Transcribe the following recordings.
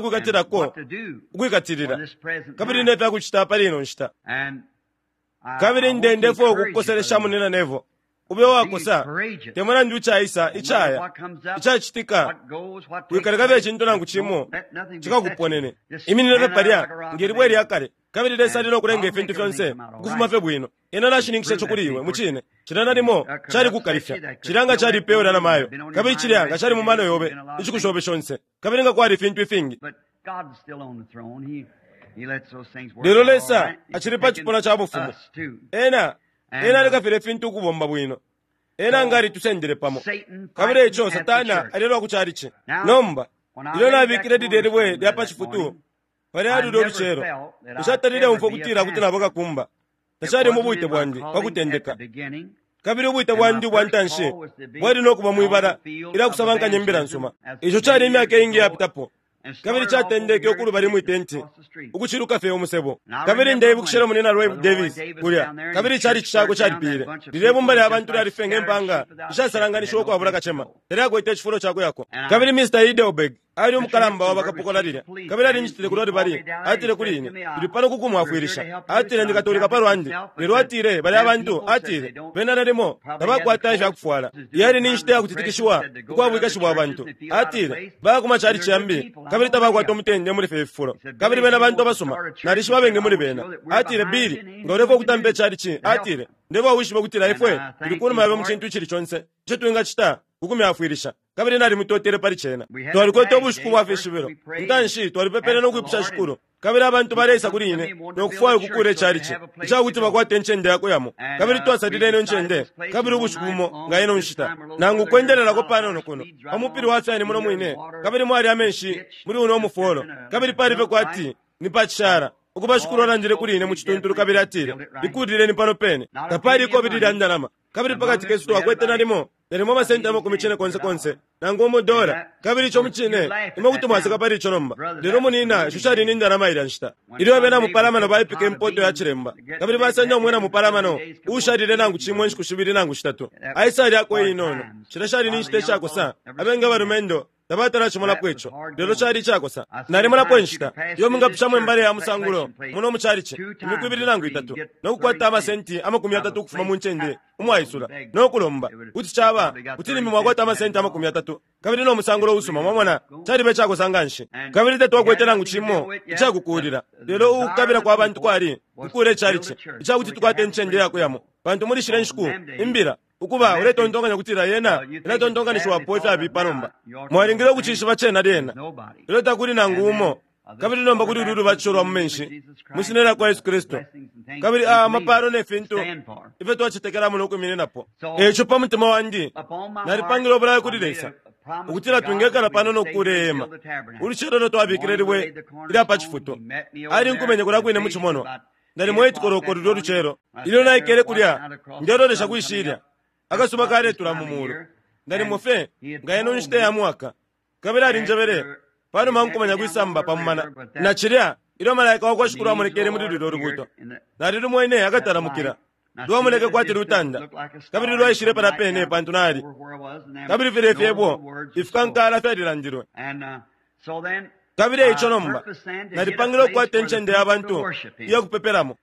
nefya kwikatilako what to do for ukwikatilila this present kabili time. nefya kucita pali ino nshita. And Kabili ndendefwe ukukukoselesha munina Nevo ube wakosa, te mulandu icaisa, icaya, icacitika, wikaleka fye icintu nangu cimo cikakuponene. Iminine fye palya nge libwe lya kale, kabili Lesa ali no kulenga ifintu fyonse ukufuma fye bwino. Ena nashininkisha ico kuli iwe. Mucine, cilya nalimo cali kukalifya, cilya nga calipewe na namayo, kabili cilya nga cali mu mano yobe inshiku shobe shonse, kabili nga kwali ifintu ifingi. Lelo Lesa acili pa cipuna ca bufumu. Ena, Ena aleka filya ifintu ukubomba bwino. Ena nga alitusendele pamo. Kabili eico Satana alelwa ku chalichi. Nomba, ilyo nabikile lilye libwe lya pa cifutu, palya lulyo lucelo, nshatalile umfwa ukutila kuti naba kakumba. Tacali mu bwite bwandi pa kutendeka. Kabili ubwite bwandi ubwa ntanshi bwali no kuba mwibala ilya kusabankanya imbila nsuma. Ico cali imyaka iingi iyapitapo. Kabili catendeke ukulubali mwi tenti, ukuciluka fye umusebo. Kabili ndeibukishila Munyina Roy Davis kulya, kabili icalici cakwe calipiile. Lilye bumba lya bantu lyali fye nge mpaanga ishasalanganishiwa ukwabula kacema, talyakwete icifulo ca kuyako. Kabili Mr. Heidelberg ali umukalamba wa bakapokola lilya, kabili alinjitile kulya lubali, atile kuli ine, Tuli pano ku kumwafwilisha. Atile, Ndi Katolika pa lwandi. Lelo atile, balya bantu, atile, bena nalimo tabakwata ifya kufwala. Yali ni nshita ya kutitikishiwa ukwa bwikashi bwa bantu. Atile, Baya ku macalici yambi, kabili tabakwata umutende muli fye fifulo. Kabili bena bantu abasuma. Nalishiba abengi muli bena. Atile, Billy, nga ulefwaya ukutampa icalici, atile, Ndefwaya wishibe ukutila ifwe tuli kunuma yobe mu cintu icili conse ico twingacita ku kumyafwilisha. Kabili nalimutotele pali cena. Twalikwete ubushiku bwa fishibilo. Intanshi twalipepele no kwipusha Shikulu. Kabili abantu baleisa kuli ine no kufwaya ukukuula icalici, ica kuti bakwate incende ya kuyamo. Kabili twasalile ino ncende, kabili ubushiku bumo nga ino nshita, nangu ukwendelelako panono kuno, pa mupili wa fyani muno mwine, kabili mwali amenshi muli uno mufolo, kabili pali fye kwati ni pa cishala. Ukuba Shikulu alandile kuli ine mu cituntulu kabili atile, Ikuulileni pano pene. Tapali ikobili lya ndalama. Kabili pa kati kesu twakwete nalimo, nalimo amasenti amakumi cine konse konse, nangu umo dola. Kabili ico mucine, imwe kuti mwaseka pali ico nomba. Lelo, munina, isho shali ni ndalama ilya nshita. Ilyo abena mupalamano baipika impoto ya cilemba, kabili basenda umwina mupalamano uushalile nangu cimo inshiku shibili nangu shitatu, aisalyako iinono. Shilya shali ni nshita ishakosa. Abengi abalumendo tabatala cimonapo ico, lelo cali icakosa. Nalimonapo inshita iyo mwingapishamo imbale ya musangulo muno mu calici imiku ibili nangu itatu, no kukwata amasenti 30 ukufuma mu ncende umwaisula, no kulomba. Kuti caba kuti limbi mwakwata amasenti 30 kabili no musangulo usuma. Mwamona, caliba icakosa nganshi. Kabili tatwakwete nangu cimo icakukuulila, lelo ukukabila kwa bantu kwali kukuula icalici icakuti tukwate incende ya kuyamo, pantu muli shilya nshiku imbila Ukuba, uletontonkanya ukutila yena ilatontonkanishiwapo ifyabipa nomba. Mwalingile ukucishiba cena lyena. Lelo takuli nangu umo. Kabili nomba kuli ulu lubatisho lwa mu menshi, mwi Shina lyakwa Yesu Kristu, kabili a, amapalo ne fintu ifyo twacetekelamo no kwimininapo. E ico pa mutima wandi, nalipangile ubulayo kuli Lesa, ukutila twingekala pano no kukuula ihema. Ulucelo ilyo twabikile libwe ilya pa cifutu, Alinkumenye kulya kwine mu cimonwa. Nalimo 8 koloko lulyo lucelo, ilyo naikele kulya ndelolesha kwi shilya, akasuba kaletula mu mulu, nalimo fye nga ino nshita ya mwaka. Kabili alinjebele panuma nkumanya kwi samba pa mumana, na cilya ilyo malaika wa kwa Shikulu amonekele muli lulyo lubuuto, nalilumwene akatalamukila, lwamoneke kwati lutanda, kabili lwaishile palya pene pantu nali. Kabili filya ifyebo ifikankala fyalilandilwe. Kabili e ico nomba, nalipangile ukukwata incende ya bantu iya kupepelamo.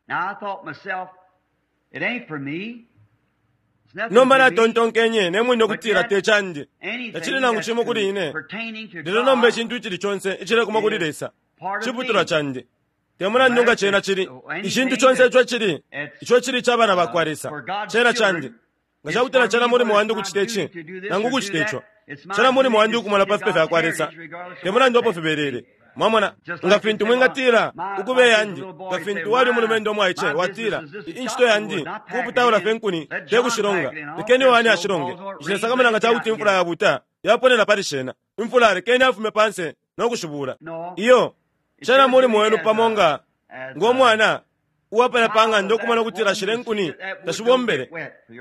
Nomba natontonkenye ne mwine ukutila te candi, tacili nangu cimo kuli ine, lelo nomba icintu icili conse icilekuma kuli Lesa ciputulwa candi. Te mulandu nga cena cili, icintu conse ico cili, ico cili ica bana bakwa Lesa, cena candi. Nga ca kutila cena mulimo wandi ukucita ici nangu ukucita ico, cena mulimo wandi ukumona pa fipe fya kwa Lesa, te mulandu apo fibelele. Mwamona, nga fintu mwingatila, Ukuba eyandi, nga fintu wali umulumendo umwaice, watila, Incito yandi kuputaula fye inkuni, te kushilonga. Lekeni Yohane ashilonge. Nshilesakamana nga ca kuti imfula yabuuta yaponena pali shena. Imfula, lekeni afume pa nse no kushibuula. Iyo, cena mulimo wenu pamo nga, ngo mwana uwa palya pa ng'anda ukumona ukutila shilya inkuni tashibombele.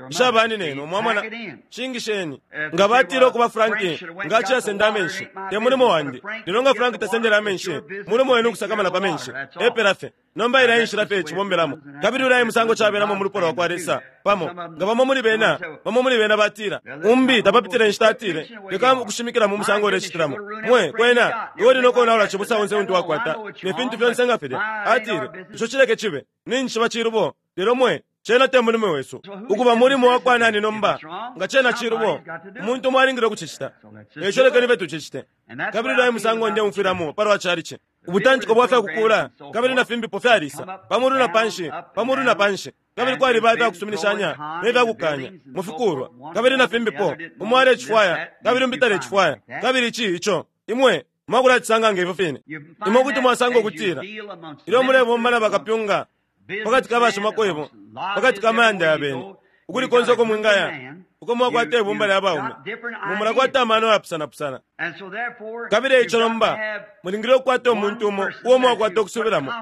Ishabani nenu, mwamona. Shingisheni. Nga batile ukuba Frank nga aciyasenda amenshi, te mulimo wandi. Lelo nga Frank tasendele amenshi, mulimo wenu ukusakamana pa menshi. Epela fye. Nomba ilya e nshila fye cibombelamo. Kabili ulya e musango cabelamo mu lupwa lwa kwa Lesa. Pamo nga bamo muli bena, bamo muli bena batila, umbi tapapitile inshita atile, leka ukushimikila mu musango ulecitilamo. Mwe, kwena, iwe uli no konaula cibusa onse untu wakwata, ne fintu fyonse nga filya. Atile, ico cileke cibe. Ninjishiba cilubo, lelo mwe, cena te mulimo wesu. Ukuba mulimo wa kwa nani nomba? Nga cena cilubo, umuntu umo alingile ukucicita. Eico lekeni fye tucicite. Kabili ulya e musango ndeumfwilamo palwa chalichi. Ubutantiko bwa fya kukuula kabili na fimbipo fyalisa, pa mulu na panshi, pa mulu na panshi. Kabili kwaliba ifya kusuminishanya ne fya kukaanya mu fikuulwa, kabili na fimbipo, umo alecifwaya kabili umbi talecifwaya, kabili ici, ico. Imwe mwakulacisanga nge fyo fine. Imwe kuti mwasanga ukutila ilyo mulebomba na bakapyunga pa kati ka bashimakwebo, pa kati ka mayanda ya beni, ukuli konse uko mwingaya, uko mwakwata ibumba lya baume, mu mulakwata amano ayapusanapusana. Kabili eico nomba mulingile ukukwata umuntu umo uo mwakwata ukusubilamo,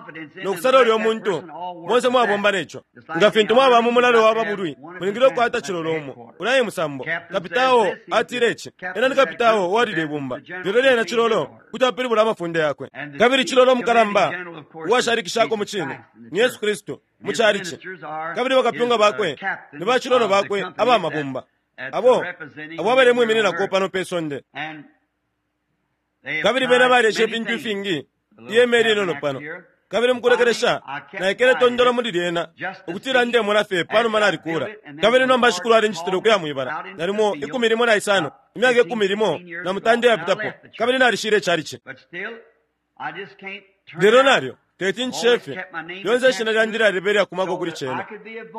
no kusala ulyo muntu bonse mwabomba ne co. Nga fintu mwaba mu mulalo wa babulwi, mulingile ukukwata cilolo umo. Ulya e musambo. Kapitao atile ici. Ena ni kapitao uwa lilye bumba, lelo lyena cilolo kuti apilibula amafunde yakwe. Kabili cilolo mukalamba uwashalikishako mu cine ni Yesu Kristu mu calici, kabili bakapyunga bakwe ni bacilolo bakwe aba mabumba, abo abo abalemwimininako pano pe sonde. Kabili bena balesha ifintu ifingi, ihema ilinono pano. Kabili mukulekelesha naikele tondolo muli lyena, ukutila ndemona fye panuma nalikula. Kabili nomba Shikulu alincitile ukuya mwibala, nalimo 15, imyaka 15 iyapitapo, kabili nalishile icalici. Lelo nalyo teti ncite fye, lyonse ishina lyandi lyaliba ilyakumako kuli cena,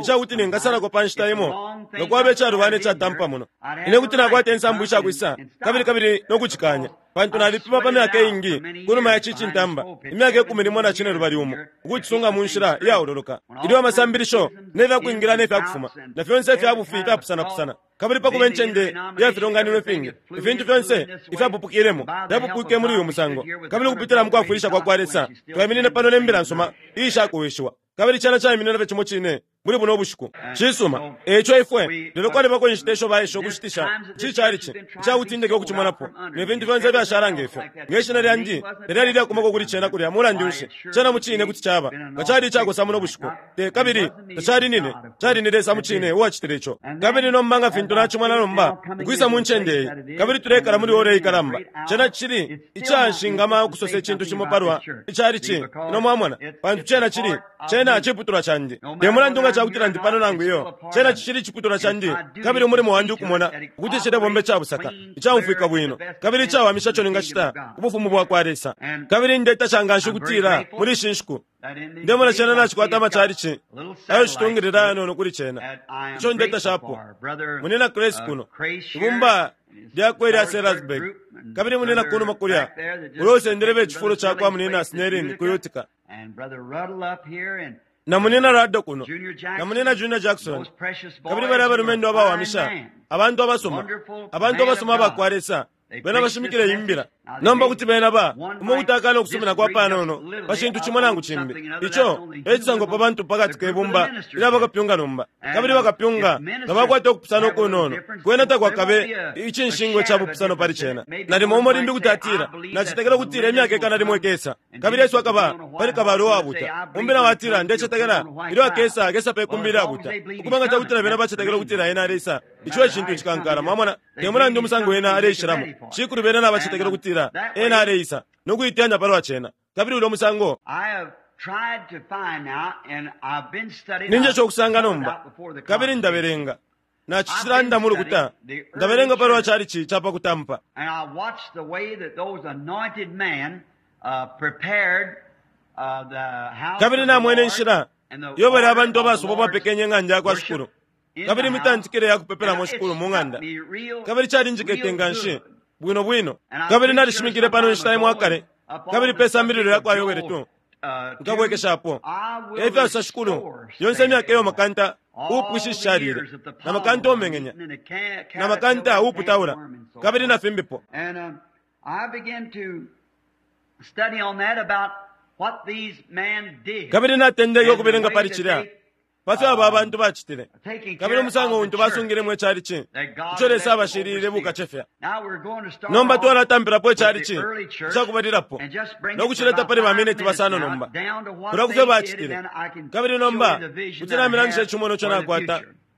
ica kuti ningasalako pa nshita imo nga kwaba icalubana icatampa muno. Ine kuti nakwata insambu isha kwisa kabili kabili no kucikaanya, pantu nalipima pa myaka iingi kunuma ya ici cintamba, imyaka 11, ukucisunga mu nshila iyaololoka, ilyo amasambilisho ne fya kwingila ne fya kufuma na fyonse ifya bufi ifyapusanapusana, kabili pa kuba incende iya filonganino ifingi, ifintu fyonse ifyapupukilemo fyapupwike muli uyu musango, kabili ukupitila mu kwafwilisha kwa kwa Lesa twaiminine pano ne mbila nsuma iishakuwishiwa, kabili cena caiminina fye cimo cine muli buno bushiku. Cisuma. E ico ifwe, lelo kwalibako inshita isho baesha ukushitisha ici calici ica kuti ndeke ukucimonapo, ne fintu fyonse ifyashala nge fyo. Nge shina lyandi talyali ilyakumako kuli cena kulya, mulandu nshi, cena mucine kuti caba nga cali icakosa muno bushiku. Te, kabili tacali nine, cali ni Lesa mucine uwacitile ico. Kabili nomba nga fintu nacimona nomba, ukwisa mu ncende iyi, kabili tulekala muli ora ikalamba, cena cili icanshingama ukusosa icintu cimo palwa icalici, ino mwamona, pantu cena cili, cena ciputulwa candi. Te mulandu nga cakutila ndi pano nangu iyo, cena cicili iciputulwa candi, kabili umulimo wandi ukumona ukuti cilebomba icabusaka, icaumfwika bwino, kabili icawamisha ico ningacita ku Bufumu bwakwa Lesa. Kabili ndetasha nganshi ukutila muli ishi nshiku ndemona cena nacikwata amacalici ayo citungilila ayanono kuli cena, ico ndetashapo. Munina Grace kuno, ibumba lyakwe ilya Sellersburg, kabili munina kunuma kulya, ulo usendele be cifulo cakwa munina Snelling ku Utica, na munina Rado kuno, na munina Junior Jackson, kabili bali abalumendo abawamisha, abantu abasuma, abantu abasuma abakwa Lesa, bena bashimikile iyi mbila. Nomba kuti bena ba umo kuti akana ukusumina kwa panono pa cintu cimo nangu cimbi, ico e cisangwa pa bantu pakati ke bumba ilya bakapyunga nomba. Kabili bakapyunga nga bakwata ukupusana ukunono, kwena takwakabe icinshingwa ca bupusano pali cena. Nalimo umo limbi kuti atila, Nacetekela ukutila imyaka 100 ikesa, kabili Yesu akaba pali kabalwe uwabuta. Umbi nao atila, Ndecetekela ilyo akesa, akesa pe kumbi ilyabuta. Ukuba nga cakutila bena bacetekela ukutila ena aleisa, ico e cintu icikankala. Mwamona? Te mulandu umusango ena aleishilamo, shikulu bena nabacetekela ukutila ena aleisa, no kuiteyanya palwa cena. Kabili ulyo musango. Ninjesha ukusanga nomba, kabili ndabelenga. Nacicilanda mu lukuta, ndabelenga palwa calici ca pa kutampa. Kabili namwene inshila iyo balya abantu abasubwa bapekenye ing'anda ya kwa Shikulu, kabili imitantikile ya kupepelamo Shikulu mu ng'anda. Kabili calinjikete nganshi bwino bwino. Kabili nalishimikile pano inshita imo akale, kabili pe sambililo lya kwa Yoele 2, nkabwekeshapo. E fyasosa Shikulu, yonse imyaka iyo makanta uupwishishishalile, na makanta umeng'enya, na makanta uuputaula, kabili na fimbipo. Kabili natendeke ukubelenga pali cilya, pa fyo aba abantu bacitile, kabili umusango untu basungilemo icalici, ico Lesa abashilile bukacefya. Nomba twalatampilapo icalici icakubalilapo, no kucileta pali ba miniti basano nomba, kulya kufyo bacitile. Kabili nomba kuti namilangisha icimono ico nakwata.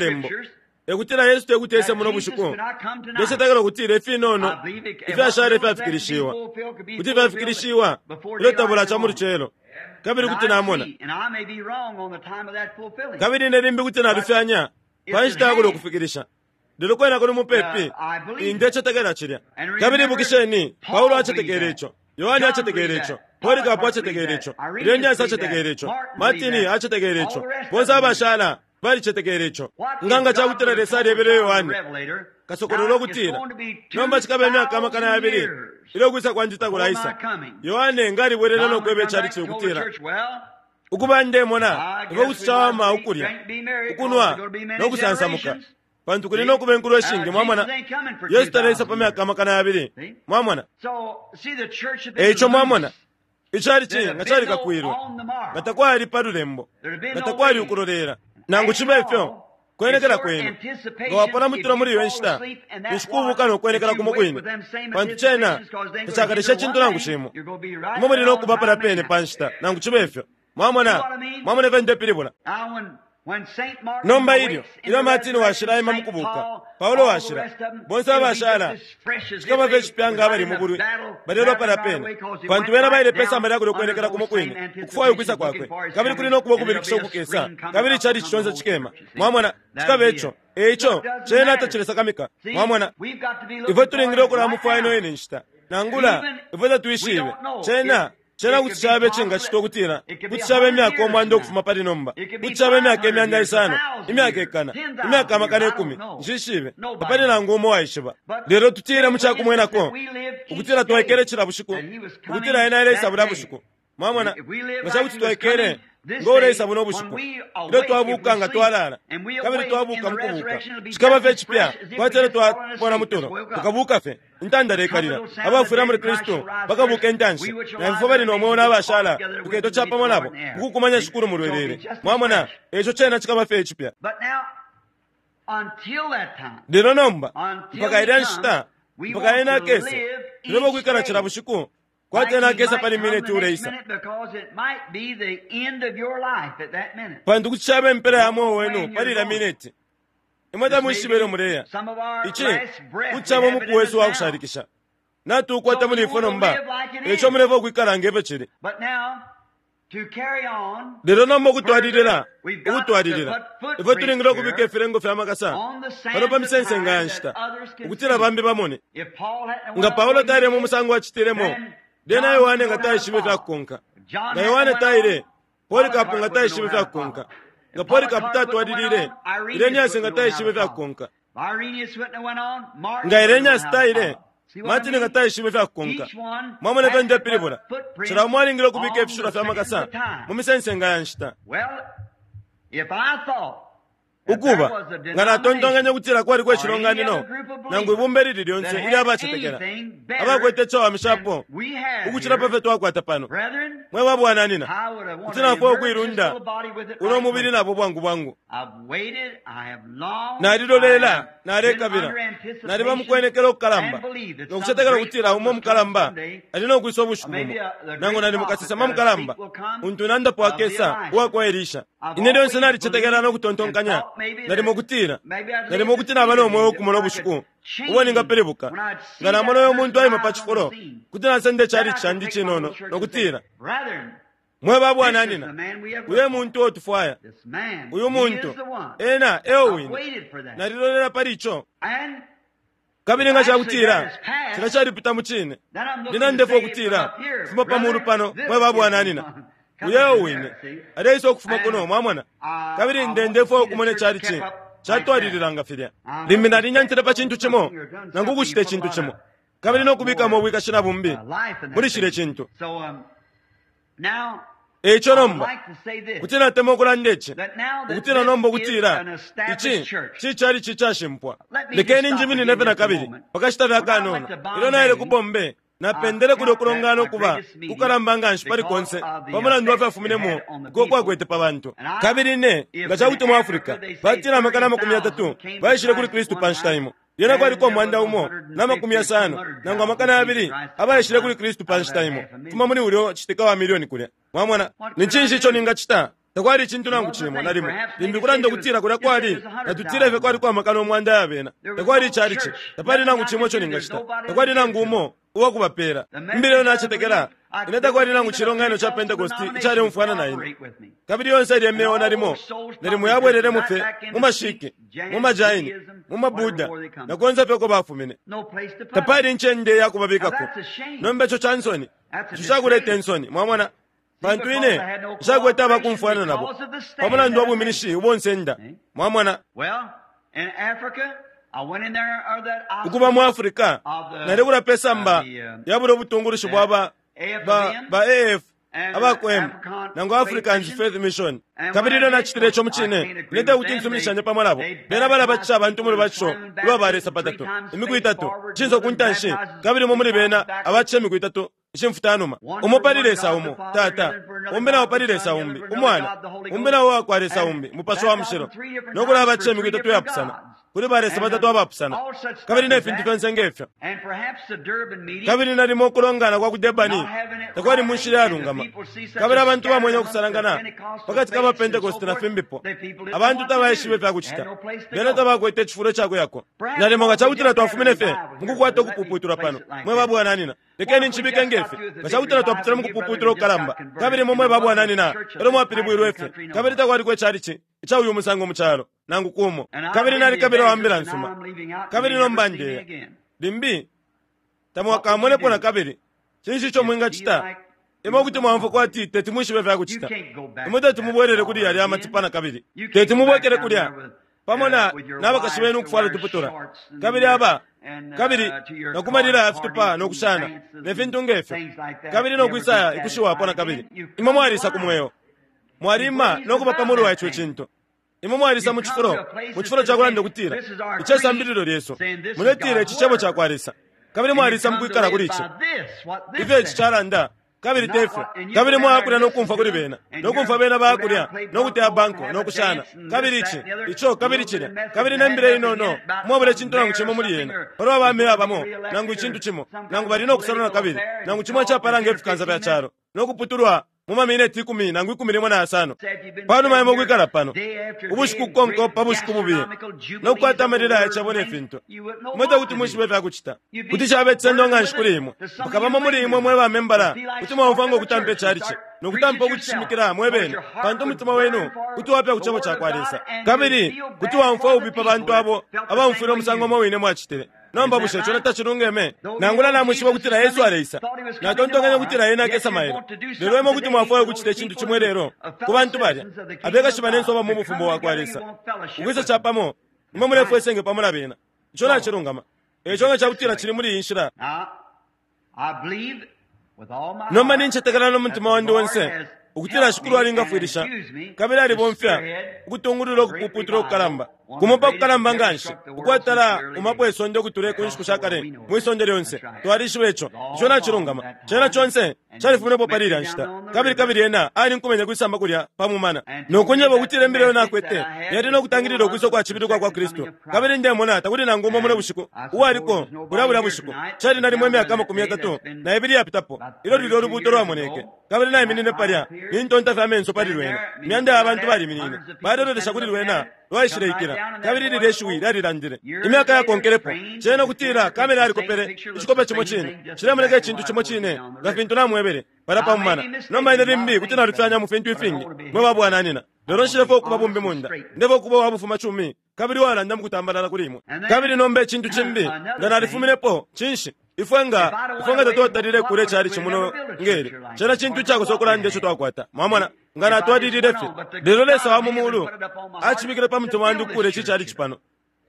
Malembo, e kutila Yesu te kuti ese muno bushiku. Ndecetekela ukutila ifinono ifyashala ifyafikilishiwa kuti fyafikilishiwa ilyo tabulaca mu lucelo. Kabili kuti namona. Kabili ine limbi kuti nalufyanya pa nshita ya kulya ukufikilisha. Lelo kwena kuli mupepi, ndecetekela cilya. Kabili ibukisheni, Paulo acetekele ico, Yohane acetekele ico, Polikapu acetekele ico, Irenaeus acetekele ico, Martini acetekele ico, bonse abashala balicetekele ico. Nga nga ca kutila Lesa alyebele Yohane kasokolola ukutila nomba cikaba imyaka 2000 ilyo kwisa kwandi takulaisa, Yohane nga alibwelele no kweba icalici ukutila, Ukuba ndemona ifyo kuti cawama ukulya, ukunwa, no kusansamuka, pantu kuli no kuba inkulo ishingi. Mwamona, Yesu taleisa pa myaka 2000. Mwamona? E ico mwamona, icalici nga calikakwilwe, nga takwali pa lulembo, nga takwali ukulolela. Nangu cibe ifyo, kwenekela kwenu nga wapona mutulo muli iyo nshita, ninshi kubuka no kwenekela kumo kwine, pantu cena tacakaleshe icintu nangu cimo. Imwe muli no kuba palya pene pa nshita, nangu cibe ifyo. Mwamona? Mwamona ifyo ndepilibula? Nomba ilyo, ilyo Martini washila aima mukubuka, Paulo washila, bonse abashala, cikaba fye icipya nga abali mu bulwi, balelwa palya pene, pantu bena baile pe samba lya kulyo kwenekela kumo kwine, ukufwaya ukwisa kwakwe, kabili kuli no kuba ukubilikisha ukukesa, kabili icalici conse cikema. Mwamona, cikaba ico. E ico, cena tacilesakamika. Mwamona, ifwe tulingile ukulamufwaya ino ine nshita, nangula ifwe tatwishibe. Cena Cena kuti caba icingacitwa ukutila kuti caba imyaka 100 ukufuma pali nomba, kuti caba imyaka 500, imyaka 1,000, imyaka 10,000, nshishibe, tapali nangu umo uwaishiba. Lelo tutile mu ca kumwenako ukutila twaikele cila bushiku, ukutila ena aleisa bulya bushiku. Mwamona, nga ca kuti twaikele ngo uleisa buno bushiku, ilyo twabuka nga twalala, kabili twabuka mukubuka, cikaba fye icipya kwati elyo twapona mutulo, tukabuka fye. Intandala ikalila, abafwila muli Kristu bakabuka intanshi, na ifwe bali no mweo nabashala tuketwa capamo nabo mukukumanya Shikulu mu lwelele. Mwamona, eco cena cikaba fye icipya. Lelo nomba, mpaka ilya nshita, mpaka ena akese, tuleba ukwikala cila bushiku kwati ena akesa pali mineti uleisa, pantu kuti caba impela ya mweo wenu pali ilya mineti. Imwe tamwishibe ilyo muleya. Ici kuti caba umuku wesu wa kushalikisha. Natuukwata muli ifwe nomba, eco mulefwaya ukwikala nge fyo cili. Lelo nomba ukutwalilila, ukutwalilila, ifwe tulingile ukubika ifilengo fya makasa pano pa misensenga ya nshita, ukutila bambi bamone. Nga Paulo taile mu musango acitilemo, lyena Yohane nga taishibe ifya kukonka. Nga Yohane taile, Polikapu nga taishibe ifya kukonka. Nga Polikapu tatwalilile, Irenaeus nga taishibe ifya kukonka. Nga Irenaeus taile, Martin nga taishibe ifya kukonka. Mwamona ifyo ndepilibula? Cila umo alingile ukubika ifishilwa fya makasa mu misensenga ya nshita. Ukuba, nga natontonkanya ukutila kwaliko icilonganino nangu ibumba ilili lyonse ilya bacetekela abakwete icawamishapo ukucila pa fyo twakwata pano, mwe ba bwananyina, kuti nafwaya ukuilunda uno mubili nabo bwangu bwangu. Nalilolela, nalekabila, naliba mukwenekela ukukalamba no kucetekela ukutila umo mukalamba ali no kwisa ubushiku bumo, nangu nali mukasesema mukalamba untu nandapo akesa uwa kwa Elisha. Ine lyonse nalicetekela no kutontonkanya nalimo kutila, nalimo kuti naba no mweo ukumona ubushiku ubo ningapilibuka. Nga namona uyo muntu aima pa cifulo, kuti nasenda icalici candi cinono no kutila, mwe ba bwananyina, uyo e muntu uo tufwaya, uyu muntu ena eo wine. Nalilolela pali ico. Kabili nga cakutila cila calipita mu cine, lyena ndefwaya ukutila fuma pa mulu pano, mwe ba bwananyina, uyo eo wine aleisa ukufuma kuno. Mwamona? Kabili nde ndefwaya ukumona icalici catwalilila nga filya. Limbi nalinyantile pa cintu cimo nangu ukucita icintu cimo, kabili no kubikamo ubwikashi na bumbi muli cilya cintu. E ico nomba, kuti natemwa ukulanda ici, ukutila nomba ukutila ici cicalici icashimpwa. Lekeni njiminine fye na kabili pa kashita fye akanono. Ilyo naile ku Bombay, napendele kulya ukulongana ukuba kukalamba nga nshi pali konse pa mulandu wa fyafuminemo uko kwakwete pa bantu. Kabili ine, nga ca kuti mu Africa batila 30,000 baishile kuli Kristu pa nshita imo, lyena kwaliko 1,600 nangu 2,000 abaishile kuli Kristu pa nshita imo, kufuma muli ulyo citika wa milioni kulya. Mwamona? Ni cinshi ico ningacita? Takwali icintu nangu cimo, nalimo. Limbi kulanda ukutila kulya kwali, natutile fye kwaliko 100,000 ya bena. Takwali icalici, tapali nangu cimo ico ningacita. Takwali nangu umo uwa kubapela. Imbila iyo nacetekela, ine takwali nangu cilonganino ca Pentecosti icaleumfwana na ine. Kabili yonse ilye myeo nalimo, nalimo yabwelelemo fye mu mashiki, mu majaini, mu mabuddha, na konse fye uko bafumine. Tapali incende ya kubabikako. Nomba ico ca nsoni, ico cakuleta insoni, mwamona. Pantu ine nshakwete abakumfwana nabo pa mulandu wa bwiminishi ubo nsenda, mwamona. Ukuba mu Africa, nalekula pe samba ya bulyo butungulushi bwa ba, ba, ba AF, aba ku M, nangu Africans Faith Mission. Kabili ilyo nacitile ico mucine, ine tekuti nsuminishanye pamo nabo. Bena balabatisha abantu mu lubatisho ulwa ba Lesa patatu, imiku itatu, icinso ku ntanshi, kabili umo muli bena abatisha imiku itatu, ishimfutanuma. Umo pali Lesa umo, Tata, umbi nao pali Lesa umbi, Umwana, umbi nao uwakwa Lesa umbi, Mupashi wa Mushilo, no kulabatisha imiku itatu iyapusana, kuli ba Lesa batatu abapusana, kabili ne fintu fyonse ngefyo. Kabili nalimo ukulongana kwa ku Durban takwali mu nshila iyalungama, kabili abantu bamwene ukusalangana pakati ka ba Pentecost na fimbipo. Abantu tabaishibe ifya kucita, bena tabakwete icifulo ica kuyako. Nalimo nga cakutila twafumine fye mukukwata ukupuputulwa pano, mwe ba bwananyina, lekeni ncibike ngefi. Nga cakutila twapitile mukupuputulwa kukalamba, kabili imwe mwe ba bwananyina elyo mwapilibwilwe fye, kabili takwaliko icalici ica uyu musango mu calo nangu kumo. Kabili nalikabila wa mbila nsuma, kabili nomba ndeya limbi tamwakamonepo na kabili. Cinshi ico mwingacita? Imwe kuti mwaumfwa kwati teti mwishibe ifya kucita. Imwe teti mubwelele kuli yalya amatipa na kabili. Teti mubwekele kulya pamo na nabakashi benu ukufwala utuputula, kabili aba kabili na kumalila ya fitupa no kushana ne fintu ngefyo, kabili no kwisaya ikushiwapo na kabili. Imwe mwalisa ku mweo, mwalima no kuba pa mulu wa ico cintu. Imwe mwalisa mu cifulo, mu cifulo ca kulanda ukutila ici esambililo lyesu, muletila ici cebo ca kwa Lesa, kabili mwalisa mu kwikala kuli ici, ifyo ici calanda, kabili tefyo. Kabili mwaya kulya no kumfwa kuli bena, no kumfwa bena baya kulya no kuteya banko no kushana, kabili ici, ico, kabili cilya, kabili ne mbila inono, mwabula icintu nangu cimo muli yena. Palwa ba meya bamo, nangu icintu cimo, nangu bali no kusalwa na kabili, nangu cimo icapala nge fikansa fya calo, no kuputulwa mu mamineti ikumi nangu 15. Panuma imwe ukwikala pano ubushiku kukonkapo pa bushiku bubiye, no kukwata amalila ya cabo ne fintu, imwe tekuti mwishibe ifya kucita. Kuti caba icisendo nga nshi kuli imwe. Mukabamo muli imwe mwe bamembala, kuti mwaumfwa ngo kutampa icalici no kutampa ukucishimikila mwe bene, pantu umutima wenu kuti wapya ku cebo ca kwa Lesa, kabili kuti waumfwa ububi pa bantu abo abaumfwile umusango umo wine mwacitile. Nomba bushe ico tacilungeme? Nangula namwishiba ukutila Yesu aleisa, natontonkanya ukutila ena akesa mailo, lelo imwe kuti mwafwaya ukucita icintu cimo lelo ku bantu balya abekashi banensu aba mu bufumu bwa kwa Lesa, ukwisa capamo, imwe mulefwa isenge pamo na bena. Ico nacilungama. Eco nga cakutila cili muli iyi nshila. Nomba nincetekela no mutima wandi onse ukutila Shikulu alingafwilisha kabili alibomfya ukutungulula ukupuputula ukukalamba, kumo pa kukalamba nga nshi ukwatala umapo isonde ukutula ku nshiku sha kale mwi sonde lyonse. Twalishiba ico. Ico nacilungama. Cena conse califuminepo pali ilya nshita. Kabili kabili ena alinkumenye kwisamba kulya pa mumana no kunjeba ukutila imbila iyo nakwete yali no kutangilila ukwisa kwa cibili ukwa kwa Kristu. Kabili ndemona takuli nangu umo muno bushiku uwaliko bulya bulya bushiku. Cali nalimo imyaka 32 iyapitapo ilyo lulya ulubuuto lwamoneke. Kabili naiminine palya nintonta fye amenso pali lwena. Imyanda ya bantu baliminine, balelolesha kuli lwena lwaishileikila, kabili lilye shiwi lyalilandile. Imyaka yakonkelepo, cena ukutila kamera yalikopele icikope cimo cine, cilemoneka icintu cimo cine nga fintu namwebele palya pa mumana. Nomba ine limbi kuti nalufyanya mu fintu ifingi, mwe ba bwananyina, lelo nshilefwaya ukuba bumbi munda. Ndefwaya ukuba uwa bufumacumi kabili uwalanda mu kutambalala kuli imwe. Kabili nomba icintu cimbi, nga nalifuminepo, cinshi? Ifwe nga, ifwe nga tatwatalile kule calici muno ngeli. Cena cintu icakosa ukulanda ico twakwata. Mwamona? Nga natwalilile fye. Lelo Lesa wa mu mulu acibikile pa mutima wandi ukukula ici calici pano.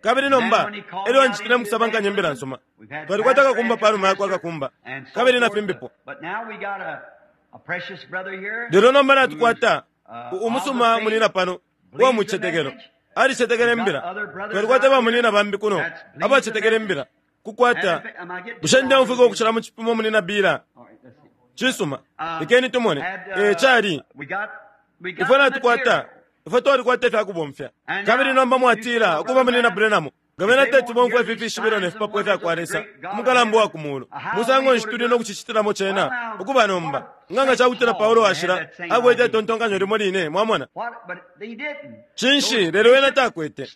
Kabili nomba, elyo ancitile mukusabankanya imbila nsuma. Twalikwata kakumba panuma yakwa kakumba, kabili na fimbipo. Lelo nomba natukwata umusuma munina pano uwa mucetekelo. Alicetekele imbila. Twalikwata ba munina bambi kuno abacetekele imbila. Kukwata bushe ndeumfwika ukucila mu cipimo munina Bila? Cisuma, lekeni tumone. E cali ifwe natukwata, ifwe twalikwata ifya kubomfya. Kabili nomba mwatila ukuba munina Branham, nga bena teti bomfwa ifi fishibilo ne fipapwa ifya kwa Lesa umukalamba uwa ku mulu, musango nshi tuli no kucicitilamo cena ukuba nomba? Nga nga ca kutila Paulo washila akwete itontonkanyo limo line, mwamona. Cinshi, lelo ena takwete.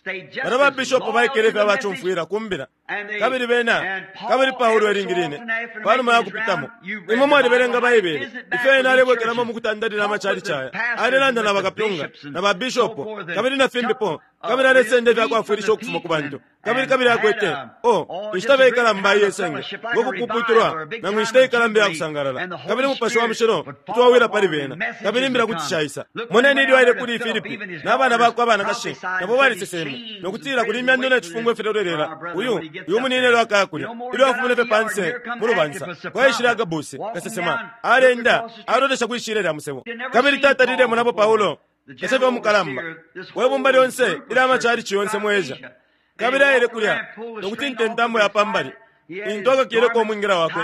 Bana ba bishopo baikele fye abacumfwila ku mbila. Kabili bena, kabili Paulo ilingi line, panuma ya kupitamo. Imwe mwalibelenga Baibele, ifyo ena alebwekelamo mukutandalila amachalichi aya. Alelanda na bakapyunga, na ba bishopo, kabili na fimbipo, kabili alesenda ifyakwafwilisha ukufuma ku bantu. Kabili, kabili akwete, oh, inshita fye ikalamba iye senge, ngo kupuputulwa, nangu inshita ikalamba iya kusangalala. Kabili Mupashi wa Mushilo kuti wawila pali bena, kabili imbila kuti shaisa. Moneni ilyo aile kuli Filipi, na bana bakwe abanakashi, nabo baliseseme, no kutila kuli imyando ne cifungo ifilelolela uyu, uyu munine ilyo akaya kulya. Ilyo afumine fye panse mu lubansa, kwaishile Agabuse, kasesema, alenda, alolesha kwi shilya lya musebo. Kabili tatalile monapo Paulo, kasefya mukalamba, we bumba lyonse ilya macalici yonse mu Asia. Kabili aile kulya, no kutinta intambo ya pambali, intu akakileko umwingila wakwe,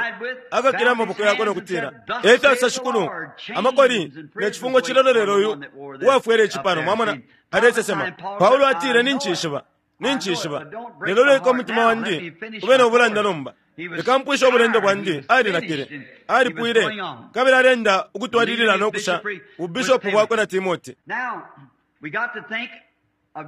akakile amaboko yakwe no kutila, E fyasosa Shikulu, amakoli ne cifungo cilolelelo uyu uwafwele ici pano. Mwamona, alesesema. Paulo atile, Nincishiba, nincishiba, lelo leka umutima wandi ube no bulanda nomba. Leka mpwishe ubulendo bwandi. Alinakile, alipwile, kabili alenda ukutwalilila no kusha ubishopu bwakwe na Timote.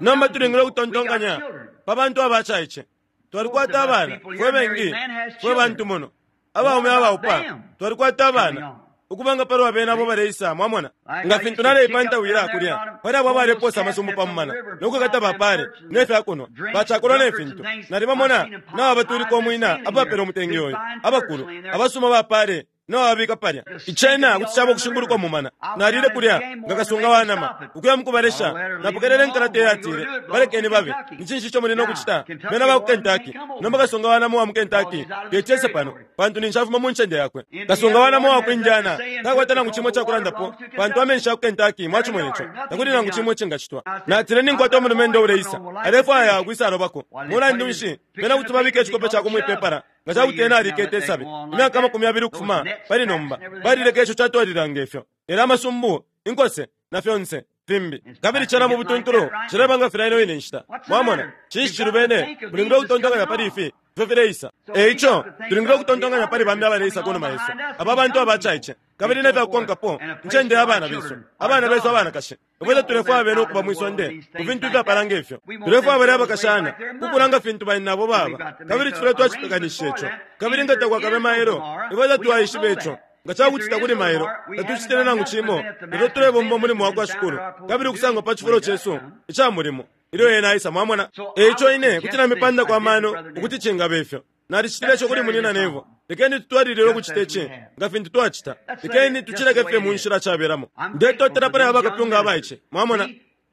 Nomba tulingile ukutontonkanya pa bantu abacaice. Twalikwata abana, fwe bengi, fwe bantu muno, abaume abaupa, twalikwata abana. Ukuba nga palwa bena abo baleisa, mwamona. Nga fintu naleipantawila kulya, pali abo abaleposa amasumbu pa mumana, no kwikata bapale, ne fya kunwa, bacakolwa ne fintu. Nalibamona nababatulika umwina apapela umutenge uyu, abakulu, abasuma bapale, nababika palya. Icena kuti caba ukushinguluka umumana. Nalile kulya nga kasunga wa nama, ukuya mukubalesha. Napokelele inkalata iyatile, Balekeni babe. Ni cinshi ico muli no kucita? Bena ba ku Kentucky. Nomba kasunga wa nama uwa mu Kentucky teti ese pano, pantu ninshi afuma mu ncende yakwe. Kasunga wa nama uwa ku Indiana takwata nangu cimo icakulandapo, pantu amenshi ya ku Kentucky. Mwacimone co. Takuli nangu cimo icingacitwa. Natile, Ninkwata umulumendo uleisa, alefwaya ukwisalobako. Mulandu nshi, bena kuti babika icikope cakwe mwipepala nga ca kuti ena alikete isabi imyaka 20 ukufuma pali nomba. Balileka ico catwalilila nge fyo. Lelo amasumbu, inkose, na fyonse fimbi, kabili cena mu butuntulu cileba nga filya ino ine nshita. Mwamona? Cinshi cilubene? Mulingile ukutontonkanya pali ifi ifyo fileisa. E ico, tulingile ukutontonkanya pali bambi abaleisa ku numa yesu, aba bantu abacaice, kabili ne fya kukonkapo, incende ya bana besu, abana besu abanakashi. Ifwe tatulefwaya bena ukuba mwi sonde ku fintu ifyapala nge fyo. Tulefwaya balya abakashana ukukula nga fintu banyinabo baba, kabili tufwile twacipekanishisha ico. Kabili nga takwakabe mailo, ifwe tatwaishiba ico. Nga ca kuti takuli mailo, tatucitile nangu cimo, lelo tulebomba umulimo wa kwa Shikulu, kabili ukusangwa pa cifulo cesu ica mulimo ilyo Ena aisa. Mwamona? E ico ine kuti namipandako amano ukuti cingaba ifyo. Nalicitile ico kuli Munyina Neville. Lekeni tutwalilile ukucita ici nga fintu twacita. Lekeni tucileke fye mu nshila cabelamo. Ndetotela pali aba bakapyunga abaice. Mwamona?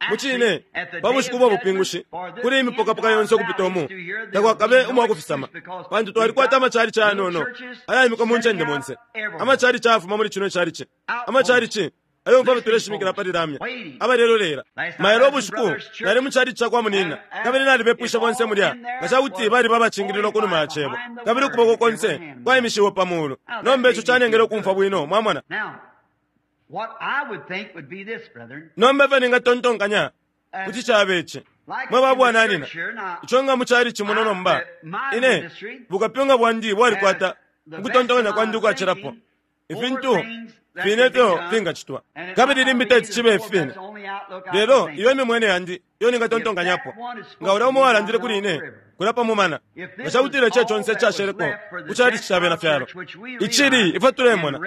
Mucine, pa bushiku bwa bupingushi, kuli imipokapoka yonse ukupita umu, takwakabe umwakufisama, pantu twalikwata amachalichi ayanono ayaimikwa mu ncende monse, amachalichi ayafuma muli cino icalichi, amachalichi ayomfwa fye tuleshimikila pali lamya, abalelolela. Mailo ubushiku nali mu chalichi ca kwa munina, kabili nalibepwishe bonse mulya nga ca kuti baliba abacingililwa ku numa ya Cebo, kabili ukuboko konse kwaimishiwe pa mulu. Nomba ico canengele ukumfwa bwino, mwamona. Nomba ifyo ningatontonkanya kuti caba ici, mwe ba bwananyina, ico nga mu chalichi muno nomba, ine, bukapyunga bwandi bwalikwata ukutontonkanya kwandi ukwacilapo, ifintu fine ifyo fingacitwa. Kabili limbi teti cibe ifi fine, lelo iyo imimwene yandi iyo ningatontonkanyapo. Nga ulya umo uwalandile kuli ine kulya pa mumana, nga cakutila ico conse icasheleko ku chalichi ca Bena fyalo, icili ifwe tulemona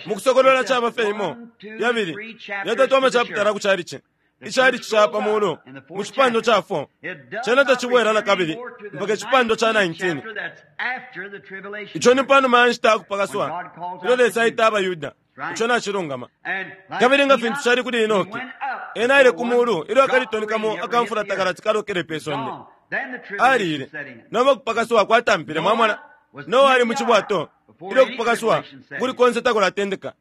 mu Kusokolola caba fye imo, yabili, yatatu amachapitala ku chalichi, ichalichi ca pa mulu mu cipandwa ca 4, cena tacibwela nakabili mpaka icipandwa ca 19. Ico ni panuma ya nshita ya kupakaswa, ilyo Lesa aita abaYuda. Ico nacilungama. Kabili nga fintu cali kuli Enoki, ena aile ku mulu ilyo akalitoni kamo aka mfula takalati kalokele pe sonde. Aliile, nomba kupakaswa kwatampile. Mwamona? Noa ali mu cibwato ilyo kupakaswa ukuli konse takulatendeka.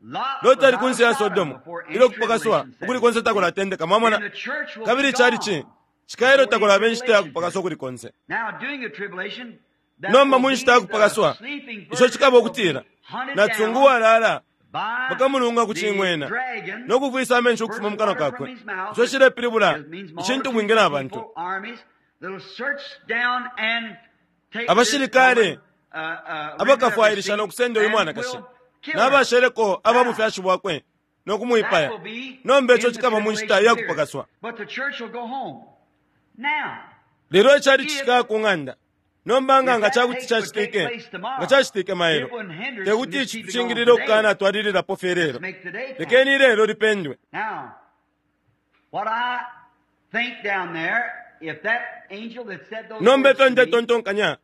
Loti ali kunse ya Sodomu ilyo kupakaswa ukuli konse takulatendeka. Mwamona? Kabili icalichi cikaya ilyo takulaba inshita ya kupakaswa ukuli konse. Nomba mu nshita ya kupakaswa, ico cikaba ukutila nacisungu uwalaala bakamulunga ku cing'wena no kufwisa amenshi ukufuma mu kanwa kakwe. Ico cilepilibula icintubwingi na bantu. Abashilikale abakafwailisha no kusenda uyu mwanakashi. Nabasheleko aba bufyashi bwakwe no kumwipaya. Nomba ico cikaba mu nshita ya kupakaswa. Lelo icali cishikaya ku ng'anda. Nomba nga nga ca kuti cacitike, nga cacitike mailo, te kuti ici tucingilile ukukanatwalililapo fye lelo. Lekeni ilelo lipendwe. Nomba ifyo ndetontonkanya,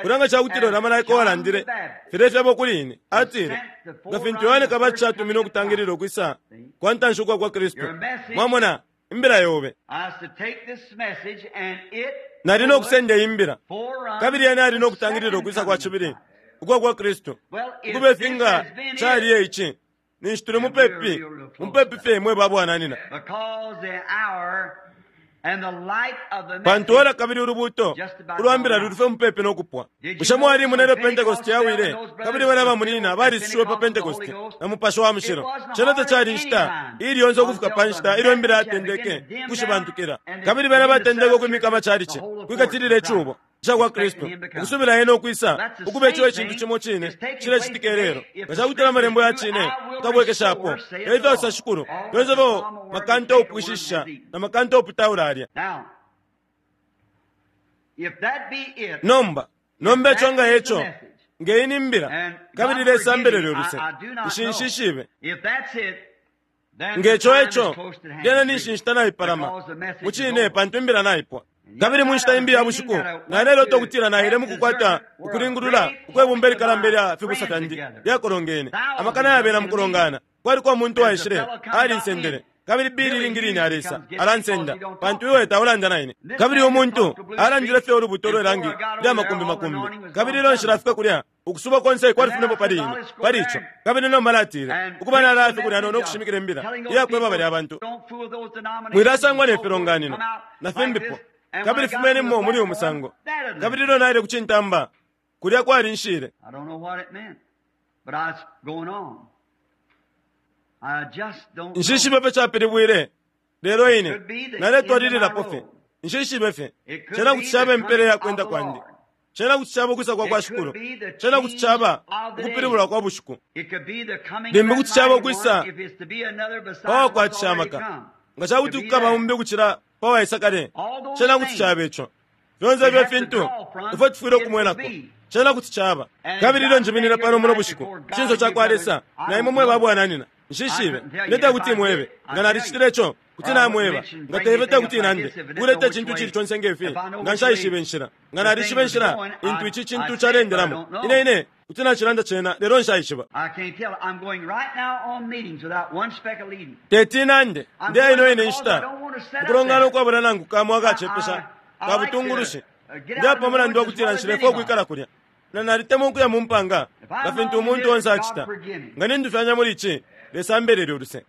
kulya nga ca kuti lona malaika uwalandile filya ifyebo kuli ine, atile, nga fintu Yohane Kabatisha atumine ukutangilila ukwisa kwa ntanshi ukwa kwa Kristu. Mwamona, imbila yobe. Nali no kusenda iyi mbila, kabili yena ali no kutangilila ukwisa kwa cibili ukwa kwa Kristu. Ukube fi nga cali e ici, ninshi tuli mupepi, mupepi fye mwe ba bwananyina. Pantu ora kabili ulubuuto ulwa mbila luli fye mupepi no kupwa. Bushe mwalimona ilyo Pentekoste yawile, kabili bena bamunyina balisushiwe pa Pentekoste na Mupashi wa Mushilo? Cena tacali inshita iili yonse ukufika pa nshita ilyo imbila yatendeke ukushibantukila, kabili bena batendeke ukwimika amacalici, ukwikatilila icubo ica kwa Kristu, ukusubila Ena ukwisa, ukuba ico icintu cimo cine cilecitika ilelo. Nga ca kutila Amalembo ya cine tukabwekeshapo, e ifyo asosa Shikulu, fyonse ifyo makanta upwishishisha na makanta uputaula alya. Nomba, nomba ico nga eco, nge iyi ni mbila, kabili Lesa ambelele uluse, nshi nshishibe. Nge co eco, lyena ninshi inshita naipalama, mucine, pantu imbila naipwa. Kabili mu nshita imbi ya bushiku, nalelota ukutila naile mu kukwata ukulingulula ukwe bumba ilikalamba ilya fibusa fyandi lyakolongene, amakana yabena mu kulongana. Kwaliko umuntu uwaishile, alinsendele. Kabili Billy ilingi line alesa, alansenda, pantu iwe taulanda na ine. Kabili umuntu alandile fye ulubuto lwe langi lya makumbi makumbi. Kabili ilyo nshilafika kulya, ukusuba konse kwalifuminepo pali ine, pali ico. Kabili nomba natile, ukuba nalaya fye kulya no kushimikila imbila iyakweba balya bantu. Mwilasangwa ne filonganino, na fimbipo. Kabili fumenimo muli uyu musango. Kabili ilyo naile ku cintamba, kulya kwalinshile. Nshishibe fye capilibwile, lelo ine naletwalililapo fye. Nshishibe fye. Cena kuti caba impela ya kwenda kwandi. Cena kuti caba ukwisa kwa kwa Shikulu. Cena kuti caba ukupilibulwa kwa bushiku. Limbi kuti caba ukwisa pa wakwatisha amaka. Nga ca kuti kukaba umbi ukucila pa waisa kale, cena kuti caba ico. Fyonse ifyo fintu ifyo tufwile ukumwenako, cena kuti caba. Kabili ilyo njiminina pano muno bushiku, ku cinso ca kwa Lesa, na imwe mwe ba bwananyina, nshishibe. Ine tekuti mwebe. Nga nalicitile ico, kuti namweba. Nga teife tekuti nande, ukuleta icintu icili conse nge fi, nga nshaishibe inshila. Nga nalishiba inshila intu ici cintu caleendelamo, ine, ine kuti nacilanda cena, lelo nshaishiba. Teti nande, ndeya ino ine nshita, mukulongana ukwabula nangu kamo akacepesha ka butungulushi. Ndeya pa mulandu wa kutila nshilefwaya ukwikala kulya. Na nalitemwa ukuya mu mpanga, nga fintu umuntu onse acita. Nga nindufyanya muli ici, Lesa ambelele uluse.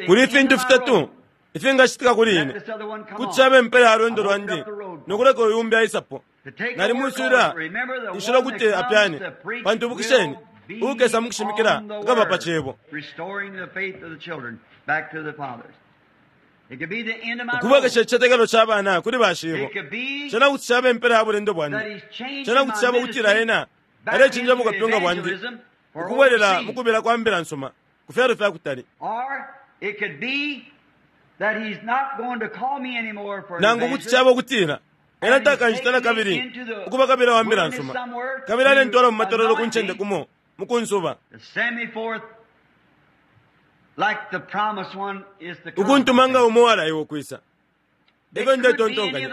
Kuli ifintu fitatu ifingacitika kuli ine. Kuti caba impela ya lwendo lwandi no kuleka uyu umbi aisapo. Nalimwiswila inshila ukuti apyane, pantu ibukisheni, uukesa mu kushimikila akaba pa cebo. Ukubwekesha icitetekelo ca bana kuli bashibo. Cena kuti caba impela ya bulendo bwandi. Cena kuti caba ukutila ena alecinja bukapyunga bwandi ukubwelela mu kubila kwa mbila nsuma ku fyalo fya kutali. Nangu kuti caba ukutila ena takanjita na kabili ukuba kabila wa mbila nsuma, kabili alentwala mu matololo ku ncende kumo mu kunsuba, ukuntuma nga umo uwalaiwa ukwisa. Efyo ndetontonkanya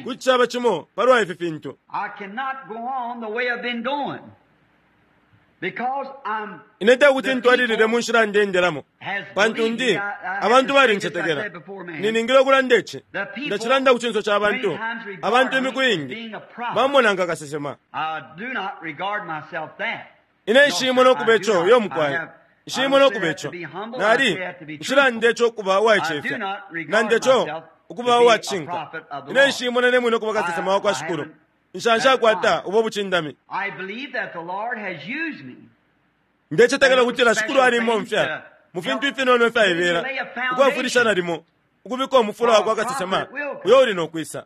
kuti caba cimo palwa ifi fintu. Ine tekuti ntwalilile mu nshila ndendelamo, pantu ndi abantu balincetekela. Niningile ukulanda ici, ndacilanda ku cinso ca bantu. Abantu imiku iingi bamona nga kasesema. Ine nshimona ukuba ico, iyo mukwai. Nshimona ukuba ico. Nali nshilanda ico ukuba uwaicefya, nanda ico ukuba uwacishinka. Ine nshimona ne mwine ukuba kasesema wa kwa Shikulu. Nshanshakwata ubo bucindami. Ndecetekela ukutila Shikulu alimbomfya mu fintu ifinono ifyaibela ukwafwilisha nalimo ukubika umufula wa kwa kasesema uyo uli no kwisa.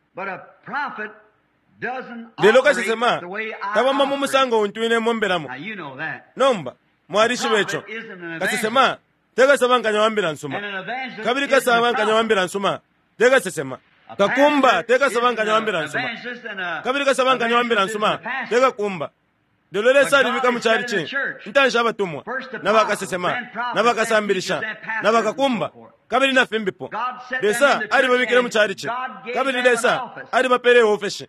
Lelo kasesema tabomba mu musango untu ine mombelamo. Nomba mwalishiba ico. Kasesema te kasabankanya wa mbila nsuma, kabili kasabankanya wa mbila nsuma te kasesema. Kakumba te kasabankanya wa mbila nsuma, kabili kasabankanya wa mbila nsuma te kakumba. Lelo Lesa alibika mu chalichi intanshi abatumwa na bakasesema na bakasambilisha na bakakumba kabili na fimbipo. Lesa alibabikile mu chalichi kabili Lesa alibapele iofeshi.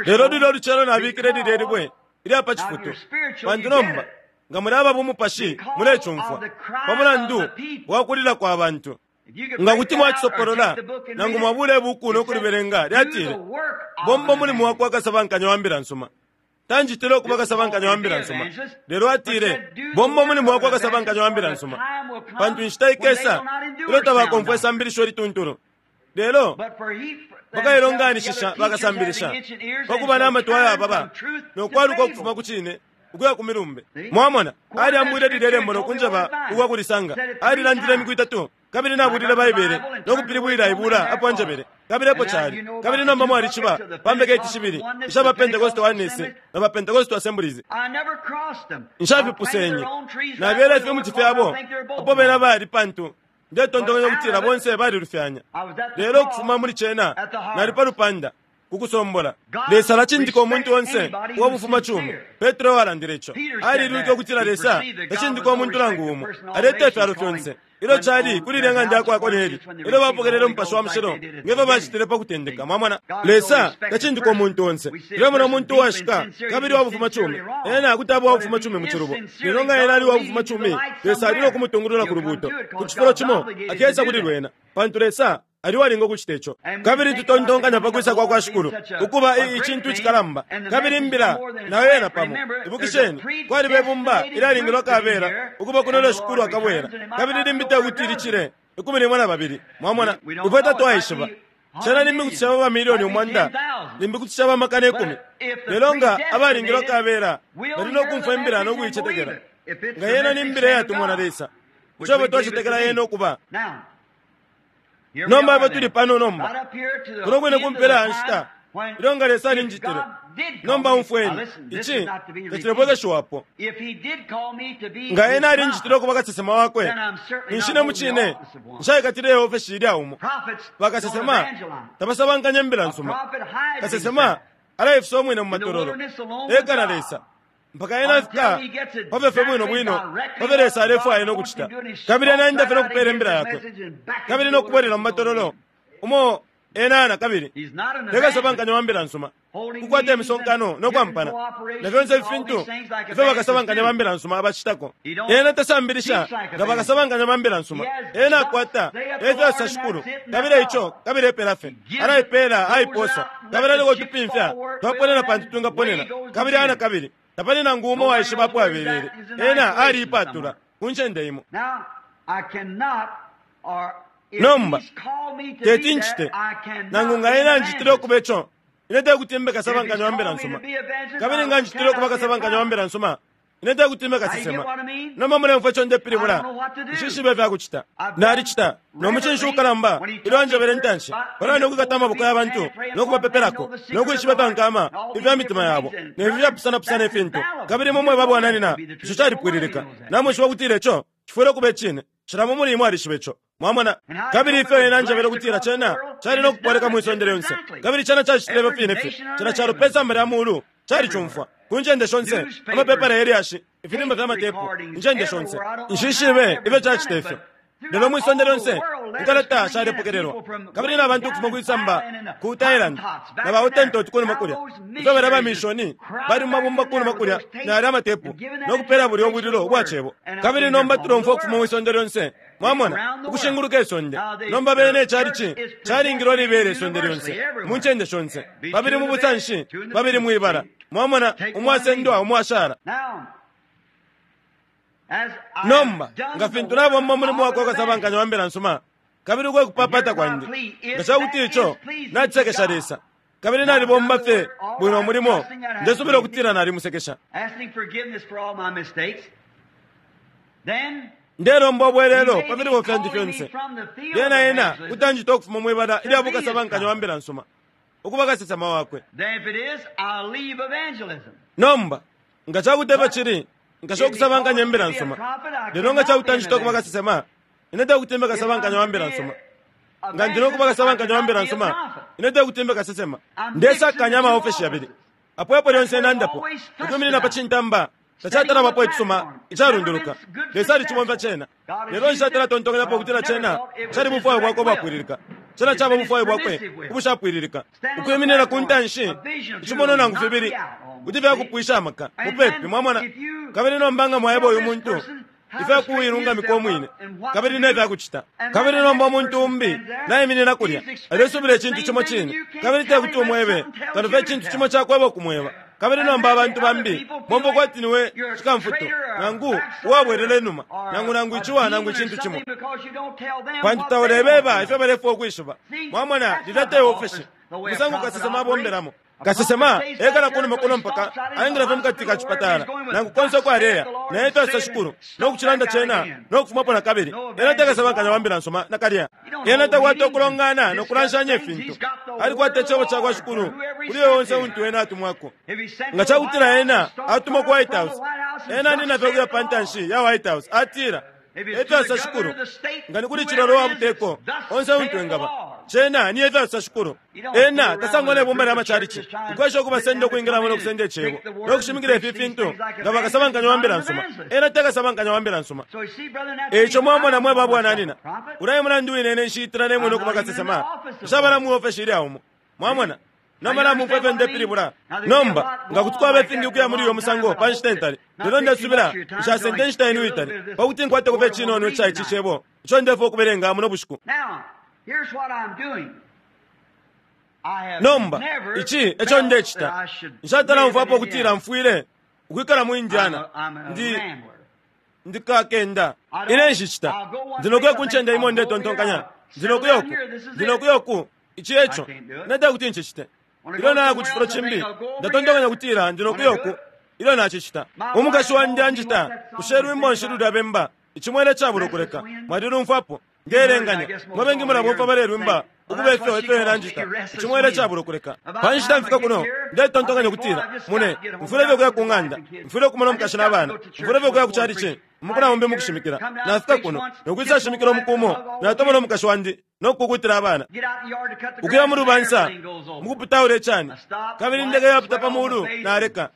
Lelo lilo lucelo nabikile lilye libwe ilya pa cifutu, pantu nomba nga muli aba bumupashi mulecumfwa pa mulandu wa kulila kwa bantu. Nga kuti mwacisopolola nangu mwabula ibuku no kulibelenga, lyatile, bomba mulimo wa kwa kasabankanya wa mbila nsuma. Tanjitile ukuba kasabankanya wa mbila nsuma, lelo atile, bomba mulimo wa kwa kasabankanya wa mbila nsuma, pantu inshita ikesa ilyo tabakomfwa isambilisho lituntulu. Lelo bakailonganishisha bakasambilisha pakuba n'amatwi ayababa nokwaluka ukufuma ku cine ukuya ku milumbe. Mwamona, aliambwile lilye lembo nokunjeba ukwa kulisanga. Alilandile imiku itatu, kabili nabulile Baibele nokupilibwila ibula apo anjebele, kabili epo cali. Kabili nomba mwalishiba pa mbeketi shibili isha ba Pentecost Oneness na ba Pentecost Assemblies. Nshafipusenye, nabyele ifimuti fyabo apo bena bali, pantu ndetontonkanya ukutila bonse balilufyanya. Lelo ukufuma muli cena nali pa lupanda kukusombola. Lesa alacindika umuntu onse uwa bufumacumi. Petro walandile ico. Alilwike ukutila Lesa tacindika umuntu nangu umo, aleta ifyalo fyonse. Ilyo cali kuli ilya ng'anda yakwa Korneli, ilyo bapokelele Umupashi wa Mushilo ngefyo bacitile pa kutendeka. Mwamona, Lesa tacindika umuntu onse. Tulemona umuntu uwashika kabili wa bufumacumi, ena kuti aba uwabufumacumi mu cilubo. Lelo nga ena ali uwabufumacumi, Lesa ali no kumutungulula ku lubuuto ku cifulo cimo, akesa kuli lwena, pantu Lesa ali walinga ukucita ico. Kabili tutontonkanya pa kwisa kwa kwa Shikulu ukuba icintu icikalamba, kabili imbila nayo yena pamo. Ibukisheni, kwaliba ibumba ilyalingilwa kabela ukuba kuno ilyo Shikulu akabwela, kabili limbi te kuti licile 12. Mwamona, ifwe tatwaishiba. Cena limbi kuti caba bamilioni 100, limbi kuti caba 10,000. Lelo nga abalingilwa kabela bali no kumfwa imbila no kuicetekela, nga yena ni mbila iyatumwa na Lesa, ico twacetekela yena ukuba. Nomba ifwe tuli pano nomba kuno kwine kumpela ya nshita ilyo nga Lesa alinjitile. Nomba umfweni, ici tacilebwekeshiwapo. Nga ena alinjitile ukuba kasesema wakwe, ninshi ne mucine nshaikatile iofeshi ilya umo. Bakasesema tabasabankanya imbila nsuma. Kasesema alaifisa umwine mu matololo eka na Lesa mpaka ena afika pafye bwino bwino pafyo Lesa alefwaya no kucita, kabili ena enda fye no kupela imbila yakwe kabili no kubwelela mu matololo umo ena na kabili tekasabankanya wa mbila nsuma, kukwata imisonkano no kwampana na fyonse ifintu ifyo bakasabankanya ba mbila nsuma abacitako. Ena tasambilisha nga bakasabankanya ba mbila nsuma. Ena akwata efyo asa Shikulu, kabili ico kabili epela fye alaipela aiposa, kabili aliko tupimfya twaponena pantu twingaponena, kabili ana kabili tapali nangu umo waishiba apo abelele. Ena aliipatula ku ncende imo. Nomba teti ncite nangu nga ena anjitile ukuba ico, ine tekuti mbe kasabankanya wa mbila nsuma, kabili nga anjitile ukuba kasabankanya wa mbila nsuma, ine tekuti mbe kasesema. Nomba mulemfwa ico ndepilibula, nshishibe ifyakucita. Nalicita no mucinshi ukalamba ilyo anjebele intanshi palwa no kwikata amaboko ya bantu no kubapepelako no kwishiba ifyankama ifya mitima yabo ne fi fyapusanapusana ifintu, kabili imwe mweba bwananina ico calipwililika. Namwishiba ukutila ico cifwile ukuba icine. Cila muli imwe alishiba ico. Mwamona, kabili ifyo ena anjebele ukutila cena cali no kupoleka mwi sonde lyonse, kabili cena cacitile ifyo fine fye. Cena calo pe samba lya mulu calicumfwa ku ncende shonse, amapepala yelyashi, ifilimba fya matepu, incende shonse. Nshishibe ifyo cacita ifyo, lelo mwi sonde lyonse inkalata shalepokelelwa, kabili na bantu ukufuma kwisamba ku Thailand na ba Hottentot kunuma kulya, ifyo balya bamishoni bali mu mabumba kunuma kulya na yalya amatepu no kupela bulya ubwililo ubwa cebo. Kabili nomba tulomfwa ukufuma mwi sonde lyonse, mwamona, ukushinguluka isonde. Nomba bene icalichi calingilwa libele isonde lyonse mu ncende shonse, babili mu busanshi, babili mwibala, mwamona, umwasendwa umwashala. Nomba nga fintu nabomba umulimo wakwa kasabankanya wa mbila nsuma kabili ukwe kupapata kwandi, nga cakuti ico nacisekesha Lesa, kabili nalibomba fye bwino umulimo, ndesubila ukutila nalimusekesha. Ndelomba ubwelelo pa filubo fyandi fyonse. Lyena ena kutanjita ukufuma mwibala ilya bukasabankanya wa mbila nsuma ukuba kasesema wakwe. Then if it is, I'll leave evangelism. Nomba nga cakuti efyo cili, nkasha ukusabankanya imbila nsuma. Lelo nga cakuti anjita ukuba kasesema, ine tekuti mbe kasabankanya wa mbila nsuma. Nga ndi nokuba kasabankanya wa mbila nsuma, ine tekuti mbe kasesema. Ndesakanya amaofeshi yabili. Apo epo lyonse nandapo, ukwiminina pa cintamba, tacatalabapo icisuma icalunduluka. Lesa alicibomfya cena. Lelo nshatala tontonkanyapo ukutila cena cali bufwayo bwakwe ubwapwililika. Cena caba bufwayo bwakwe ubushapwililika. Ukwiminina ku ntanshi, icimonwa nangu fibili, kuti fyakupwisha amaka mupepi, mwamona. Kabili nomba nga mwaeba uyu muntu ifyakuilungamika umwine kabili nefyakucita, kabili nomba umuntu umbi naiminina kulya alesubila icintu cimo cine, kabili tekuti umwebe kano fye icintu cimo cakweba ukumweba. Kabili nomba abantu bambi bomba kwati niwe cikamfutu nangu uwabwelela inuma nangu nangu iciwa nangu icintu cimo, pantu taulebeba ifyo balefwaya ukwishiba. Mwamona, lilya te ofeshi umusango kasesema abombelamo. Kasesema ekala kunuma kuno mpaka aingila fye mukati ka cipatala nangu konse uko aleya, naye twasa shikulu nokucilanda cena nokufumapo na kabili. Ena takasabankanya wa mbila nsuma nakalya. Ena takwata ukulongana nokulanshanya ifintu. Alikwata icebo cakwa shikulu kuli onse untu ena atumwako. Nga cakutila ena atumwa ku White House, ena anina fye ukuya pa ntanshi ya White House atila, efyasa shikulu, nga ni kuli cilolo wa buteko onse untu engaba cena ni efyasa shikulu. Ena tasangwa ne bumba lya macalici ukwesha ukubasenda ukwingilamo nokusenda icebo nokushimikila ifi fintu nga bakasabankanya wa mbila nsuma. Ena takasabankanya wa mbila nsuma. So you see, brother, that's Eico mwamona mwe babwananina, ulaye mulandu wine ine nshitila nemwene ukuba kasesema, nshabala mu ofeshi ilya umo. Mwamona, nomba namumfwa ifyo ndepilibula. Nomba nga kuti kwaba ifingi ukuya muli uyo musango pa nshita intali, lelo ndesubila nshasende inshita yenu itali pakuti nkwate kufa icinono ica ici cebo ico ndefwaya ukubelenga muno bushiku. Now, here's what I'm doing. I have Nomba never ici eco felt that ndecita, I should nshatala live mfwapo in ukutila Indiana. mfwile ukwikala mu I'm Indiana. a, I'm a Ndi rambler. ndikakenda ine nshicita ndinokuya ku ncende imo ndetontonkanya ndinokuya uku, ndinokuya uku, ici eco nete kuti ncicite. Ilyo naya ku cifulo cimbi ndatontonkanya kutila ndinokuya uku. Ilyo nacicita, umukashi wandi anjita kushe lwimbo nshi lulya bemba icimwele cabula ukuleka. Mwalilumfwapo ngelenganya mwe bengi mulabomfwa balelwimba ukuba ifyo ifyo ena anjita icimwele cabula ukuleka. Pa nshita mfika kuno ndetontonkanya kutila mune mfwile fye ukuya ku ng'anda, mfwile ukumona umukashi n'abana, mfwile fye ukuya ku calici mukuna umbi mukushimikila. Nafika kuno nokwisa shimikila umuku umo, natomona umukashi wandi nokukukutila abana, Get out in the yard to cut the ukuya grass mu and lubansa everything goes over. mukuputaula icani, kabili ndeke yaputa pa mulu naleka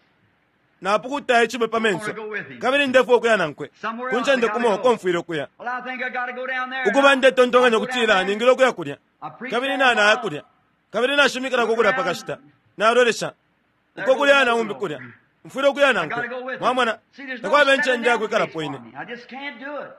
napukuta icibwe pa menso, kabili ndefwaya ukuya nankwe ku ncende kumo uko mfwile ukuya. Well, I think I gotta go down there. Ukuba ndetontonkanya I'll go down ukutila there. ningile ukuya kulya, I preach kabili there nanaya a while. kulya, kabili nashimikilako kulya pakashita, nalolesha uko kulya na umbi kulya, mfwile ukuya I nankwe. gotta go with him. Mwamona, See, there's no takwaba settling incende down yakwikalapo place ine. for me. I just can't do it.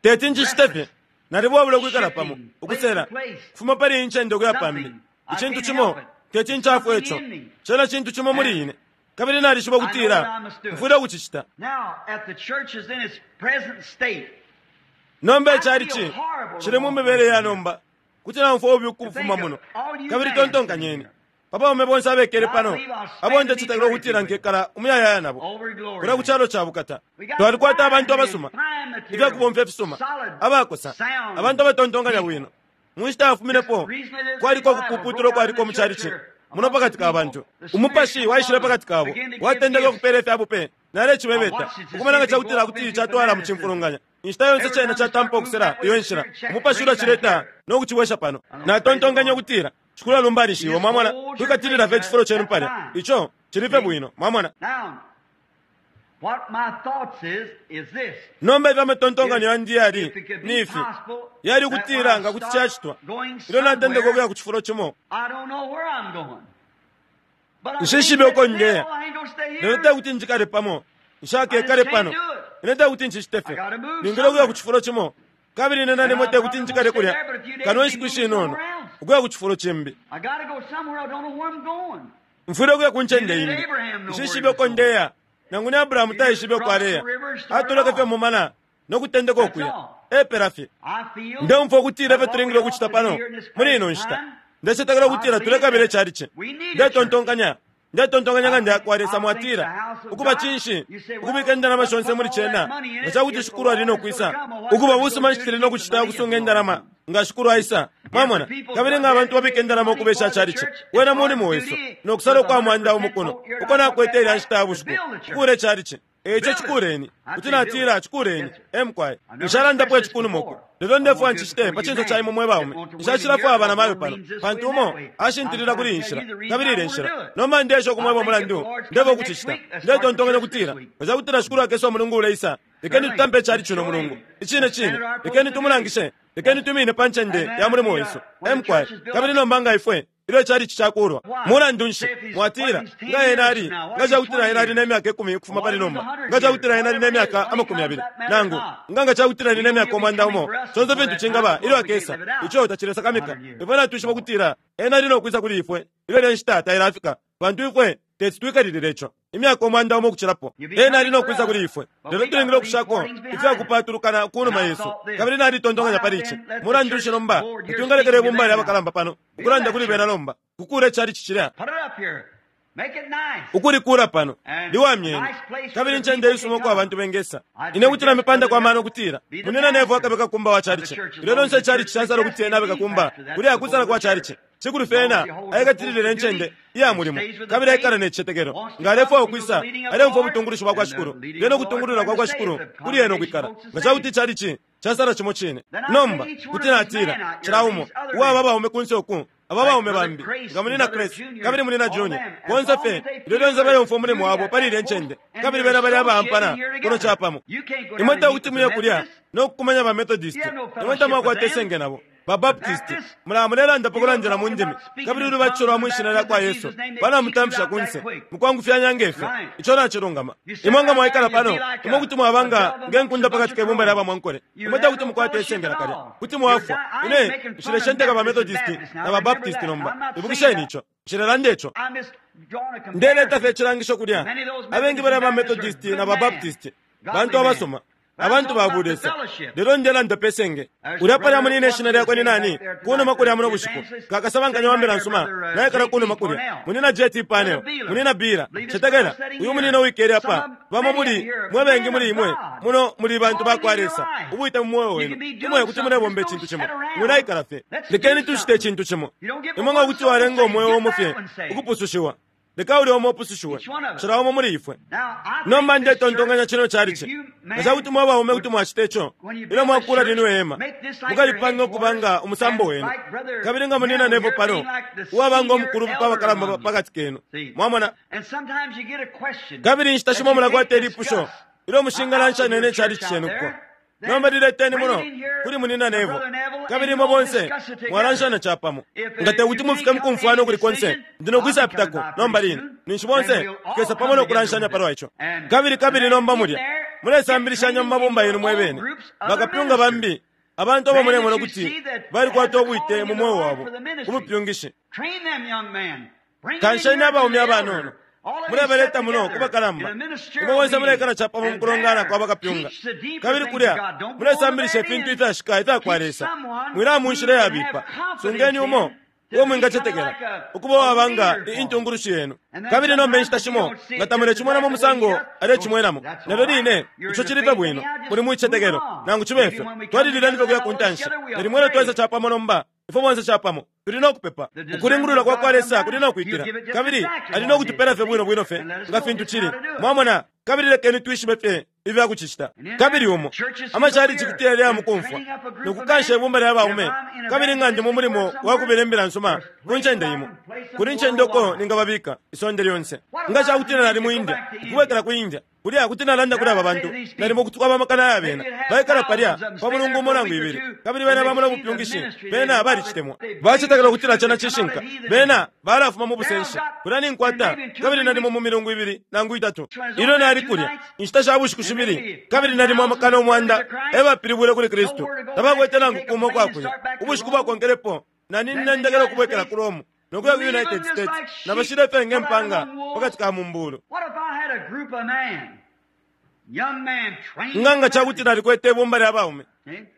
Teti nchicite fye nalibwabula ukwikala pamo ukusela kufuma pali iyi ncende ukuya pambi. Icintu cimo teti ncafwe ico, cena cintu cimo muli ine, kabili nalishiba ukutila mfwile ukucicita. Now, at the church is in its present state. Nomba icalici cili mu mibele ya nomba, kuti namfwa ubi ukufuma muno. Kabili tontonkanyeni pa baume bonse abekele pano abo ndecetekela ukutila nkekala umuyayaya nabo Over glory. kulya ku calo ca bukata. Twalikwata abantu abasuma, ifyakubomfya ifisuma, abakosa, abantu abatontonkanya bwino. Mu nshita yafuminepo kwaliko ukupuputula ukwaliko mu calici muno pakati ka bantu. Umupashi waishile pakati kabo watendeka ukupeela ifya bupe. Nalecibebeta ukumona nga cakutila kuti catwala mu cimfulunganya. Inshita yonse cena catampa ukusela iyo nshila, umupashi ulacileta no kucibwesha pano. Natontonkanya ukutila shikulu alumbanishiwe. Mwamona, kwikatilila fye icifulo cenu palya, ico cili fye bwino. Mwamona, Now, what my thoughts is this. nomba ifyo amatontonkanyo yandi yali If it could ni be ifi, possible yali that when ukutila I nga kuti start cacitwa going ilyo natendeka somewhere, ukuya ku cifulo cimo, I don't know where I'm going. But I Nshishibe can't uko sit ndeya. still. I ain't gonna stay lelo here. te kuti njikale pamo, nshakekale pano, ine te kuti ncicite fye, ningile ukuya ku cifulo cimo, kabili ine nalimo te kuti njikale kulya kano inshiku ishinono ukuya ku cifulo cimbi. I gotta go somewhere. I don't know where I'm going. Mfwile ukuya ku ncende imbi, nshishibe uko ndeya. Nangu ni Abrahamu taishibe uko aleya, atoleke fye mumana nokutendeka ukuya epela fye. I feel Ndemfwa ukutila that ifyo what tulingile we ukucita ought to do pano here in this muli ino present nshita, time, ndecetekela ukutila tulekabila icalici. Ndetontonkanya ndetontonkanya nga ndeyakwa Lesa mwatila ukuba cinshi ukubika indalama shonse muli cena nga cakuti shikulu ali nokwisa, ukuba busuma nshi tuli nokucita ukusunga indalama Nga Shikulu aisa, mwamona, kabili nga abantu babika indalama ukubesha chalichi, wena mulimo wesu, nokusala ukwa mwanda umo kuno, uko nakwete ilya nshita ya bushiku, kukuula ichalichi. Eico cikuleni, kuti natila cikuleni, emukwai. Nshalandapo ici kunuma uku, lelo ndefwaya ncicite pa cinso ca imwe mwe baume. Nshacilafwaya banamayo pano, pantu umo ashintilila kuli iyi nshila, kabili ilya nshila. Nomba ndeesha ukumweba umulandu ndeba ukucicita. Ndetontonkanya ukutila, nga ca kutila Shikulu akesa umulungu uleisa, lekeni tutampe icalichi uno mulungu. Icine cine, lekeni tumulangishe, lekeni tumine pa ncende ya mulimo wesu. Emukwai. Kabili nomba nga ifwe, ilyo icalichi cakuulwa, mulandu nshi, mwatila, nga ena ali, nga cakutila ena ali ne myaka 10 ukufuma pali nomba, nga cakutila ena ali ne myaka 20, nangu, nga nga cakutila ali ne myaka 100, conse fintu cingaba ilyo akesa, ico tacilesakamika. Ifwe natwishiba ukutila ena ali no kwisa kuli ifwe ilyo ilya nshita tailafika, pantu ifwe teti twikalilile ico imyaka 100 ukucilapo. Ena ali no kwisa kuli ifwe, lelo tulingile ukushako ifyakupatulukana kunuma yesu. Kabili nalitontonkanya pali ici, mulandu nshi nomba tatwingalekela ibumba lya bakalamba pano ukulanda kuli bena nomba, kukuula icalichi cilya? Ukulikula pano liwamyeni, kabili incende isuma uko abantu bengesa. Ine kuti namipandako amano ukutila munina Nevo akabe kakumba wa chalichi. Ilyo lonse icalichi casala ukuti ena abe kakumba, kuli akusala kwa chalichi. Cikulu fye ena aikatilile incende iya mulimo, kabili aikala ne cicetekelo. Nga alefwaya ukwisa, aleumfwa ubutungulushi bwa kwa Shikulu, lyena ukutungulula kwa kwa Shikulu kuli ena ukwikala. Nga ca kuti icalichi casala cimo cine, nomba kuti natila cila umo uwa aba baume kunse uku, aba baume bambi, nga munina Chris kabili munina Junior, bonse fye ilyo lyonse baleumfwa umulimo wabo pali ilya ncende, kabili bena bali abaampana kuno capamo. Imwe tekuti muye kulya no kukumanya ba Methodist, imwe tamwakwata isenge nabo. Ba Baptist, mulaba mulelanda pa kulandila mu ndimi, kabili ulubatisho lwa mwi shina lya kwa Yesu balamutamfisha kunse mukwangufyanya nge fyo. Ico nacilungama. Imwe nga mwaikala pano, imwe kuti mwaba nga nge nkunda pakati ke bumba lya bamwankole. Imwe tekuti mukwate isenge nakalya, kuti mwafwa. Ine nshileshenteka ba Methodist na ba Baptist nomba, ibukisheni ico. Nshilelanda ico. Ndeleta fye icilangisho kulya. Abengi balya ba Methodist na ba Baptist bantu abasuma, abantu ba bulesa, lelo ndelanda pe senge. Ulya palya munine ishina lyakwe ni nani kunuma kulya muno bushiku, kakasabankanya wa mbila nsuma naikala kunuma kulya, munina J.T. Panel, munina Bira. Cetekela uyu munina uwikele apa, bamo muli mwe bengi muli imwe muno muli bantu ba kwa Lesa, ubwite mu mweo wenu imwe kuti mulebomba icintu cimo, mwilaikala fye. Lekeni tucite icintu cimo. Imwe nga kuti walenga umweo umo fye ukupusushiwa, leka ulya umo upusushiwe, cila umo muli ifwe. Nomba ndetontonkanya cino chalichi, nga ca kuti mwe baume kuti mwacita ico, ilyo mwakula lino ihema, mukalipanga ukuba nga umusambo wenu, kabili nga munina Nevo pano, uwaba nga umukulu pa bakalamba pakati kenu. Mwamona? Kabili inshita shimo mulakwata ilipusho ilyo mushingalanshanya ne chalichi cenu kuko. Nomba lileteni muno kuli munina Nevo, kabili imwe bonse mwalanshanya capamo. Nga tekuti mufike mukumfwana ukuli konse, ndi nokwisapitako nomba line, ninshi bonse tukesa pamo nokulanshanya palwa ico. Kabili kabili nomba mulya mulesambilishanya mu mabumba yenu mwe bene, bakapyunga bambi, abantu abo mulemona ukuti balikwata ubwite mu mweo wabo ku bupyungishi. Kansheni abaume abanono, mulebaleta muno ku bakalamba. Imwe bonse mulekala capamo mu kulongana kwa bakapyunga, kabili kulya mulesambilisha ifintu ifyashika ifya kwa Lesa. Mwilaya mu nshila iyabipa. Sungeni umo uo mwingacetekela ukuba uwaba nga intungulushi yenu. Kabili nomba inshita shimo nga tamulecimwenamo umusango alecimwenamo, nalyo line ico cili fye bwino, muli mu cicetekelo. Nangu cibe fyo, twalilileni fye kuya ku ntanshi. Nalimo ilyo twaisa capamo nomba, ifwe bonse capamo tuli no kupepa. Ukulingulula kwa kwa Lesa kuli no kwikila, kabili ali no kutupela fye bwino bwino fye nga fintu cili. Mwamona? Kabili lekeni twishibe fye ifya kucicita. Kabili umo amachalichi kuti yaleya mukumfwa nokukansha ibumba lya baume, kabili nga ndi mu mulimo wa kubila imbila nsuma ku ncende imo, kuli ncende uko ningababika isonde lyonse. Nga ca kutila nali mu India, ukubwekela ku India, kulya kuti nalanda kuli aba bantu, nalimo kuti kwaba amakana ya bena baikala palya pa mulungu umo nangu ibili, kabili bena bamona ubupyungishi, bena balicitemwa, bacetekela ukutila cena cishinka, bena balafuma mu busenshi. Kulya ninkwata, kabili nalimo mu milungu ibili nangu itatu ilyo nali kulya inshita sha bushiku shibili, kabili nalimo amakana 100 ebapilibwile kuli Kristu, tabakwete nangu kumo kwakuya. Ubushiku bwakonkelepo naninendekela ukubwekela ku Rome nokuya ku United States, nabashile fye nge mpanga pakati ka mumbulu. Nga nga ca kuti nalikwete ibumba lya baume,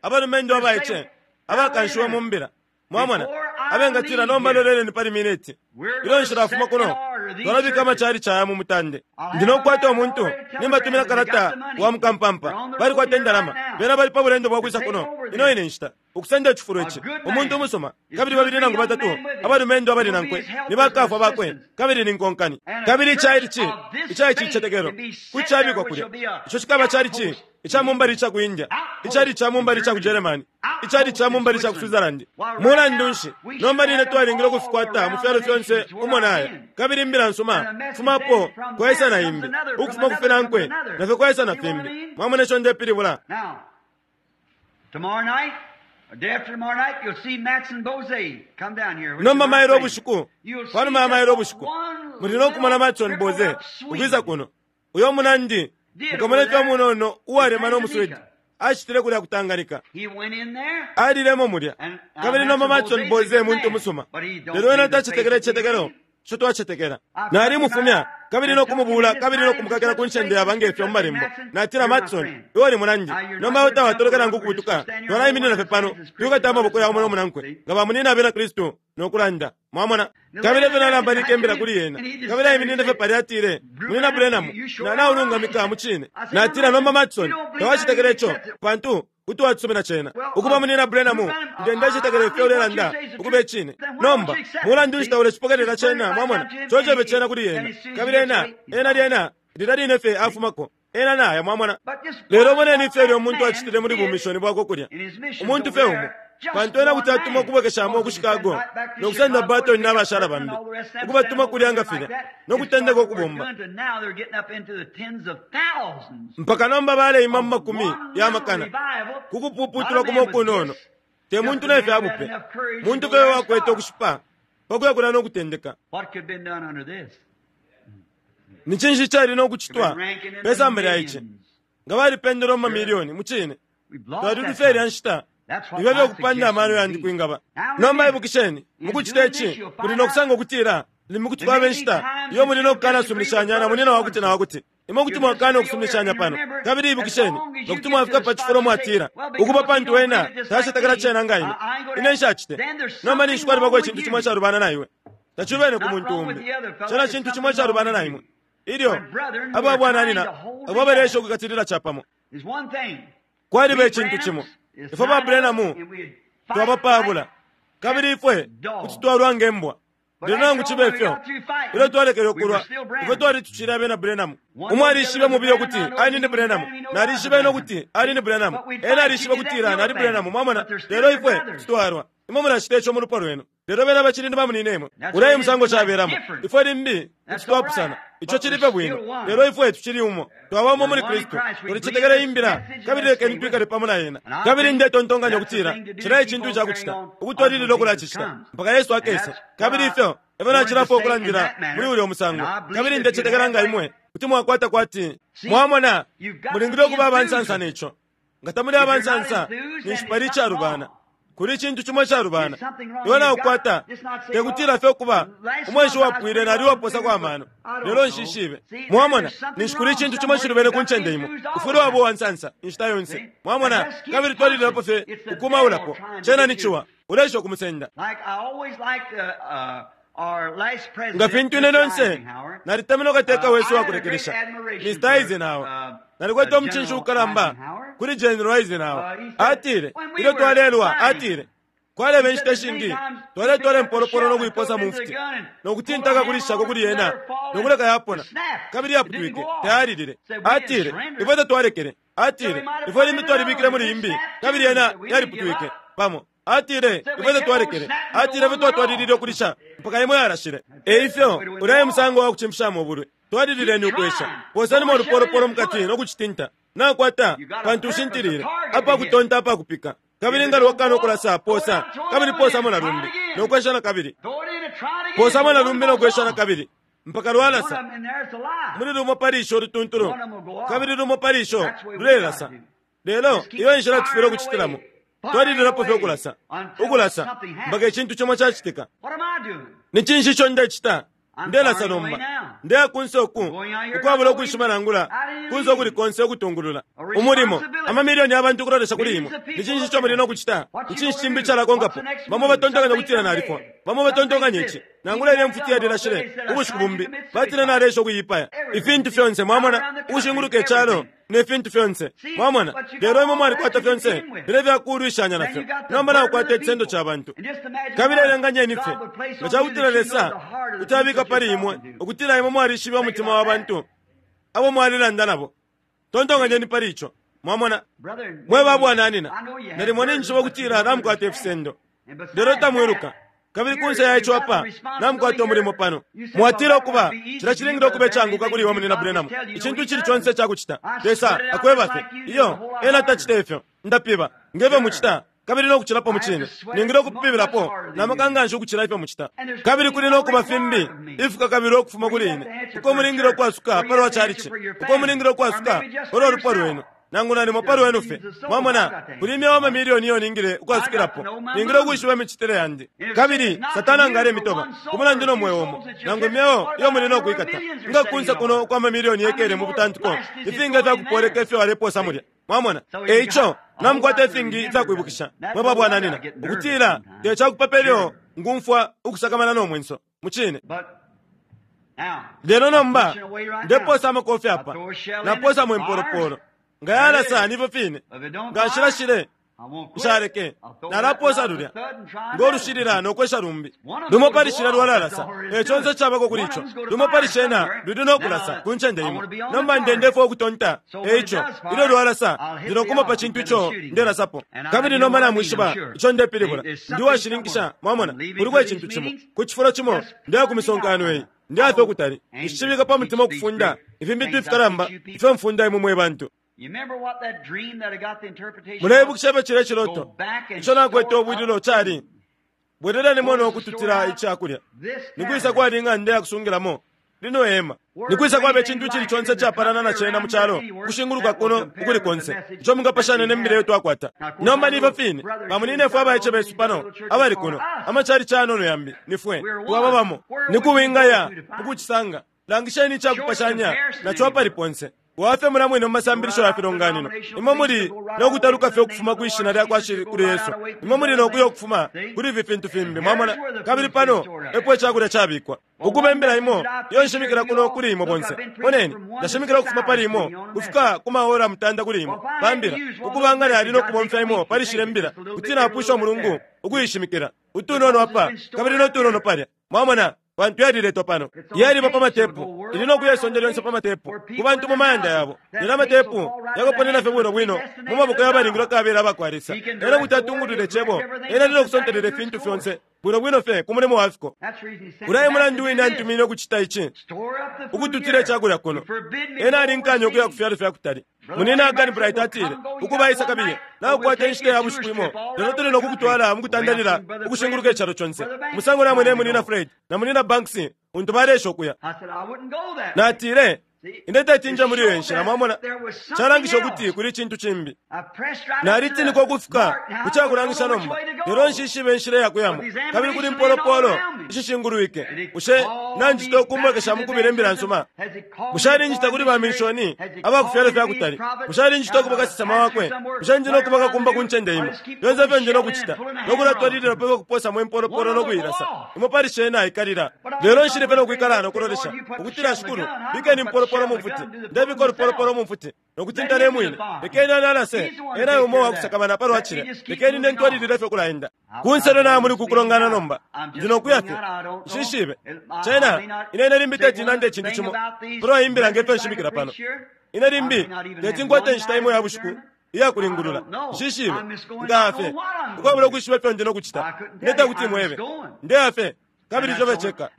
abalumendo abaice abakanshiwe mu mbila, mwamona, abengatila nomba loleleni pali miniti, ilyo nshilafuma kuno, twalabika amachalichi aya mu mutande. Ndi nokukwata umuntu, nimbatumina kalata wa mukampampa, balikwata indalama, bena bali pa bulendo bwa kwisa kuno ino ine nshita. ukusenda icifulo ici, umuntu umusuma, kabili babili nangu batatu abalumendo abali nankwe ni bakafwa bakwe kabili ni nkonkani. Kabili icalici ica ici cicetekelo kuti cabikwa kulya, ico cikaba calici ica mumbali ica ku India, icali ca mumbali ica ku Germany, icali ca mumbali ica ku Switzerland. Mulandu nshi, nomba line twalingile ukufikwata mu fyalo fyonse umo naya. Kabili imbila nsuma fumapo kwaisa na imbi, ukufuma ku finankwe nafyo kwaisa na fimbi. Mwamona ico ndepilibula? Now, tomorrow night, or day after tomorrow night, you'll see Matson Bose come down here. which Nomba is my mailo friend. ubushiku, You'll see panuma ya mailo just ubushiku, one muli no kumona Matson little Boze crippled up Swede. ukwisa kuno. Uyo munandi mukamona fye munono uwalemana umuswedi acitile kulya kutangalika. He went in there. Alilemo mulya. Kabili nomba Matson Boze muntu musuma, lelo ena tacetekela icicetekelo ico twacetekela. Nalimufumya kabili no kumubuula kabili no kumukakila ku ncende yaba ngefyo mu malembo. Natila, Matson, iwe uli munandi, nomba iwe tawatoleka nangu ukubutuka. Twalaiminina fye pano twikata amaboko ya umo no munankwe nga bamunina abena Kristu no kulanda. Mwamona? Kabili efyo nalambalike imbila kuli yena, kabili aiminine fye palya atile, Munina Branham, naulungamika mu cine. Natila, nomba Matson, tawacetekela ico pantu kuti wacisumina cena. Ukuba munina Branham, nde ndecetekela ifyo ulelanda ukuba icine. Nomba mulandu nshi taulecipokelela cena? Mwamona, cocebe cena kuli yena, kabili ena ena lyena lilya line fye afumako ena naya. Mwamona? Lelo moneni ifyo ilyo umuntu acitile muli bumishoni bwakwe kulya, umuntu fye umo, pantu ena kuti atuma ukubwekeshamo ku Chicago no kusenda Barton n'abashala bambi, ukubatuma kulya nga filya no kutendeka ukubomba, Now they're getting up into the tens of thousands. mpaka nomba baleima mu makumi ya makana ku kupuputulwa kumo ukunono. Te muntu ne fya bupe, muntu fye wakwete ukushipa pakuya kulya no kutendeka. What could have been done under this? Ni cinshi cali no kucitwa Ranking in pe the samba lya ici millions. nga balipendela mu mamiliyoni? Mu cine, We've lost twali that tufye ilya time. nshita That's what ifyo my fyokupanda amano suggestion yandi would be. kwingaba. Now Nomba remember, ibukisheni, in mukucita doing ici this, you'll muli find no kusanga out ukutila limo kuti there kwaba may be inshita times iyo that muli no you disagree kukanasumilishanya with na munina brother wakuti na wakuti. Imwe kuti You mwakana disagree ukusuminishanya over pano. and remember, Kabili as ibukisheni, long as nga you kuti get mwafika to the pa cifulo spot you say, mwatila, well, ukuba because you pantu don't ena believe it just like tacetekela me, cena nga ine, I ain't gonna ine nshacite. Then there's Nomba something ninshi kwalibako wrong with icintu you. cimo icalubana na iwe. Tacilubene ku Not muntu wrong with umbi, the other fellow, cena there's cintu cimo something wrong icalubana with na you. imwe. Ilyo When brethren who abo are trying abwananina to hold abo abaleesha together, ukukatilila capamo, there's one thing. kwaliba We icintu cimo. Branhams is Ifwe ba nine of us, Branham and we'd fight twabapabula, like kabili ifwe dogs. kuti twalwa nge mbwa. But Lelo nangu after all, cibe when we fyo, got through fighting, ilyo twalekele we were ukulwa, still ifwe Branhams. twali tucili abena Branham. One Umo knows the alishibe other was mubiye a ukuti Branham, I know ali he ni was a Branham, Branham, he knows I was a nalishibe no Branham. kuti ali ni Branham, But we'd ena fight, you alishibe did that, kutila the other nali thing. Branham. Mwamona? But they're still Lelo your ifwe brothers. tutwalwa. Imwe mulacita ico mu lupwa lwenu, lelo bena bacili ni bamunina imwe. That's Ulya what e it is musango tonight. caberamo. Different. Ifwe limbi kuti That's all twapusana, right. ico But cili we're fye bwino, still one. lelo ifwe tucili umo, twaba umo We're muli one in Kristu. Christ. We believe Tulicetekela this imbila, message and kabili let's lekeni stay with twikale it. pamo na yena. And I Kabili think ndetontonkanya that's the ukutila thing to do cila to keep icintu on ica carrying kucita on ukutwalilila until Jesus ukulacicita comes. mpaka Yesu And akese. that's Kabili what I ifyo efyo wanted to nacilapo say in ukulandila that muli manner. ulya And musango. I believe Kabili if you'd ndecetekela have nga like, imwe kuti mwakwata kwati see, mwamona, you've got to mulingile be ukuba enthused abansansa with it. neco. Nga tamuli If you're not abansansa, enthused, then ninshi it's pali something icalubana. wrong. Kuli icintu cimo icalubana. There's something wrong. Iwe You've got naukwata just not say, te well, kutila fye ukuba last umweshi month I was wapwile pretty nali well waposako enthused, but amano, I don't lelo know. nshishibe. See, there, Mwamona, there's something ninshi kuli wrong icintu cimo somewhere. cilubene You've ku got to be ncende imo. enthused all Ufwile the waba time. uwansansa inshita yonse. See? And Mwamona, just keep kabili twalililapo pushing. fye It's the devil ukumaulapo. trying to Cena get ni you. ciwa, uleesha ukumusenda. Like I always liked our last Nga president, fintu ine Mr. lyonse Eisenhower. nalitemene ukateka wesu I had a great wakulekelesha, admiration Mr. for Eisenhower. Nalikwete umucinshi General ukalamba Eisenhower. kuli General Eisenhower. He said, Atile, when we ilyo were twalelwa, fighting, atile, he kwaleba said inshita that many ishingi times we twaletwala picked up the impolopolo shell no and throw kuiposa it mu into the mfuti gun and no pull a kutintaka hammer on kulishako it kuli and let yena her fall no and kuleka it yapona snapped. kabili It didn't yaputwike go off. tayalilile. Said we didn't Atile, surrender. ifwe tatwalekele. Said we Atile, might have ifwe put in limbi another twalibikile one muli and it imbi snapped kabili too. yena Said we didn't give yaliputwike up. pamo. Atile, Said we ifwe kept on tatwalekele. snapping till Atile, ifwe one went twatwalilile off. ukulisha mpaka imwe yarashile. Eifyo But it went ulaye off. musango wa kucimfishamo ubulwi. Twalilileni Keep ukwesha, trying. posanimo Throw a shell in olupolopolo and pull mukati it. no kucitinta. Nakwata You got a pantu purpose, a ushintilile target to apa hit. kutonta apa kupika. Kabili If it nga don't lwakana go off, ukulasa throw it posa, out, throw kabili another one posamo in, na try it lumbi again. no kwesha na kabili, Throw it in and try it again posamo until na one lumbi no goes kwesha na off. kabili mpaka One of lwalasa. them in there is alive. Muli lumo pali isho ulutuntulu, One of them will go off. kabili lumo pali isho That's the way we got to lulelasa. do. Lelo Just keep iyo nshila tufwile firing ukucitilamo, away, firing twalililapo fye away ukulasa, until ukulasa something mpaka happens. icintu cimo cacitika. What am I doing? Ni cinshi ico ndecita? I'm Ndelasa firing away nomba, now. ndeya kunse uku I'm going out here not ukwabula knowing ukwishima nangula I didn't kunse ukuli leave. konse ukutungulula A umulimo. responsibility. Amamiliyoni y'abantu ukulolesha kuli Millions imwe. of people Ni cinshi ico looking muli at no you. kucita? What Ni you cinshi gonna cimbi do? What's calakonkapo? the next Bamo move? batontonkanya Some think ukutila I'm nalifwa, dead. bamo Some think batontonkanya this. ici nangula Even ilya that mfuti gun off yalilashile they said I ubushiku tried to bumbi commit batile suicide. nalesha ukuyipaya. Everything. Ifintu See, fyonse out mwamona around the country, ukushinguluka icalo everything. ne fintu fyonse. Mwamona? Lelo imwe mwalikwata fyonse filya ifyakulwishanya nafyo. Nomba nakukwata icisendo ca bantu. Kabili elenganyeni fye nga cakutila Lesa kuti abika pali imwe ukutila imwe mwalishiba umutima wa bantu abo mwalilanda nabo. Tontonkanyeni pali ico. Mwamona? Mwe ba bwananyina, nalimo ninjishiba ukutila namukwata ifisendo, lelo tamwiluka. Kabili kunse ya ico apa, namukwata umulimo pano. Mwatila, Ukuba, cilya cilingile ukuba icaanguka kuli iwe, Munyina Branham, icintu icili conse icakucita. Lesa akweba fye. Iyo, Ena tacita ifyo. Ndapiba, nge fyo mucita, kabili no kucilapo mucine. Ningile ukupibilapo na maka nganshi ukucila ifyo mucita. Kabili kuli no kuba fimbi ifikakabilwa ukufuma kuli ine, uko mulingile ukwasuka palwa chalichi, uko mulingile ukwasuka palwa lupwa lwenu, nangu nalimo pa lwenu fye. Mwamona, kuli imyeo amamilioni iyo ningile ukwasukilapo. Ningile ukwishiba imicitile yandi. Kabili Satana nga alemitoba ku mulandu no mweo umo, nangu imyeo iyo muli no kwikata, nga kunse kuno ukwa mamilioni yekele mu butantiko, ifingi ifyakupoleka ifyo alepoosa mulya. Mwamona? E ico, namukwata ifingi ifyakwibukisha, mwe ba bwananyina, ukutila te ca kupapa ilyo ngumfwa ukusakamana no mwenso. Mucine. Lelo nomba, ndepoosa amakofi apa, napoosamo impolopolo. Nga yalasa nifyo fine, nga nshilashile, nshaleke, nalapoosa lulya ngo lushilila no kwesha lumbi. Lumo pali shilya lwalalasa, e conse icabako kuli ico. Lumo pali shena luli no kulasa ku ncende imo. Nomba ndendefwa ukutonta, e ico, ilyo lwalasa, ndi no kuma pa cintu ico ndelasapo. Kabili nomba namwishiba ico ndepilibula. Ndi uwashininkisha, mwamona, kuliko icintu cimo. Ku cifulo cimo, ndeya ku misonkano iyi. Ndeya fye ukutali. Nshicibika pa mutima ukufunda ifintu ifikalamba ifyo mfunda imwe mwe bantu. Muleibukisha ifyo cilya ciloto ico nakwete ubwililo cali? Bwelelenimo no kututila ica kulya. Ni kwisa kwali ing'anda ya kusungilamo lino hema? Ni kwisa kwaba icintu icili conse icapalana na cena mu calo ukushinguluka kuno ukuli konse ico mungapashanya ne mbila iyo twakwata? Nomba ni ifyo fine, bamunyinefwe abaice besu pano abali kuno, amacalici ayanono yambi, ni fwe twaba bamo. Ni ku wingaya mu kucisanga? Langisheni ica kupashanya na co apali ponse. Wafye mulya mwine mu masambilisho ya filonganino. Imwe muli no kutaluka fye ukufuma kwi Shina lyakwa Shikulu Yesu. Imwe muli no kuya ukufuma kuli ifi fintu fimbi. Mwamona? Kabili pano epo icakulya cabikwa. Ukuba imbila imo iyo nshimikila kuno kuli imwe bonse. Moneni, ndashimikila ukufuma pali imwe ukufika ku maora mutanda kuli imwe pa mbila. Ukuba nga nali no kubomfya imo pali shilya mbila, kuti napwisha umulungu ukuishimikila. Utunono apa, kabili no tunono palya. Mwamona? Pantu yaliletwa pano. Yaliba pa matepu. Ili no kuya isonde lyonse pa matepu, ku bantu mu mayanda yabo. Lelo amatepu yakaponena fye bwino bwino mu maboko ya balingilwe kabela aba kwa Lesa. Ena kuti atungulula Icebo. Ena ali no kusontelela ifintu fyonse bwino bwino fye ku mulimo wa fiko. Ulya e mulandu wine antumiine ukucita ici, ukututila icakulya kuno. Ena alinkanya ukuya ku fyalo fya kutali. Munyina Hagan Bright atile, Ukuba isa kabiye, naukwata inshita ya bushiku imo, lelo tuli no kukutwala mu kutandalila ukushinguluka icalo conse. Umusango namwene Munyina Fred na Munyina Banks untu baleesha ukuya. Natile, Ine teti nje muli iyo nshila, mwamona. Calangisha ukuti kuli icintu cimbi. Nalitinikwa ukufika ku cakulangisha nomba, lelo nshishibe inshila iya kuyamo. Kabili kuli mpolopolo ishishingulwike. Bushe nanjita ukumbwekesha mu kubila imbila nsuma? Bushe alinjita kuli baminshoni aba ku fyalo fya kutali? Bushe alinjita ukuba kasesema wakwe? Bushe ndi no kuba kakumba ku ncende imo? Fyonse ifyo ndi no kucita, no kulatwalilila pe ukupoosamo impolopolo no kuilasa, imo pali shena aikalila. Lelo nshili fye no kwikala no kulolesha, ukutila, Shikulu, bikeni impolopolo mu mfuti. Ndebika ulupolopolo mu mfuti, no kutinta ne mwine. Lekeni analase, ena e umo uwakusakamana palwa cilya. Lekeni ine ntwalilile fye ukulaenda. Kunse lyo naya muli kukulongana nomba. Ndi no kuya fye. Nshishibe. Cena, ine, ine limbi teti nande icintu cimo palwa iyi mbila nge fyo nshimikila pano. Ine limbi teti nkwate inshita imo ya bushiku iya kulingulula. Nshishibe. Ndaya fye. Ukwabula ukwishiba ifyo ndi no kucita. Ine tekuti mwebe. Ndeya fye. Kabili ico fye ceka.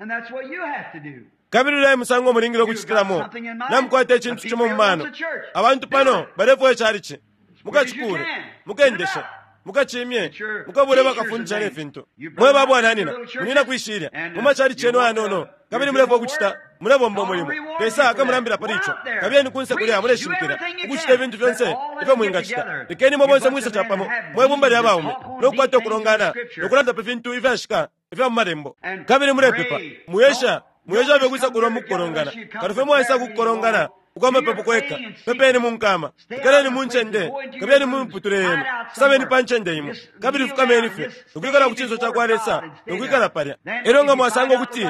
Kabili ulya e musango mulingile ukucitilamo. Namukwata icintu cimo mu mano. Abantu pano balefwaya icalici. Mukacikuule, mukendeshe, mukacimye, mukabule bakafundisha ne fintu. Mwe ba bwananyina, munina kwi shilya, mu macalici yenu ayanono, kabili mulefwaya ukucita, mulebomba umulimo. Lesa akamulambila pali ico. Kabiyeni kunse kulya muleshimikila, ukucita ifintu fyonse ifyo mwingacita. Lekeni imwe bonse mwise capamo, mwe bumba lya baume, no kukwata ukulongana, no kulanda pa fintu ifyashika ifya mu Malembo. Kabili mulepepa. Mwiesha Mwiesha fye ukwisa kuno mukukolongana. Kano fye mwaisa kukukolongana ukwa mapepo kweka, pepeni mu nkama, ikaleni mu ncende, kabiyeni mu miputule yenu, sabeni pa ncende imo, kabili fukameni fye, no kwikala ku cinso ca kwa Lesa, no kwikala palya. Elyo nga mwasanga ukuti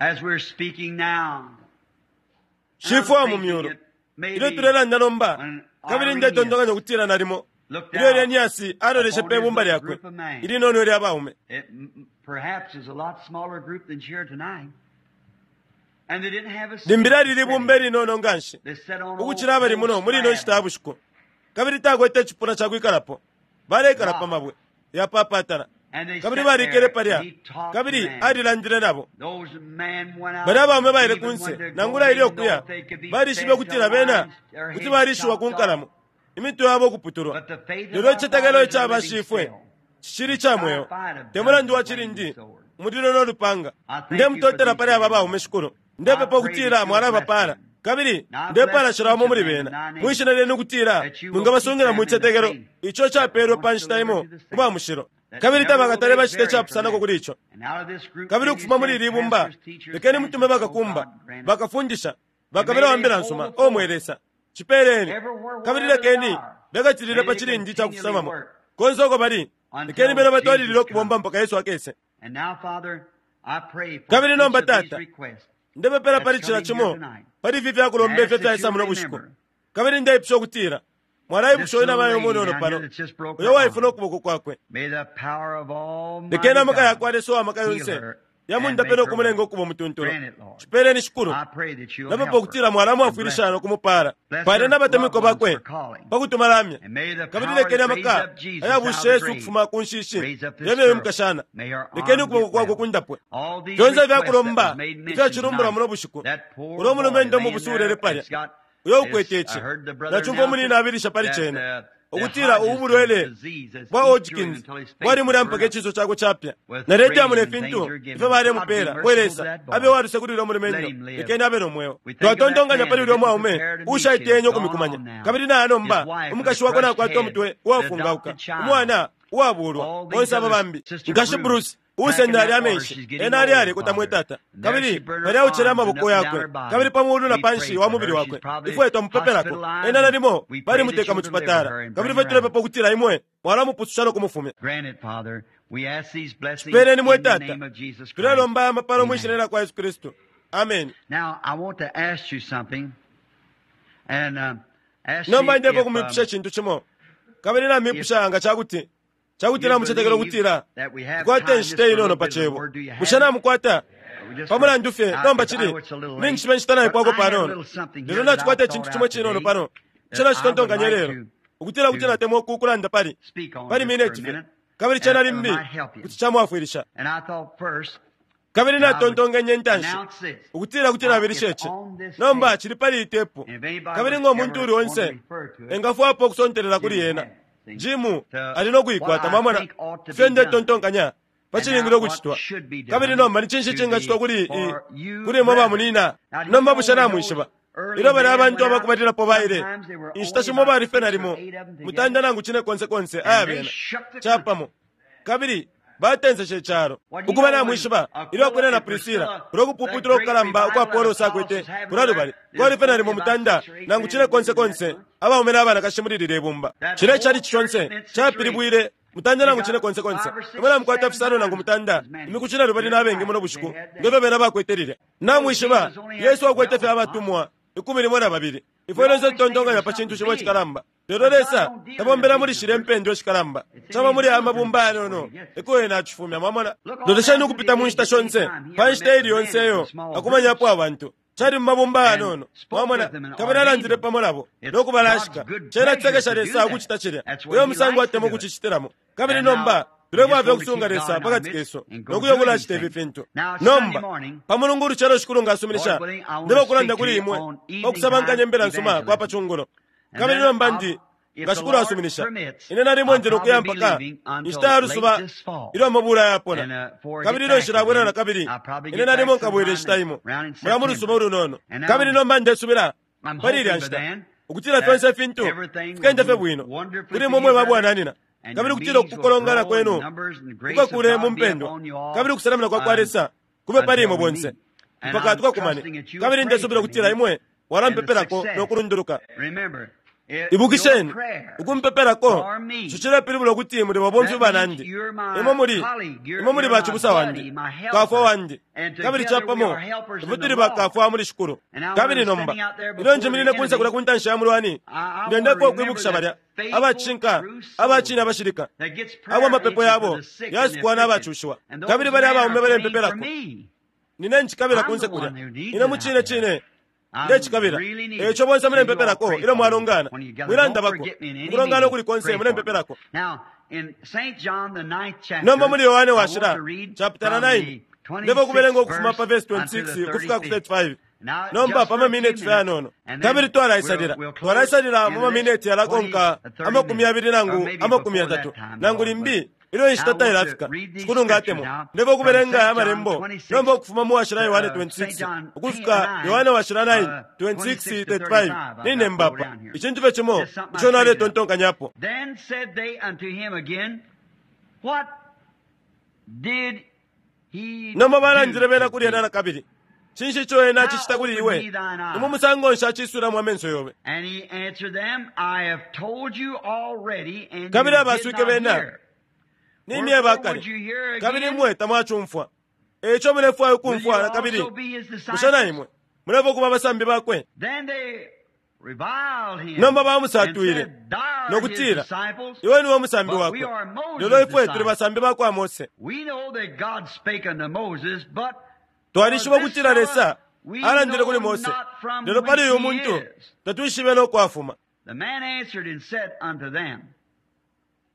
As we're speaking now. Shifwe wa mu myulu, ilyo tulelanda nomba, kabili ndetontonkanya ukutila nalimo Ilyo Eleniasi aloleshe pe bumba lyakwe ilinono ilya baume, limbi lyali libumba ilinono nga nshi ukucila abali muno muli ino nshita ya bushiku, kabili takwete icipuna ca kwikalapo. Baleikala pa mabwe yapapatala, kabili balikele palya, kabili alilandile nabo. Balya abaume baile kunse, nangula ilyo kuya, balishibe ukutila bena kuti balishiwa ku nkalamo, imitwe yabo ukuputulwa. Lelo icitetekelo ica bashifwe cicili ica mweo, te mulandu wa cilindi, umulilo no lupanga. Ndemutotela pali aba baume, Shikulu. Ndepepa ukutila mwalabapaala, kabili ndepaala cila umo muli bena mwi shina lyenu, ukutila mwingabasungila mu citetekelo ico capeelwe pa nshita imo ku ba mushilo, kabili tabakatale bacita icapusanako kuli ico. Kabili ukufuma muli ili bumba lekeni mutume bakakumba, bakafundisha, bakabila wa mbila nsuma. O mwe Lesa, cipeeleni. Kabili lekeni bekatilile pa cilindi ca kufisamamo konse uko bali. Lekeni bena batwalilile ukubomba mpaka Yesu akese. Kabili nomba, Tata, ndepepela pali cila cimo pali ifi fyakulomba ifyo fyaisa muno bushiku, kabili ndeipusha ukutila mwalaipusha uyu namayo umunono pano uyo waifuna ukuboko kwakwe. Lekeni amaka yakwa Lesa uwa maka yonse yamundape no kumulenga ukuba umutuntulu. Cipeeleni, Shikulu. Napepa ukutila mwalamwafwilisha no kumupaala pale n'abatemwikwa bakwe pa kutuma lamya. Kabili lekeni amaka ayabusha Yesu ukufuma ku nshishi yemye uyu mukashana. Lekeni ukuboko kwakwe kundapwe. Fyonse ifyakulomba ifyacilumbulwa muno bushiku, ulo mulumendo umubusu ulele palya uyo ukwete ici, nacumfwa umunina abilisha pali cena ukutila ubu bulwele bwa Hodgkins bwali mulya mpaka iciso cakwe capya, naleti amuna ifintu ifyo balemupeela. Mwe Lesa, abe waluse kuli ulya mulumendo, lekeni abe no mweo. Twatontonkanya pali ulya mwaume ushaitenye ukumikumanya, kabili naya nomba umukashi wakwe nakwata umutwe uwafungauka, umwana uwabulwa, bonse aba bambi. Nkashi Bruce uusenda alya amenshi, ena ali alekota, mwe Tata, kabili palya aucele amaboko yakwe, kabili pa muulu na panshi wa mubili wakwe. Ifwe twamupepelako ena, nalimo balimuteka mu cipatala, kabili ifwe tulepepa ukutila imwe mwalamupususha no kumufumya. Cipeeleni, mwe Tata. Tulelomba aya mapalo mwi shina lya kwa Yesu Kristu. Ameni. Nomba ndepo kumwipusha icintu cimo, kabili namipusha nga cakuti cakuti namucetekela ukutila tukwate inshita inono pa cebo. Bushe namukwata? Pa mulandu fye nomba cili ninjishiba inshita naipwako panono, lelo nacikwata icintu cimo cinono pano ico nacitontonkanya lelo ukutila kuti natemwa ukulanda pali pali mineti fye, kabili cena limbi kuti camwafwilisha. Kabili natontonkenye intanshi ukutila kuti nabilisha ici. Nomba cili pali iyi tepu, kabili ngo muntu uli onse engafwapo ukusontelela kuli yena, Jimu ali no kuikwata. Mwamona ifyo ndetontonkanya pa cilingile ukucitwa, kabili nomba ni cinshi cingacitwa kuli kuli imwe bamunina. Nomba bushe namwishiba ilyo bali abantu abakubalilapo baile, inshita shimo bali fye nalimo mutanda nangu cine konse konse aya bena capamo, kabili batenseshe icalo. Ukuba namwishiba ilyo Akwila na Prisila, ulo kupuputula ukukalamba ukwa Apolosi akwete kulya lubali, kwali fye nalimo mutanda nangu cine konse konse abaume na banakashi muli lilye bumba. Cilya icalici conse capilibwile mutanda nangu cine konse konse. Imwe namukwata fisano nangu mutanda imiku cine lubali na bengi muno bushiku ngefyo bena bakwete lilya. Namwishiba Yesu akwete fye abatumwa 12. Ifwe lyonse tutontonkanya pa cintu cimo icikalamba, lelo Lesa tabombela muli shilya impendwa ishikalamba, caba muli aya mabumba ayanono eko ena acifumya. Mwamona, lolesheni ukupita mu nshita shonse, pa nshita ili yonse iyo akumanyapo abantu, cali mu mabumba ayanono. Mwamona, kabili alandile pamo nabo no kubalashika. Cena cisekesha Lesa ukucita cilya, uyo musango atemwa ukucicitilamo. Kabili nomba tulefwaya ukusunga Lesa pakati kesu no kuya kulacita ifi fintu. Nomba pa Mulungu ulucelo, Shikulu nga asuminisha, ndeba ukulanda kuli imwe pa kusabankanya imbila nsuma kwa pa cungulo. Kabili nomba ndi, nga Shikulu asuminisha, ine nalimo ndi nokuya mpaka inshita ya lusuba ilyo amabula yapona, kabili ilyo nshilabwela na kabili, ine nalimo nkabwela inshita imo mulya mu lusuba ulunono. Kabili nomba ndesubila pali ilya nshita ukutila fyonse ifintu fikenda fye bwino kuli imwe mwe babwananina, kabili ukutila ukukolongana kwenu kukakule mu mpendwa, kabili ukusalamina kwa kwa Lesa kube pali imwe bonse mpaka tukakumane. Kabili ndesubila ukutila imwe mwalampepelako no kulunduluka. Ibukisheni, ukumpepelako cicilepilibula ukuti muli babomfi banandi. Imwe muli, imwe muli bacibusa wandi, kafwa wandi, kabili capamo ifwe tuli bakafwa muli Shikulu. Kabili nomba ilyo njiminine kunse kulya ku ntanshi ya mulwani, ndendeko ukwibukisha balya abacinka abacine abashilika abo amapepo yabo yasukwa n'abacushiwa, kabili balya abaume balempepelako. Nine ncikabila kunse kulya, ine mu cine cine ndecikabila. Eco bonse mulempepelako ilyo mwalongana, mwilandabako ukulongana ukuli konse mulempepelako. Nomba muli Yohane Washila chapter 9 ndefo kubelenga ukufuma pa verse 26 ukufika ku 35. Nomba pa mamineti fye yanono, kabili twalaisalila twalaisalila mu mamineti yalakonka 20 nangu 30 nangu limbi ilyo inshita tailafika. Shikulu nga atemwa, ndefo kubelenga aya malembo nomba ukufuma mu Washila Yohane 26 ukufika Yohane Washila 9 26 35. Nine mbapa icintu fye cimo ico naletontonkanyapo. Then said they unto him again, What did he Nomba balandile do bena to kuli ena thee? na kabili, cinshi ico ena acicita kuli iwe? Ni musango nshi acisulamo amenso yobe? And he answered them, I have told you already, and Kabili you did abaswike not bena, hear. Ni myeba Wherefore kale, would you hear kabili again? imwe tamwacumfwa. Eco mulefwaya Will you ukumfwa na kabili? also be his Bushe na disciples? imwe mulefwaya ukuba abasambi bakwe? Then they reviled him Nomba and bamusatwile said, Thou art no his kutila, disciples, iwe niwe musambi but we wakwe, are Moses' lelo ifwe tuli disciples. basambi bakwa Mose. We know that God spake unto Moses, but Twalishiba for this ukutila fellow Lesa we alandile kuli know Mose, not from lelo pali whence uyu he muntu is. tatwishibe no kwafuma. The man answered and said unto them,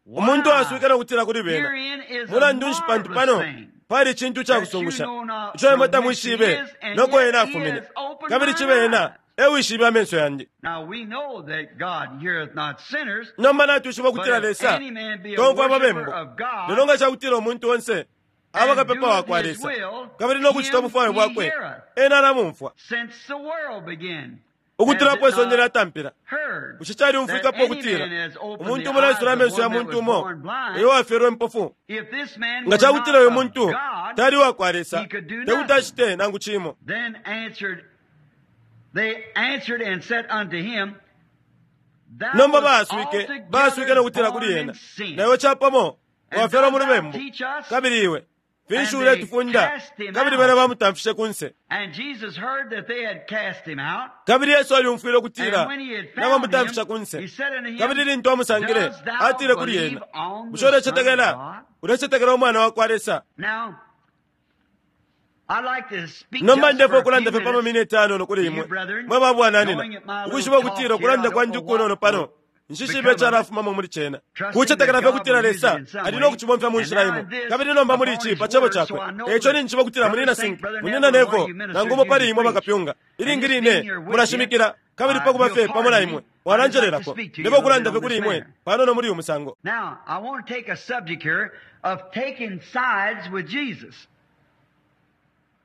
Umuntu Why, aswike no kutila kuli bena, herein is a mulandu nshi pantu marvelous pano thing pali icintu that you cakusungusha know not ico imwe from whence he tamwishibe is, and noko yet ena he afumine, has opened kabili mine cibe ena eyes. ewishibe amenso yandi. Now we know that God heareth not sinners, Nomba natwishiba but ukutila if Lesa any man be a tomfwa worshiper ababembu, of God lelo nga cakutila umuntu onse aba and kapepa doeth wakwa his Lesa will, kabili no kucita him ubufwayo he bwakwe, heareth. ena alamumfwa. Since the world began, has Ukutula it po isonde not lyatampila, heard bushe that calyumfwikapo any ukutila man has opened umuntu the umo eyes naisula of amenso ya one that muntu was umo born blind? uyo wafyelwe impofu? If this man Nga were cakutila not uyu of muntu God, tali wakwa Lesa, he could do tekuti nothing. acite nangu cimo. Then answered they answered and said unto him, Thou Nomba wast baaswike baaswike altogether no kutila kuli born ena, in sin, na iwe capamo and wafyalwa mu dost thou lubembu, teach us? kabili iwe finshi And they uletufunda? cast him Kabili out. bena bamutamfishe kunse. And Jesus heard that they had cast him out. Kabili Yesu alyumfwile ukutila And when he had found nabamutamfisha him, kunse. he said unto him, Kabili lintu amusangile, Dost thou atile kuli believe ena, on bushe the Son of ulecetekela God? ulecetekela umwana wakwa Lesa? Now, I'd like to speak Nomba just ndefo for a few ukulanda fye pa minutes mamineti anono kuli to you, imwe brethren, mwe babwananina, knowing that my little ukwishiba talk ukutila here, I ukulanda don't kwandi know kunono what pano will nshishibe become of it, calafumamo muli cena, trusting that kucetekela fye God ukutila will use it Lesa in some ali no way. kucibomfya mu And nshila now imo. in this, Kabili nomba muli upon ici his pa cebo word, so cakwe, I know eco that ninjiba ukutila Brother munina Saint, Sink, Brother munina Neville, and one Nevo, of you nangu ministers umo pali usually imwe preach. bakapyunga. And Ilingi just being line here with you, mulashimikila, kabili pa kuba you'll fye pamo na pardon imwe me. I'd just like to mwalanjelelako. speak to you a Ndefo little bit ukulanda fye on kuli this imwe manner. panono muli uyu musango. Now, I want to take a subject here of taking sides with Jesus.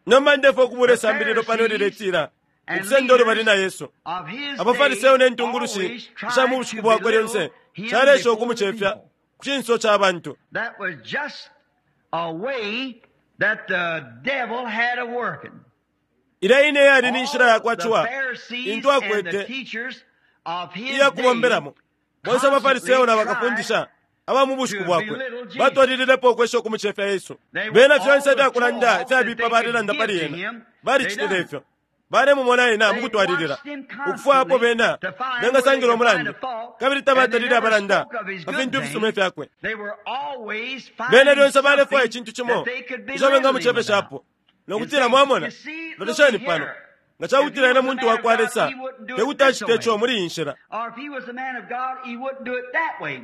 Nomba ndefo ukubula The isambililo pano Pharisees liletila and ukusenda ulubali leaders na Yesu. of his Abafarisayo day ne ntungulushi always isha mu tried bushiku to bwakwe lyonse belittle him calesha before the ukumucefya people. ku cinso ca bantu. That was just a way that the devil had of working. Ilya ine yali ni nshila All yakwa the ciwa Pharisees intu and the akwete teachers of his iya day kubombelamo. Bonse abafarisayo constantly na tried bakafundisha aba mu bushiku to bwakwe belittle Jesus. batwalililepo ukwesha ukumucefya Yesu. They were Bena all fyonse the ifyakulanda talk that ifyabipa they could balelanda give pali to ena him, they balicitile done. ifyo. Balemumona ena mu They kutwalilila watched him ukufwapo constantly bena to find where they bengasangila could find umulandu a fault, kabili and they tabatalile never abalanda spoke of his pa good fintu ifisuma things. ifyakwe. They were always Bena finding lyonse balefwaya something icintu cimo that they could ico belittle him about. bengamucepeshapo no And kutila say, mwamona, you see, look lolesheni pano here. nga If he cakutila ena was a muntu man of wakwa God, Lesa he wouldn't do it tekuti this acite ico way. muli iyi nshila. Or if he was a man of God, he wouldn't do it that way.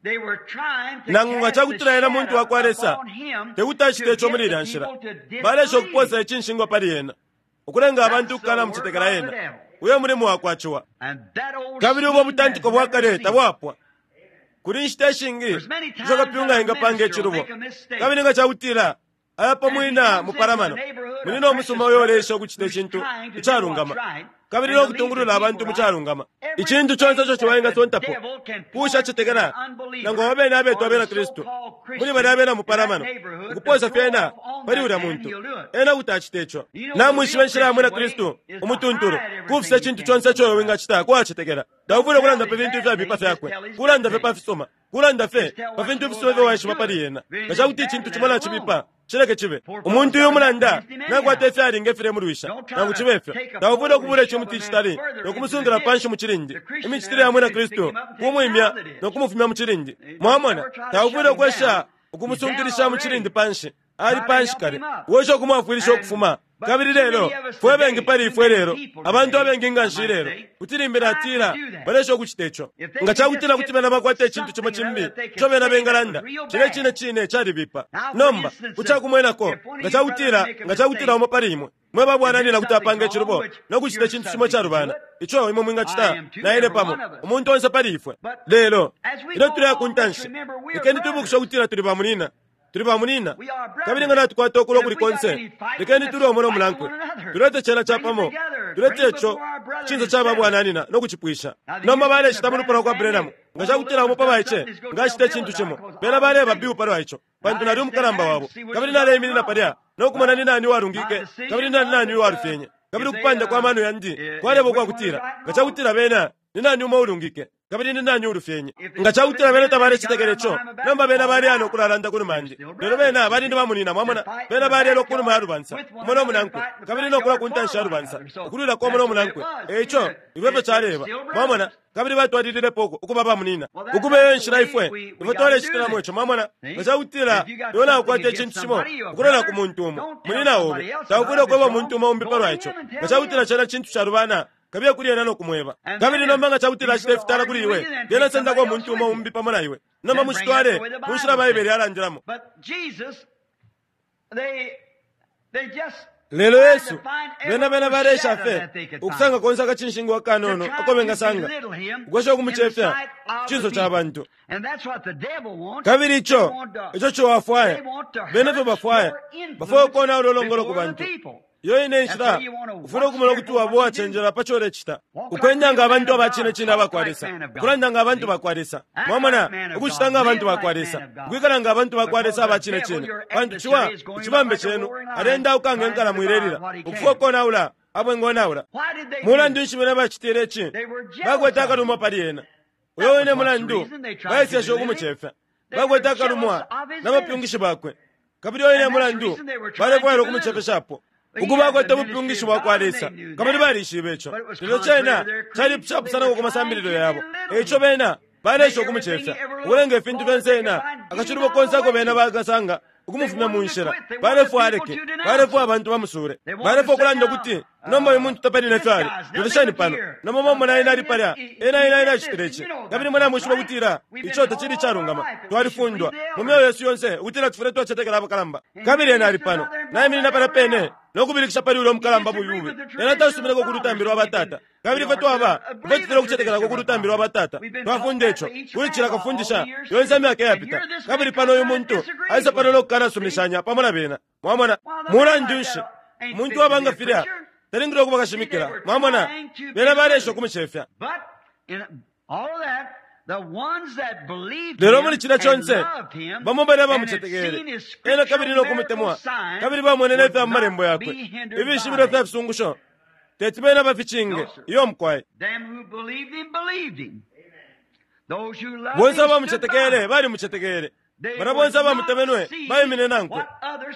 They were trying to Nangu nga cast the cakutila ena muntu shadow wakwa Lesa upon him tekuti acite to ico get muli the ilya nshila. people to Balesha disbelieve. ukuposa icinshingwa pali ena ukulenga abantu That's the ukukana work mucetekela of the ena. devil. Uyo mulimo wakwa ciwa. And that old Kabili ubo scheme has butantiko bwa never kale ceased. tabwapwa. Kuli inshita ishingi There's many isho times that kapyunga a engapanga minister will icilubo. make a mistake. Kabili nga cakutila aya And he pamwina comes into the mupalamano neighborhood, a munina precious umusuma uyo brother ulesha ukucita who's icintu trying to do what's icalungama right, kabili no kutungulula abantu mu calungama. Icintu conse ico ciwa engasontapo kuushacetekela nangu abo bene abetwa abena Kristu muli balya abena mupalamano, ukuposa fyena pali ulya muntu, ena kuti acita ico. Namwishiba inshila ya mwina Kristu umutuntulu kufisa icintu conse ico iwe wingacita kuwacetekela. Taufwile ukulanda pa fintu ifyabipa fyakwe, kulanda fye pa fisuma, kulanda fye pa fintu ifisuma ifyo waishiba pali ena. Nga ca kuti icintu cimo nacibipa, cileke cibe. Umuntu uyo umulanda nakwata ifyalinga ifilemulwisha. Nangu cibe fyo, taufwile ukubula icimuti icitali no kumusungila panshi mu cilindi. Imicitile ya Mwina Kristu kumwimya no kumufumya mu cilindi. Mwamona, taufwile ukwesha ukumusunkilisha mu cilindi panshi. Ali panshi kale. Wesha ukumwafwilisha ukufuma. Kabili lelo, fwe bengi pali ifwe lelo, abantu abengi nga nshi ilelo, kuti limbi natila balesha ukucita ico. Nga ca kutila kuti bena bakwata icintu cimo cimbi ico bena bengalanda, cilya cine cine calibipa. Nomba, ku ca kumwenako, nga ca kutila, nga ca kutila umo pali imwe mwe ba bwananyina kuti apanga icilubo no kucita icintu cimo icalubana, ico imwe mwingacita, na ine pamo, umuntu onse pali ifwe. Lelo, ilyo tuleya ku ntanshi, lekeni twibukishe ukutila tuli bamunyina. Tuli bamunyina. Kabili nga natukwata ukulwa ukuli konse, lekeni tulwe umo no munankwe. Tulete cena capamo. Tulete ico ku cinso ca ba bwananyina no kucipwisha. Nomba balecita mu lupwa lwa kwa Branham. Nga ca kutila umo pa baice nga acita icintu cimo, bena baleeba Bill palwa ico, pantu nali umukalamba wabo. Kabili naleiminina palya no kumona ni nani uwalungike kabili ni nani uwalufyenye. Kabili ukupanda kwa mano yandi kwaleba ukwa kutila, nga ca kutila bena, ni nani umo uulungike kabili ni nani uulufyenye? Nga ca kutila bena tabalecetekela ico, nomba bena baleya no kulalanda ku numa yandi. Lelo bena bali ni bamunyina, mwamona, bena balelwa ku numa ya lubansa, umo no munankwe, kabili no kulwa ku ntanshi ya lubansa, ukulwilako umo no munankwe. E ico, ifyo efyo caleba, mwamona, kabili batwalililepo ukuba bamunyina. Ukuba eyo nshila ifwe, ifwe twalecitilamo ico, mwamona. Nga ca kutila iwe naukwata icintu cimo ukulola ku muntu umo, munyina obe, taufwile ukweba umuntu umo umbi palwa ico. Nga ca kutila cena cintu calubana, kabiye kuli ena no kumweba. Kabili nomba nga ca kutila acita ifitala kuli iwe, lyena sendako umuntu umo umbi pamo na iwe. Nomba mucitwale mu nshila Baibele yalandilamo. Lelo Yesu, bena bena baleesha fye ukusanga konse akacinshingwa akanono ako bengasanga, ukwesha ukumucefya ku cinso ca bantu. Kabili ico, ico ciwa afwaya. Bena efyo bafwaya. Bafwaya ukonaula ulongolo ku bantu. Iyo ine nshila ufwile ukumona ukuti waba uwacenjela pa co ulecita. Ukwenda nga abantu aba cine cine aba kwa Lesa, ukulanda nga abantu ba kwa Lesa, mwamona, ukucita nga abantu ba kwa Lesa, ukwikala nga abantu ba kwa Lesa aba cine cine. Pantu ciwa, icibambe cenu, aleendauka nge nkalamo ilelila, ukufwaya ukonaula abo engonaula. Mulandu nshi bena bacitile ici? Bakwete akalumwa pali ena. Uyo wine mulandu baeseshe ukumucefya. Bakwete akalumwa na bapyungishi bakwe. Kabili uyo wine mulandu balefwaila ukumucefeshapo. Ukuba akwete ubupyungishi bwa kwa Lesa, kabili balishibe ico. Lelo cena cali capusanako ku masambililo yabo. E ico bena baleesha ukumucefya, ukulenga ifintu fyonse ena akacilubo konse ako bena bakasanga ukumufumya mu nshila. Balefwaya aleke, balefwaya abantu bamusuule, balefwaya ukulanda ukuti, Nomba uyu muntu tapali ne fyo ali. Lolesheni pano. Nomba mwamona ena ali palya. Ena, ena, ena acitile ici. Kabili imwe namwishiba ukutila ico tacili icalungama. Twalifundwa, mu myeo yesu yonse, ukutila tufwile twacetekela abakalamba. Kabili ena ali pano, naiminina palya pene no kubilikisha pali ulya umukalamba bubi bubi. Ena tasumineko ku lutambi lwa batata. Kabili ifwe twaba, ifwe tufwile ukucetekelako ku lutambi lwa batata. Twafunda ico, kuli cila kafundisha, yonse imyaka iyapita. Kabili pano uyu muntu aisa pano no kukanasuminishanya pamo na bena. Mwamona? Mulandu nshi, umuntu uwaba nga filya talingile ukuba kashimikila. Mwamona? Bena baleesha ukumucefya. Lelo muli cilya conse, bamo balya bamucetekele ena kabili no kumutemwa, kabili bamwene ne fya mu malembo yakwe, ifishibilo fya fisungusho, teti bena baficinge. Iyo mukwai. Bonse abamucetekele balimucetekele. Balya bonse abamutemenwe baimine nankwe.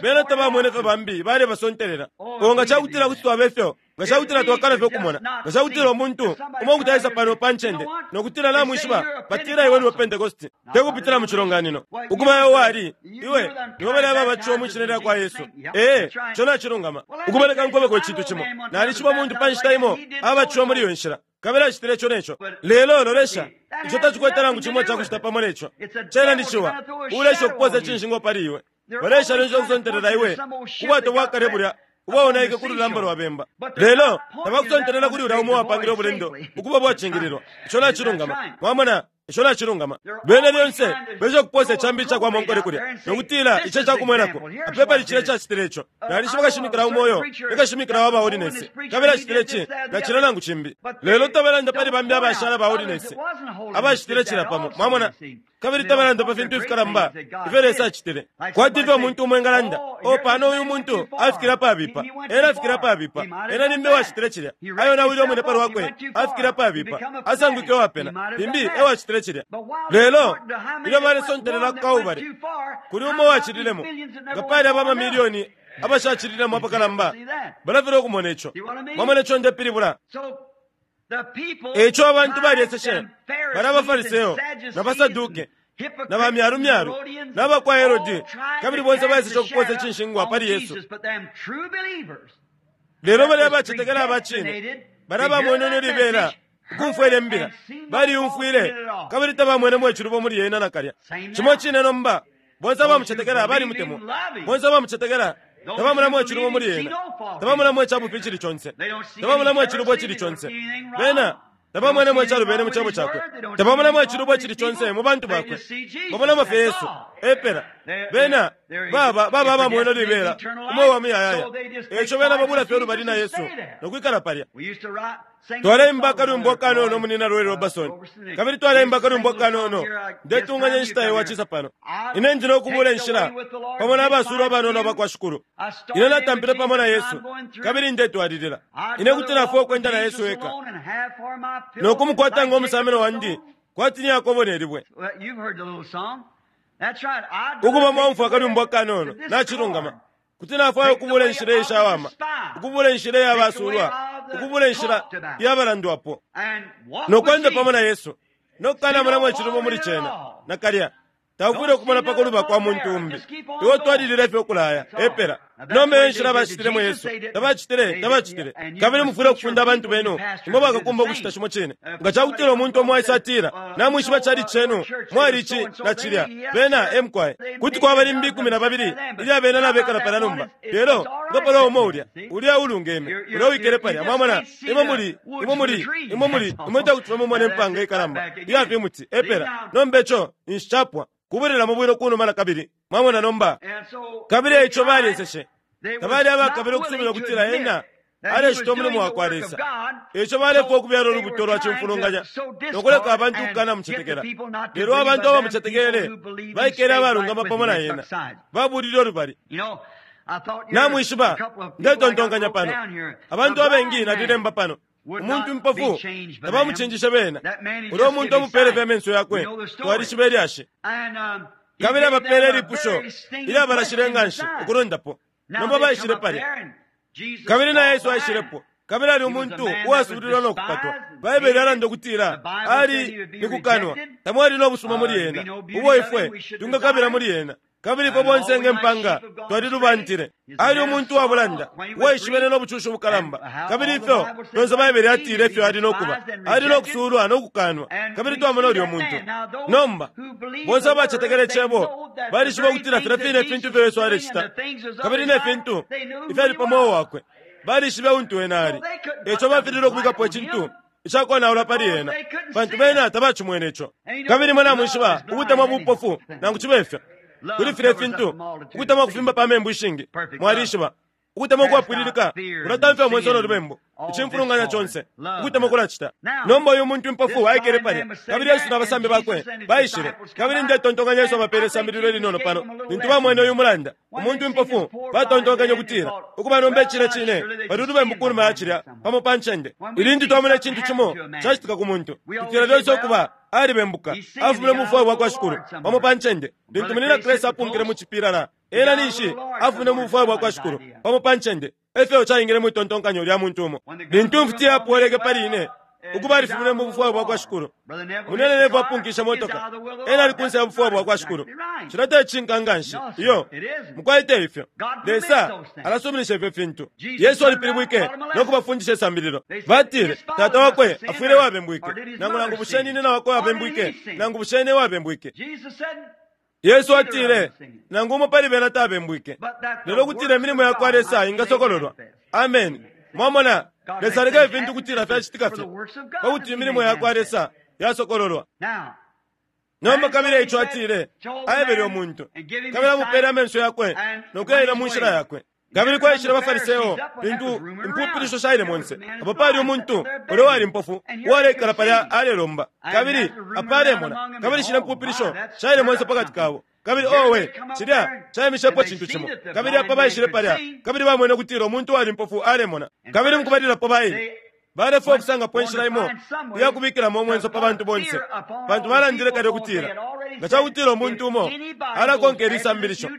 Bena tabamwene fye bambi balebasontelela. Oh, nga ca kutila kuti twaba ifyo, nga ca kutila twakana fye ukumona, nga ca kutila umuntu umo kuti aisa pano pa ncende no kutila namwishiba, batila iwe ni wa Pentekoste, te kupitila mu cilonganino. Ukuba iwe wali, iwe, niwe balya ababatishiwa mwi Shina lya kwa Yesu. Ee, ico nacilungama. Ukuba leka nkwebeko icintu cimo. Nalishiba umuntu pa nshita imo abatishiwa muli iyo nshila. Kabili acitile ico ne co. Lelo, lolesha, ico tacikwete nangu cimo icakucita pamo ne co. Cena ni ciwa, uulesha ukupoosa icinshingwa pali iwe. Baleesha lyonse ukusontelela iwe ku bwato bwa kale bulya ubwaonaike ku lulamba lwa bemba. Lelo tabakusontelela kuli ulya umo uwapangile ubulendo ukuba ubwacingililwa. Ico nacilungama. Mwamona? Ico nacilungama. Bena lyonse besha ukuposa icambi icakwa monkole kulya nokutila ico ecakumwenako. Apepa licila icacitile ico. Nalishiba kashimikila umo uyo ni kashimikila wa ba holiness, kabili acitile ici na cilya nangu cimbi. Lelo tabalanda pali bambi abashala ba holiness abacitile cilya pamo. Mwamona? Kabili tabalanda pa fintu ifikalamba ifyo Lesa acitile. Kwati ifyo umuntu umo engalanda, Oh, pano uyu muntu afikile apabipa. Ena afikile apabipa. Ena limbi ewacitile cilya. Ayonawile umwine pa lwakwe, afikile apabipa. Asangwike uwapena. Limbi ewacitile cilya. Lelo, ilyo balesontelela ku Kalbale, kuli umo uwacililemo, nga pali aba amamilioni abashacililemo apakalamba, balafilwa ukumona ico. Mwamona ico ndepilibula? E ico abantu balyeseshe, balya abaFariseo, na baSaduke, na bamyalumyalu, na ba kwa Herode, kabili bonse baeseshe ukupoosa icinshingwa pali Yesu. Lelo balya abacetekela aba cine, balya abamwenene libela ukumfwa ilya mbila, baliyumfwile kabili tabamwenemo icilubo muli yena nakalya. Cimo cine nomba, bonse abamucetekela balimutemwa. Bonse abamucetekela tabamonamo icilubo muli ena, tabamonamo icabufi icili conse, tabamonamo icilubo icili conse. Bena tabamwenemo icalubene mu cebo cakwe, tabamonamo icilubo icili conse mu bantu bakwe. Bamonamo fye Yesu epela. Bena baba baba abamweno libela umweo wa muyayaya. Eico bena babula fye ulubali na Yesu no kwikala palya. Twaleimba akalwimbo akanono munina Roy Robertson, kabili twaleimba akalwimbo akanono, Ndetunganya inshita iyo wacisa pano. Ine ndi no kubula inshila pamo na basulwa abanono abakwa Shikulu. Ine natampile pamo na Yesu, kabili ndetwalilila. Ine kuti nafwa ukwenda na Yesu eka, no kumukwata ngo musameno wandi, kwati ni Yakobo ne libwe. Ukuba mwaumfwa akalwimbo akanono, nacilungama. Kuti nafwaya ukubula inshila ishawama, ukubula inshila iya basulwa, ukubula inshila iya balandwapo, no kwenda pamo na Yesu, no kukanamonamo icilubo muli cena nakalya. Taufwile ukumona pa kuluba kwa muntu umbi. Iwe twalilile fye ukulaya epela. Nomba iyo nshila bacitilemo Yesu. Tabacitile, tabacitile. Kabili mufwile ukufunda abantu benu, imwe bakakumba ukucita cimo cine. Nga ca kutila umuntu umo aisa atila, Namwishiba cali cenu, mwali ici na cilya, bena e mukwai. Kuti kwaba limbi 12 ilya bena nabekala palya nomba. Lelo, nga palwa umo ulya, ulya ulungeme, ulya uwikele palya, mwamona, imwe muli, imwe muli, imwe muli, imwe tekuti fye mumone impanga ikalamba iya fimuti, epela. Nomba ico ninshi capwa. Kubwelelamo bwino kunuma nakabili. Mwamona nomba? Kabili eico balyeseshe. Tabali abakabila ukusubila ukutila ena alecita umulimo wa kwa Lesa. Eico balefwaya ukubyala ulubuto lwa cimfulunganya no kuleka abantu ukukanamucetekela. Lelo abantu abamucetekele baikele abalungama pamo na ena, babulile ulubali. Namwishiba, ndetontonkanya pano, abantu abengi nalilemba pano. Umuntu impofu tabamucinjishe bena. Ulya umuntu amupele fye amenso yakwe, twalishiba ilyashi. Kabili abapeele ilipusho ilyabalashile nga nshi ukulundapo. Nomba baishile palya. Kabili na Yesu aishilepo. Kabili ali umuntu uwasubililwa no kupatwa. Baibele yalanda ukutila ali ni kukanwa, tamwali no busuma muli ena, ubo ifwe twingakabila muli ena. Kabili ifwe bonse nge mpanga twalilubantile. Ali umuntu wa bulanda, uwaishibene no bucushi bukalamba. Kabili ifyo fyonse Baibele yatile ifyo ali no kuba. Ali no kusuulwa no kukanwa. Kabili twamona ulyo muntu. Nomba, bonse abacetekela Icebo balishiba ukutila filya fine ifintu ifyo Yesu alecita, kabili ne fintu ifyali pa mweo wakwe, balishibe untu ena ali. Eico bafililwe ukubikapo icintu icakonaula pali ena, pantu bena tabacimwene ico. Kabili imwe namwishiba ukutemwa bupofu, nangu cibe fyo. Kuli filya fintu, ukutemwa kufimba pa membu ishingi. Mwalishiba, ukutemwa ukwapwililika kulatamfya umwenso no lubembu, icimfulunganya conse. Ukutemwa kulacita. Nomba uyu muntu impofu aikele palya, kabili Yesu na basambi bakwe baishile. Kabili ndetontonkanya Yesu abapeele isambililo ilinono pano. Lintu bamwene uyu mulanda, umuntu impofu, batontonkanya ukutila, ukuba nomba icine cine, pali ulubembu ku numa ya cilya, pamo pa ncende. Ilintu twamona icintu cimo cacitika ku muntu, tutila lyonse ukuba alibembuka, afumine mu bufwayo bwa kwa Shikulu, pamo pa ncende. Lintu Munyina Crase apunkile mu cipilala, ena ninshi afumine mu bufwayo bwa kwa Shikulu, pamo pa ncende. Efyo caingile mwi tontonkanyo lya muntu umo. Lintu imfuti yapweleke pali ine, ukuba alifumine mu bufwayo bwa kwa Shikulu. Munene Neville apunkishe motoka, ena ali kunse ya bufwayo bwa kwa Shikulu. Cilya te cishinka nganshi. Iyo, mukwai te ifyo. Lesa alasuminisha ifyo fintu. Yesu alipilibwike no kubafundisha isambililo. Batile, Tata wakwe afwile wabembwike, nangu nangu bushe nyina wakwe wabembwike, nangu bushe ine wabembwike. Yesu atile, nangu umo pali bena tabembwike, lelo kutila imilimo ya kwa Lesa ingasokololwa. Amen. Mwamona, Lesa aleka ifintu kutila fyacitika fye, pa kuti imilimo ya kwa Lesa yasokololwa. Nomba kabili ico atile, aebele umuntu, kabili amupele amenso yakwe no kuyaila mu nshila yakwe. Kabili kwaishile abaFariseo lintu impupilisho shaile monse. Apo pali umuntu ulya wali mpofu uwaleikala palya alelomba, kabili apa alemona, kabili shilya mpupilisho shaile monse pakati kabo. Kabili owe, cilya caimishepo cintu cimo. Kabili apa baishile palya, kabili bamwene ukutila umuntu wali mpofu alemona. Kabili mukubalilapo baile balefwaya ukusangapo inshila imo iya kubikilamo umwenso pa bantu bonse, pantu balandile kale ukutila nga ca kutila umuntu umo alakonka ili sambilisho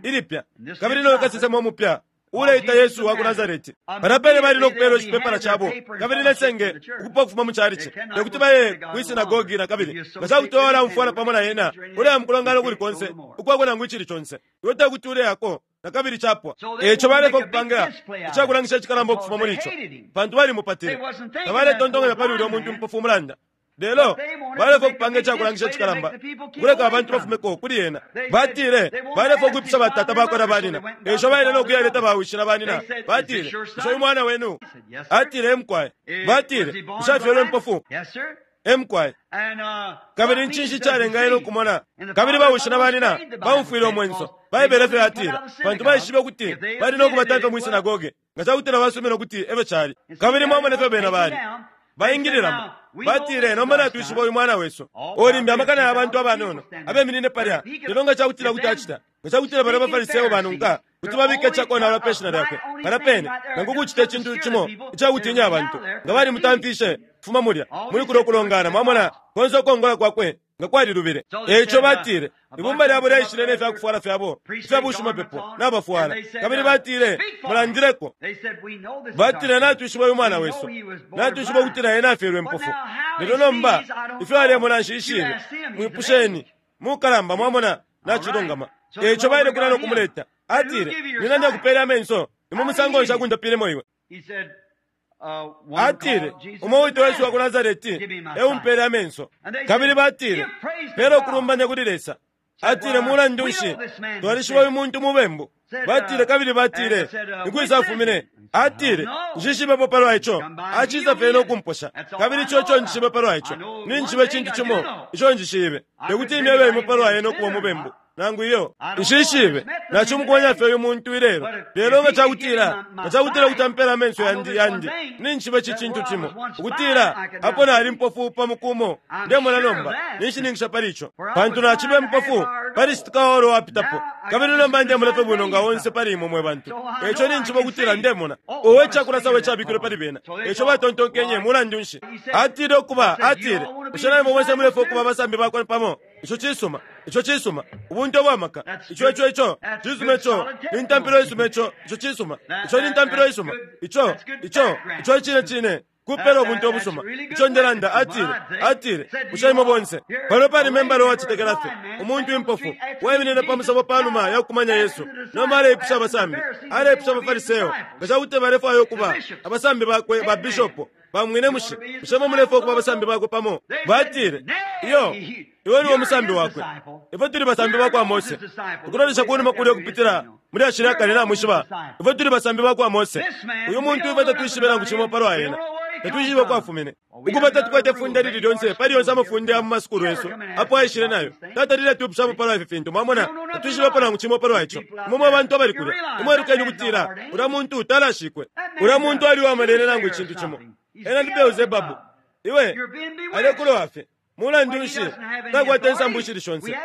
ilipya kabili no kasesema umupya uleita Yesu wa ku Nazareti, palya pene bali no kupeelwa icipepala cabo kabili ne senge ukupa ukufuma mu calici, te kuti baye kwi sinagogi na kabili. Nga ca kuti walaumfwana pamo na ena, uleya mu kulongana ukuli konse ukwako nangu icili conse, iwe te kuti uleyako na kabili capwa. Eco balefwaya ukupanga icakulangisha icikalamba ukufuma muli ico, pantu balimupatile. Tabaletontonkanya pali ulya muntu mpofu umulanda, lelo balefwaya ukupanga icakulangisha icikalamba ukuleka abantu bafumeko kuli ena. Batile balefwaya ukwipusha batata bakwe na banina, eco baile no kuyaleta bawishi na banina. Batile, bushe uyu mwana wenu? Atile, emukwaye. Batile, bushe afyelwe mpofu? Emukwaye. Kabili ncinshi icalenga ena ukumona? Kabili bawishi na banina baumfwile umwenso. Baibele efyo yatila, pantu baishibe ukuti bali no kubatamfya mwi sinagoge nga ca kutila basumina ukuti efyo cali. Kabili mwamona efyo bena bali baingililamo. Batile, nomba natwishiba uyu mwana wesu. Olimbi amakana ya bantu abanono abeminine palya, lelo nga ca kutila kuti acita, nga ca kutila balya baFariseo banunka kuti babika icakonaula pe shina lyakwe palya pene, nangu kucita icintu cimo icakutiinya abantu, nga balimutamfishe kufuma mulya muli kulya ukulongana. Mwamona, konse ukongola kwakwe nga kwalilubile. Eico batile, ibumba lyabo lyaishile ne fyakufwala fyabo ifya bushimapepo nabafwala, kabili batile, mulandileko. Batile, natwishiba uyu mwana wesu, natwishiba ukutila ena afyelwe mpofu, lelo nomba ifyo alemona nshishibe, mwipusheni mukalamba. Mwamona, nacilungama. Eico baile kulya no kumuleta. Atile, nina ndakupela amenso, ni mu musango nshi akundapilemo iwe? Atile, umo witwa Yesu wa ku Nazareti eumpele amenso. Kabili batile, pela ukulumbanya kuli Lesa. Atile, mulandu nshi, twalishiba uyu muntu mubembu. Batile, kabili batile, ni kwisa afumine? Atile, nshishibepo palwa ico, acisa fye no kumposha, kabili ico ico njishibe palwa ico. Ninjishiba icintu cimo ico njishibe, tekuti imyebe imwe palwa ena ukuba umubembu nangu iyo nshishibe. Nacimukumanya fye uyu muntu ilelo, lelo nga cakutila nga cakutila kuti ampela amenso yandi yandi, ninjishiba ici cintu cimo, ukutila apo nali mpofu pa muku umo, ndemona nomba ninshininkisha pali ico, pantu nacibe mpofu pali citika olo wapitapo, kabili nomba ndemona fye bwino nga onse pali imwe mwe bantu. Eco ninjishiba ukutila ndemona. Owe, icakulasa we cabikilwe pali bena! Eco batontonkenye, mulandu nshi, atile ukuba, atile, bushe naimwe bonse mulefwaya ukuba abasambi bakwe pamo? Ico cisuma, ico cisuma, ubuntu ubwamaka. Ico ico ico cisuma, ico ni ntampilo isuma, ico ico cisuma, ico ni ntampilo isuma, ico ico ico icine cine kupela ubuntu ubusuma. Ico ndelanda. Atile, atile, bushe imwe bonse pano pali membala uwacetekela fye, umuntu impofu waiminine pa musebo panuma ya kukumanya Yesu, nomba aleipusha abasambi, aleipusha abaFariseo nga ca kuti balefwaya ukuba abasambi bakwe. Ba bishopo bamwine mushi, bushe mwe mulefwaya ukuba abasambi bakwe pamo? Batile, iyo, iwe niwe musambi wakwe, ifwe tuli basambi bakwa Mose. Ukulolesha kunuma kulya ukupitila muli ashili akale, namwishiba, ifwe tuli basambi bakwa Mose. Uyu muntu ifwe tatwishibe nangu cimo palwa ena, tatwishibe uko afumine. Ukuba tatukwete ifunde lili lyonse pali yonse amafunde ya mu masukulu yesu apo aishile nayo, tatalile atwipushapo palwa ifi fintu. Mwamona, tatwishibepo nangu cimo palwa ico. Imwe mwe bantu abali kulya, imwe elukeni ukutila ulya muntu talashikwe, ulya muntu ali uwamalele nangu icintu cimo, ena ni Beelzebabu. Iwe alekulowa fye. Mulandu nshi, takwata insambu ishili shonse,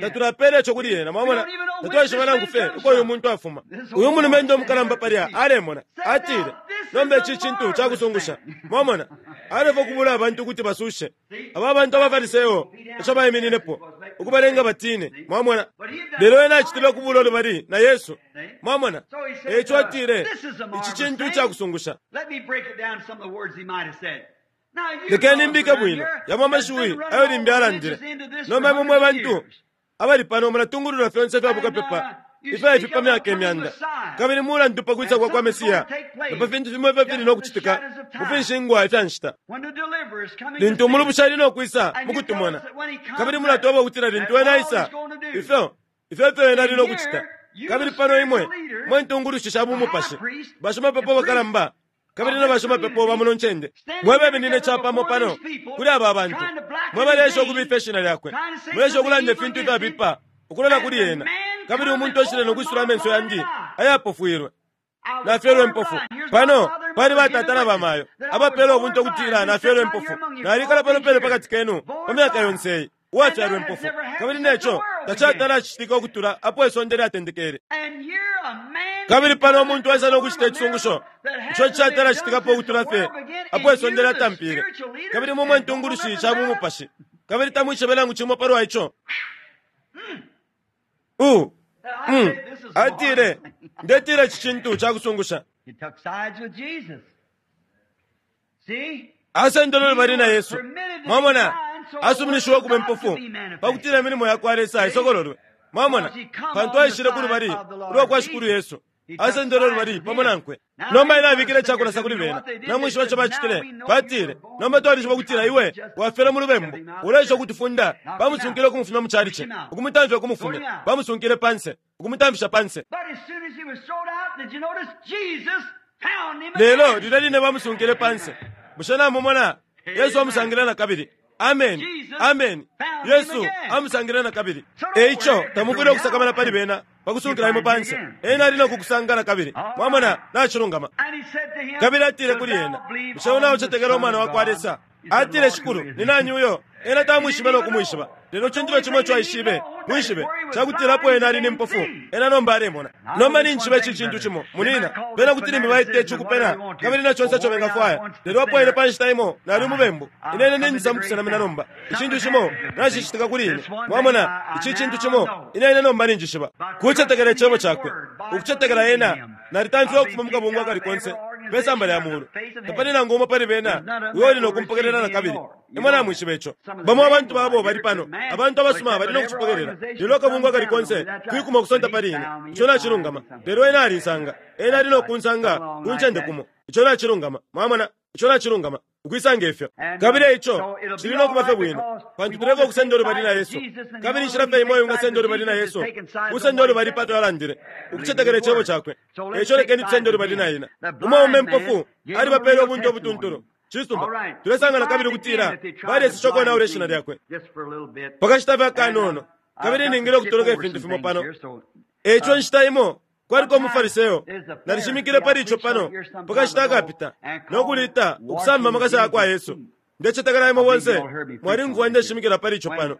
tatulapela ico kuli ena. Mwamona, tatwaishiba nangu fye uko uyu muntu afuma. Uyu mulumendo umukalamba palya alemona. Atile, nomba ici cintu cakusungusha. Mwamona, alefwaya ukubula abantu ukuti basushe aba bantu abaFariseo ico baimininepo, ukubalenga batine. Mwamona, lelo ena acitile ukubula ulubali na Yesu. Mwamona, eico atile, ici cintu cakusungusha. Lekeni mbike bwino yamo amashiwi ayo limbi alandile. Nomba imwe mwe bantu abali pano mulatungulula fyonse ifya bukapepa ifya ifi pa myaka imyanda, kabili mulandu pa kwisa kwa kwa Mesiya na pa fintu fimo ifyo fili no kucitika mu finshingwa ifya nshita lintu umulubushi ali no kwisa mu kutumona, kabili mulatweba ukutila lintu ena aisa, ifyo ifyo ifyo ena ali no kucita. Kabili pano imwe mwe ntungulushi sha bumupashi, bashimapepo bakalamba kabili na bashimapepo ba muno ncende, mwe beminine capamo pano kuli aba bantu, mwe baleesha ukubifa ishina lyakwe, muleesha ukulanda ifintu ifyabipa ukulola kuli ena, kabili umuntu aishile no kwisula amenso yandi ayapofwilwe. Nafyelwe impofu. Pano pali batata na bamayo abapele ubunte ukutila nafyelwe impofu. Nalikala pano pene pakati kenu pa myaka yonse iyi, uwafyalwe impofu, kabili neco tacatala citika ukutula apo isonde lyatendekele. Kabili pano umuntu aisa no kucita icisungusho ico cishatala citikapo ukutula fye apo isonde lyatampile, kabili mumwe intungulushi sha bumupashi, kabili tamwishibe nangu cimo palwa ico. U Atile, ndetila ici cintu cakusungusha. He took sides with Jesus. See? Asendele lubali na Yesu. Mwamona, asuminishiwe ukuba impofu pakutila imilimo ya kwa Lesa isokololwe. Mwamona, pantu aishile ku lubali ulwa kwa Shikulu Yesu, asendele lubali pamo nankwe. Nomba ena abikile icakulasa kuli bena. Namwishiba ico bacitile? Batile, nomba twalishiba ukutila iwe wafyelwe mu lubembu, uleesha ukutufunda. Bamusunkile ukumufumya mu calici, ukumutamfya ukumufumya. Bamusunkile panse, ukumutamfisha panse. But as soon as he was thrown out, did you notice Jesus found him Lelo again? lilya line bamusunkile panse, bushe namumona Yesu amusangile na kabili? Ameni, ameni. Yesu amusangile na kabili. Eico tamufwile ukusakamana pali bena pakusunkila imwe panse, ena ali no kukusanga na kabili. Mwamona, nacilungama. And he said to him, Kabili atile Dost kuli thou ena, believe bushe on una the ucetekela Son umwana of wa kwa God? Lesa? He said, Atile, Lord, Shikulu, who is ni he? nani uyo? Ena tamwishibe no kumwishiba, lelo cintu fye cimo ico aishibe mwishibe cakutila apo ena ali ni mpofu, ena nomba alemona. Nomba ninjishiba ici cintu cimo, munina, bena kuti limbi baita ici ukupena kabili na conse ico bengafwaya, lelo apo ine pa nshita imo nali umubembu, ine ine ninjisa mukusenamina nomba. Icintu cimo nacicitika kuli ine. Mwamona, ici cintu cimo ine ine nomba ninjishiba. Kucetekela icebo cakwe, ukucetekela ena, nalitamfiwe ukufuma mu kabungwe akali konse pe samba lya mulu. Tapali nangu umo pali bena uyo uli no kumpokelela na kabili. Imwe namwishiba ico. Bamo abantu babo bali pano, abantu abasuma bali no kucipokelela, lelo akabungwe akali konse kwikuma ukusonta pali ine. Ico nacilungama. Lelo ena alinsanga, ena ali no kunsanga ku ncende kumo. Ico nacilungama. Mwamona, ico nacilungama. Ukwisanga ifyo. Kabili eico cili no kuba fye bwino, pantu tulefwaya ukusenda ulubali na Yesu. Kabili inshila fye imo ingasenda ulubali na Yesu, kusenda ulubali pato alandile, ukucetekela icebo cakwe. Eico lekeni tusende ulubali na ena. Umwaume impofu alibapele ubunte ubutuntulu. Cisuma, tulesanga na kabili ukutila balesesha ukonaula ishina lyakwe Just for a little bit. pakashita fye akanono, kabili ningile ukutoloka ifintu fimo pano. Eico inshita imo kwaliko umufariseo, nalishimikile pali ico pano pakashita akapita, no kulita ukusamba amakasa ya kwa Yesu. Ndecetekela imwe bonse mwalimvwa ndeshimikila pali ico pano.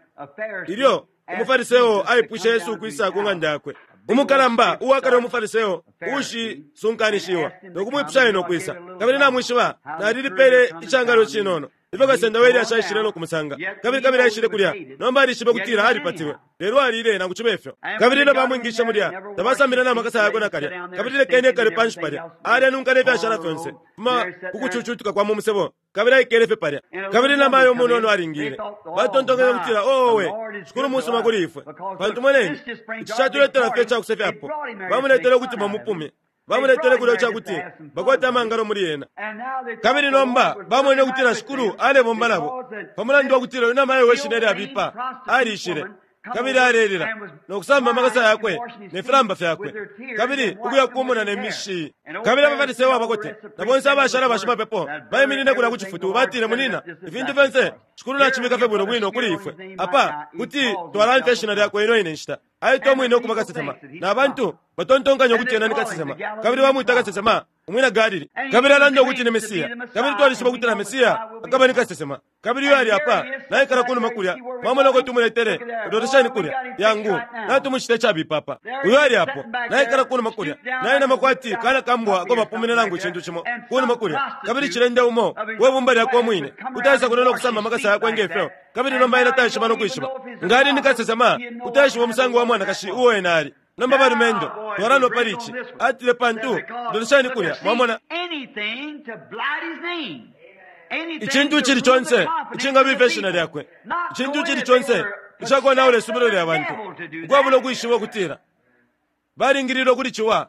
Ilyo umufariseo aipwishe Yesu ukwisa ku ng'anda yakwe, umukalamba uwakale umufariseo uushisunkanishiwa no kumwipusha ena ukwisa. Kabili namwishiba, nalilipele icangalo cinono ifyo kasenda wa Eliya aishile no kumusanga, kabili kabili aishile kulya. Nomba alishibe kutila alipatiwe, lelo alile nangu cibe ifyo. Kabili ilyo bamwingishe mulya, tabasambile na makasa yakwe nakalya. Kabili lekeni ekale panshi palya, alya ne fyashala fyonse fuma kukucucutuka kwa mu musebo, kabili aikele fye palya. Kabili namayo umunono alingile, batontonkenye ukutila, owe, Shikulu musuma kuli ifwe, pantu moneni ici catuletela fye icakusefyapo. Bamuletele ukuti bamupume, bamuletele kulya icakuti bakwate amangalo muli ena. Kabili nomba bamwene ukutila Shikulu alebomba nabo, pamulandu wa kutila uyu namayo we shina lyabipa alishile, kabili alelila no kusamba amakasa yakwe ne filamba fyakwe, kabili ukuya kumona ne mishi. Kabili abaFariseyo abakote na bonse abashala bashimapepo baiminine kulya ku cifutu, batile, munina, ifintu fyonse Shikulu nacibika fye bwino bwino kuli ifwe apa kuti twalamfya ishina lyakwe ino ine nshita. Aitwa umwine ukuba kasesema, na bantu batontonkanya ukuti ena ni kasesema, kabili bamwita kasesema umwina Galili, kabili alanda ukuti ni Mesiya, kabili twalishiba ukuti na Mesiya akaba ni kasesema. Kabili uyo ali apa naikala kunuma kulya, mwamona uko tumuletele, lolesheni kulya yangu natumucita icabipa apa. Uyo ali apo naikala kunuma kulya, nainama kwati kana kambwa ako bapumine nangu icintu cimo kunuma kulya, kabili cilende umo we bumba lyakwe umwine utaisa kuno no kusamba amakasa yakwe ngefyo. Kabili nomba ena taishiba no kwishiba nga ali ni kasesema, utaishiba umusango wa mwanakashi uo ena ali. Nomba balumendo twalanwa pali ici. Atile, pantu lolesheni kulya, mwamona Anything to blight his name. Anything icintu to icili ruin conse the confidence icingabifya of the ishina people. lyakwe, Not icintu knowing icili that conse they were icakonaula isubilo lya bantu, possessed of the devil to do ukwabula that. ukwishiba ukutila balingililwe kuli ciwa.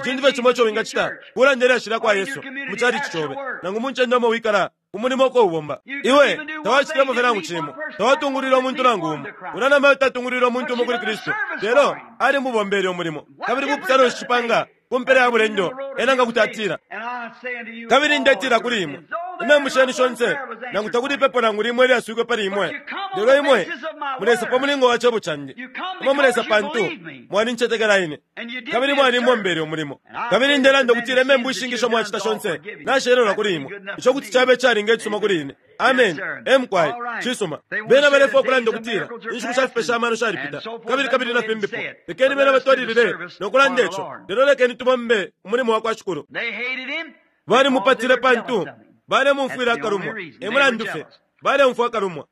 Icintu fye cimo ico wingacita kulanda ilyashi lya kwa Yesu mu chalichi cobe nangu mu ncende umo wikala, umulimo uko ubomba. Iwe tawacitilemo fye nangu cimo, tawatungulwile umuntu nangu umo. Unanamayo tatungulwile umuntu umo kuli Kristu, lelo alimubombele umulimo. Kabili bupusano nshi cipanga ku mpela ya bulendo ena nga kuti atila, Kabili ndetila kuli imwe, imembu shenu shonse, nangu takuli ipepo nangu limo ilyaswikwe pali imwe, lelo imwe mulesa pa mulingo wa cebo candi. Imwe mulesa pantu Mwalincetekela ine. Kabili mwalimbombele umulimo. Kabili ndelanda ukutila imembu ishingi mwacita shonse nashelelwa kuli imwe. Ico kuti cabe calinga icisuma kuli ine. Amen. Emkwai. Cisuma. Bena balefwaya ukulanda ukutila inshiku sha fipesha amano shalipita. Kabili kabili na fimbipo. Lekeni bena batwalilile no kulanda ico. Lelo lekeni tubombe umulimo wa kwa Shikulu. Balimupatile pantu balemumfwila akalumwa. E mulandu fye baleumfwa akalumwa.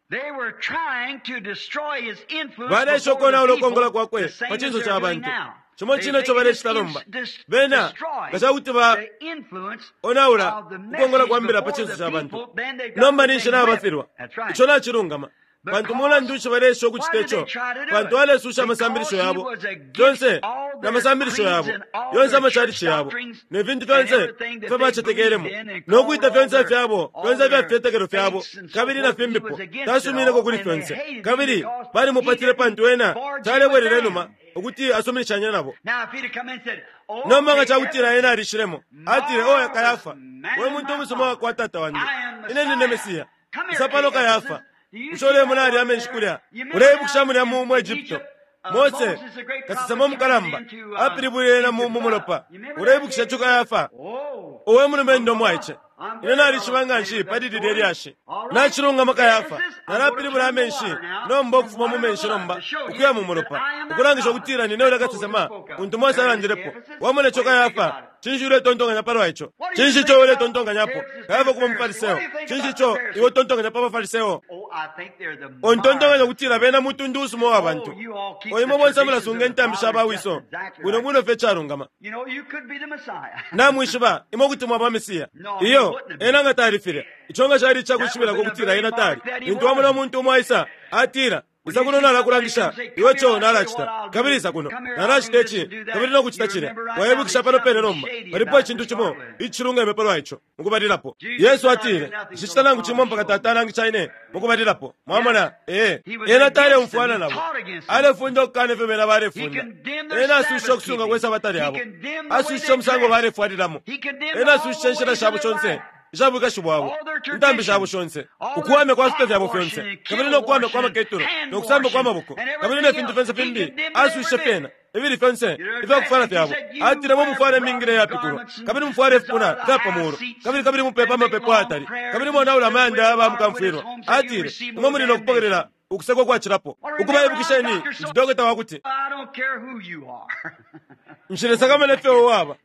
Baleesha ukonaula ukongola kwakwe pa cinso ca bantu. Cimo cine ico balecita nomba. Bena nga ca kuti baonaula ukongola kwa mbila pa cinso ca bantu, nomba ninshi nabafilwa. Ico nacilungama. Pantu mulandu nshi baleesha ukucita ico? Pantu alesusha amasambilisho yabo yonse na masambilisho yabo yonse, amacalici yabo ne fintu fyonse ifyo bacetekelemo, no kwita fyonse fyabo fyonse ifya fitetekelo fyabo kabili na fimbipo. Tasumineko kuli fyonse, kabili balimupatile pantu ena talebwelela inuma ukuti asuminishanye nabo. Nomba nga ca kutila ena alishilemo, atile, “Oya Kayafa, we muntu umusuma wakwa tata wandi, ine nine Mesiya. Isa pano Kayafa. Bushe ulemona alya amenshi kulya? Uleibukisha mulya mu Egypto, Mose kasesema umukalamba apilibwile ena mu mulopa. Uleibukisha ico Kayafa? Owe mulumendo mwaice, ine nalishiba nga nshi pali lilya lyashi. Nacilungama Kayafa, nalapilibula amenshi nomba ukufuma mu menshi nomba ukuya mu mulopa, ukulangisha ukutila nine ulya kasesema untu Mose alandilepo. Wamona ico Kayafa? Cinshi uletontonkanya palwa ico? Cinshi ico uletontonkanyapo? Kayafa kuba muFariseo. Cinshi ico iwe utontonkanya pa baFariseo? Ontontonkanya ukutila bena mutundu usuma uwa bantu. O imwe bonse mulasunga intambi sha bawiso bwino bwino fye calungama. Namwishiba imwe kuti mwaba Mesiya. Iyo, ena nga tali filya. Ico nga cali icakwishibila ukutila ena tali. Lintu wamona umuntu umo aisa, atila, “Isa kuno nalakulangisha iwe co nalacita, kabili isa kuno nalacita ici kabili no kucita cilya.” Waibukisha pano pene nomba palipo icintu cimo icilungeme palwa ico. Mukubalilapo Yesu atile, “Nshicita nangu cimo mpaka Tata alangisha ine mukubalilapo.” Mwamona? Ee, ena taleumfwana nabo. Alefunda ukukana ifyo bena balefunda. Ena asusha ukusunga kwe Sabata lyabo, asusha umusango balefwalilamo, ena asusha inshila shabo shonse isha bwikashi bwabo, intambi shabo shonse, ukuwamya kwa fipe fyabo fyonse, kabili no kuwamya kwa maketulo, no kusamba kwa maboko, kabili ne fintu fyonse fimbi. Asushishe fyena ibili fyonse ifya kufwala fyabo. Atile, “Mufwale imingila iyapikulwa, kabili mufwale ifipuna ifya pa muulu, kabili kabili mupepa amapepo ayatali, kabili monaula amayanda ya bamukamfwilwa.” Atile, “Imwe muli no kupokelela ukusekwa kwacilapo.” Ukuba, ibukisheni, ndi dokota wa kuti nshilesakamana ifyo waba.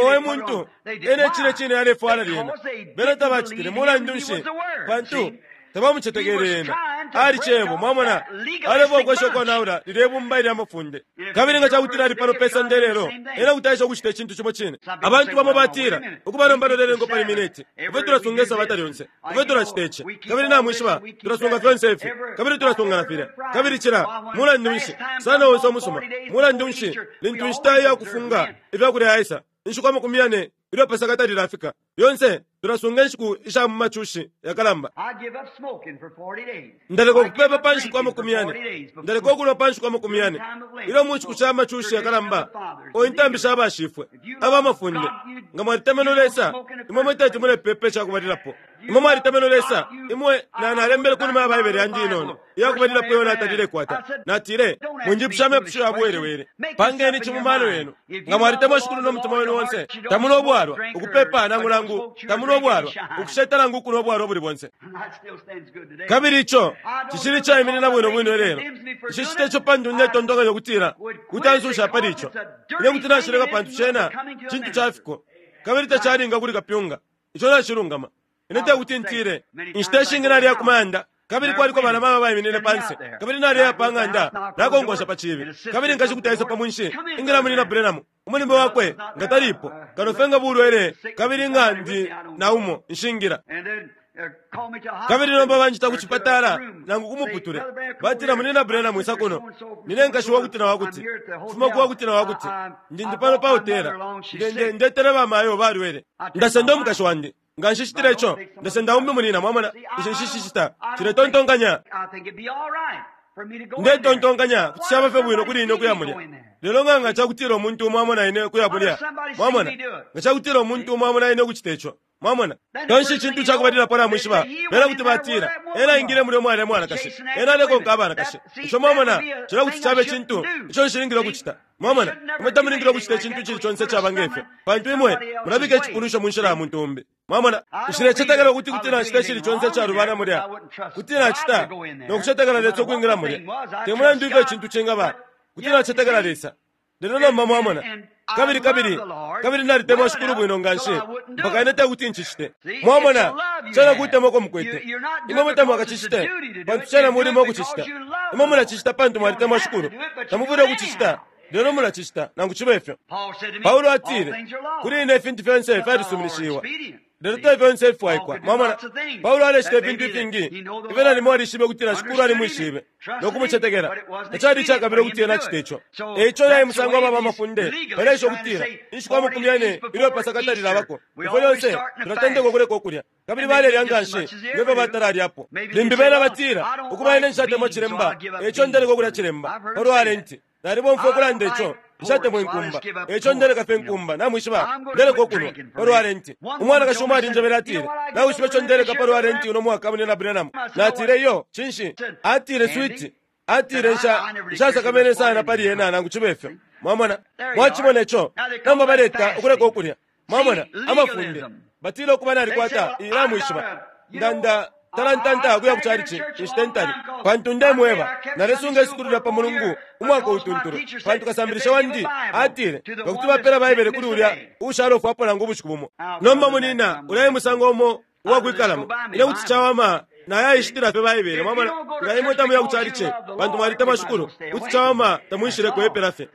Owe muntu, ena icine cine alefwala lyena. Bena tabacitile. Mulandu nshi? Pantu tabamucetekele ena. Ali Cebo. Mwamona, alefwaya ukwesha ukonaula lilye bumba ilya mafunde. Kabili nga ca kutila ali pano pe sonde lelo, ena kuti aesha ukucita icintu cimo cine. Abantu bamo batila, “Ukuba, nomba lolelengo pali mineti. Ifwe tulasunga Isabata lyonse. Ifwe tulacita ici. Kabili namwishiba, tulasunga fyonse ifi. Kabili tulasunga na filya. Kabili cila.” Mulandu nshi, sana onse umusuma. Mulandu nshi, lintu inshita iya kufunga ifya kulya yaisa, inshiku 40 ilyo Pasaka talilafika, lyonse tulasunga inshiku isha mu macushi yakalamba. Ndaleka ukupepa pa nshiku 40. Ndaleka ukulwa pa nshiku 40. Ilyo mu nshiku sha macushi yakalamba, o intambi sha bashifwe aba mafunde. Nga mwalitemenwe Lesa, imwe mwe teti mulepepa icakubalilapo. Imwe mwalitemenwe Lesa, imwe na nalembele kunuma ya Baibele yandi inono iyakubalilapo iyo natalilekwata. Natile, “Mwinjipusha amepusho ya buwelewele. Pangeni ici mu mano yenu. Nga mwalitemwa Shikulu no mutima wenu onse, tamunwa ubwalwa, ukupepa nangu nangu tamunwa ubwalwa, ukusheta nangu ukunwa ubwalwa ubuli bonse.” Kabili ico cicili caiminina bwino bwino ilelo. Nshicita ico pantu ndetontonkanya ukutila kuti ansusha pali ico. Ine kuti nashileka pantu cena cintu ca fiko kabili tacalinga kuli kapyunga. Ico nacilungama. Ine tekuti ntile. Inshita ishingi naliya ku mayanda, kabili kwaliko bana mama baiminine panse, kabili naleya pa ng'anda nakonkosha pa ciibi, kabili nkashi kuti aisa pa mwinshi, ingila Munyina Branham, umulimo wakwe nga talipo, kano fye nga bulwele, kabili nga ndi na umo nshingila. Kabili nomba banjita ku cipatala nangu ku muputule, batila, “Munyina Branham, isa kuno. Nine nkashi wakuti na wakuti, fuma ku wakuti na wakuti. Ndi ndi pano pa hotela. Ndetele bamayo balwele. Ndasenda umukashi wandi. Nga nshicitile ico, ndasenda umbi munina.” Mwamona, ico nshicicita. Ciletontonkanya. Ndetontonkanya kuti caba fye bwino kuli ine ukuya mulya. Lelo nga nga cakutila umuntu umo amona ine ukuya mulya, mwamona, nga cakutila umuntu umo amona ine ukucita ico. Mwamona? Kanshi icintu cakubalilapo namwishiba, bena kuti batila, Ena aingile mulya umwali mwanakashi. Ena alekonka abanakashi. Ico mwamona, cilya kuti cabe cintu ico nshilingile ukucita. Mwamona? Imwe tamulingile ukucita icintu icili conse icaba nge fyo, pantu imwe mulabika icipunwisho mu nshila ya muntu umbi. Mwamona? Nshilecetekela ukuti kuti nacita icili conse icalubana mulya. Kuti nacita, no kucetekela Lesa ukwingila mulya. Te mulandu ifyo icintu cingaba, kuti nacetekela Lesa. Lelo nomba mwamona, kabili, kabili, kabili nalitemwa Shikulu bwino nganshi, mpaka ine tekuti ncicite. Mwamona, cena kutemwa uko mukwete. Imwe mwe tamwakacicite, pantu cena mulimo ukucicita. Imwe mulacicita pantu mwalitemwa Shikulu. Tamufwile ukucicita, lelo mulacicita, nangu cibe fyo. Paulo atile, Kuli ine ifintu fyonse fyalisuminishiwa, lelo te fyonse ififwaikwa. Mwamona, Paulo alecita ifintu ifingi ifyo nalimo alishibe ukutila Shikulu alimwishibe no kumucetekela. Tacali icakabila ukuti ena acite ico. E ico naye musango aba bamafunde baleesha ukutila inshiku amakumi yane ilyo Pasaka talilabako, ifwe lyonse tulatendeka ukuleka ukulya. Kabili balelya nganshi nge fyo batalalyapo. Limbi bena batila, Ukuba ine nshatemwa cilemba, e ico ndeleka ukulya cilemba. Palwa Lenti, nalibomfwa ukulanda ico. Nshatemwa inkumba, e ico ndeleka fye inkumba, namwishiba, ndeleka ukunwa. Palwa Lenti, umwanakashi umo alinjebele atile, Nawishiba ico ndeleka palwa Lenti uno mwaka, Munyina Branham? Natile, Iyo, cinshi? Atile, Switi. Atile, Nsha, nshasakamene sana pali yena nangu cibe fyo. Mwamona? Mwacimona ico? Nomba baleta ukuleka ukulya. Mwamona? Amafunde. Batile ukuba nalikwata iyi, namwishiba. Nda, nda talantanta ukuya ku chalichi inshita intali, pantu ndemweba, nalesunga isukulu lya pa Mulungu umwaka utuntulu, pantu kasambilisha wandi atile nga kuti bapela Baibele kuli ulya uushalofwapo nangu ubushiku bumo. Nomba, munina, ulya e musango umo uwakwikalamo. Ine kuti cawama nayaishitila fye Baibele. Mwamona? Nga imwe tamuya ku chalichi pantu mwalitemwa Shikulu, kuti cawama tamwishileko epela fye.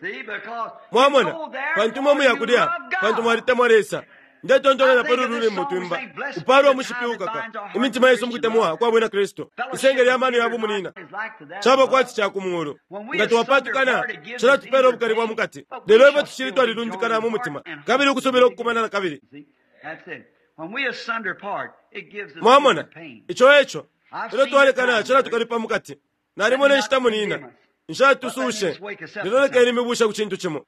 Mwamona? Pantu imwe muya kulya pantu mwalitemwa Lesa. Ndetontonkanya pali ulu lwimbo twimba, Upaalwa umushipi uukaka imitima yesu mu kutemwa kwa Bwina Kristu. Isenge lya mano ya bumunina caba kwati ca ku muulu. Nga twapatukana, cilatupeela ubukali bwa mu kati. Lelo ifwe tucili twalilundikana mu mutima kabili ukusubila ukukumana na kabili. Mwamona, ico e co. Ilyo twalekana, cilatukalipa mu kati. Nalimona inshita munina. Nshatusuushe, lelo lekeni mibushe ku cintu cimo.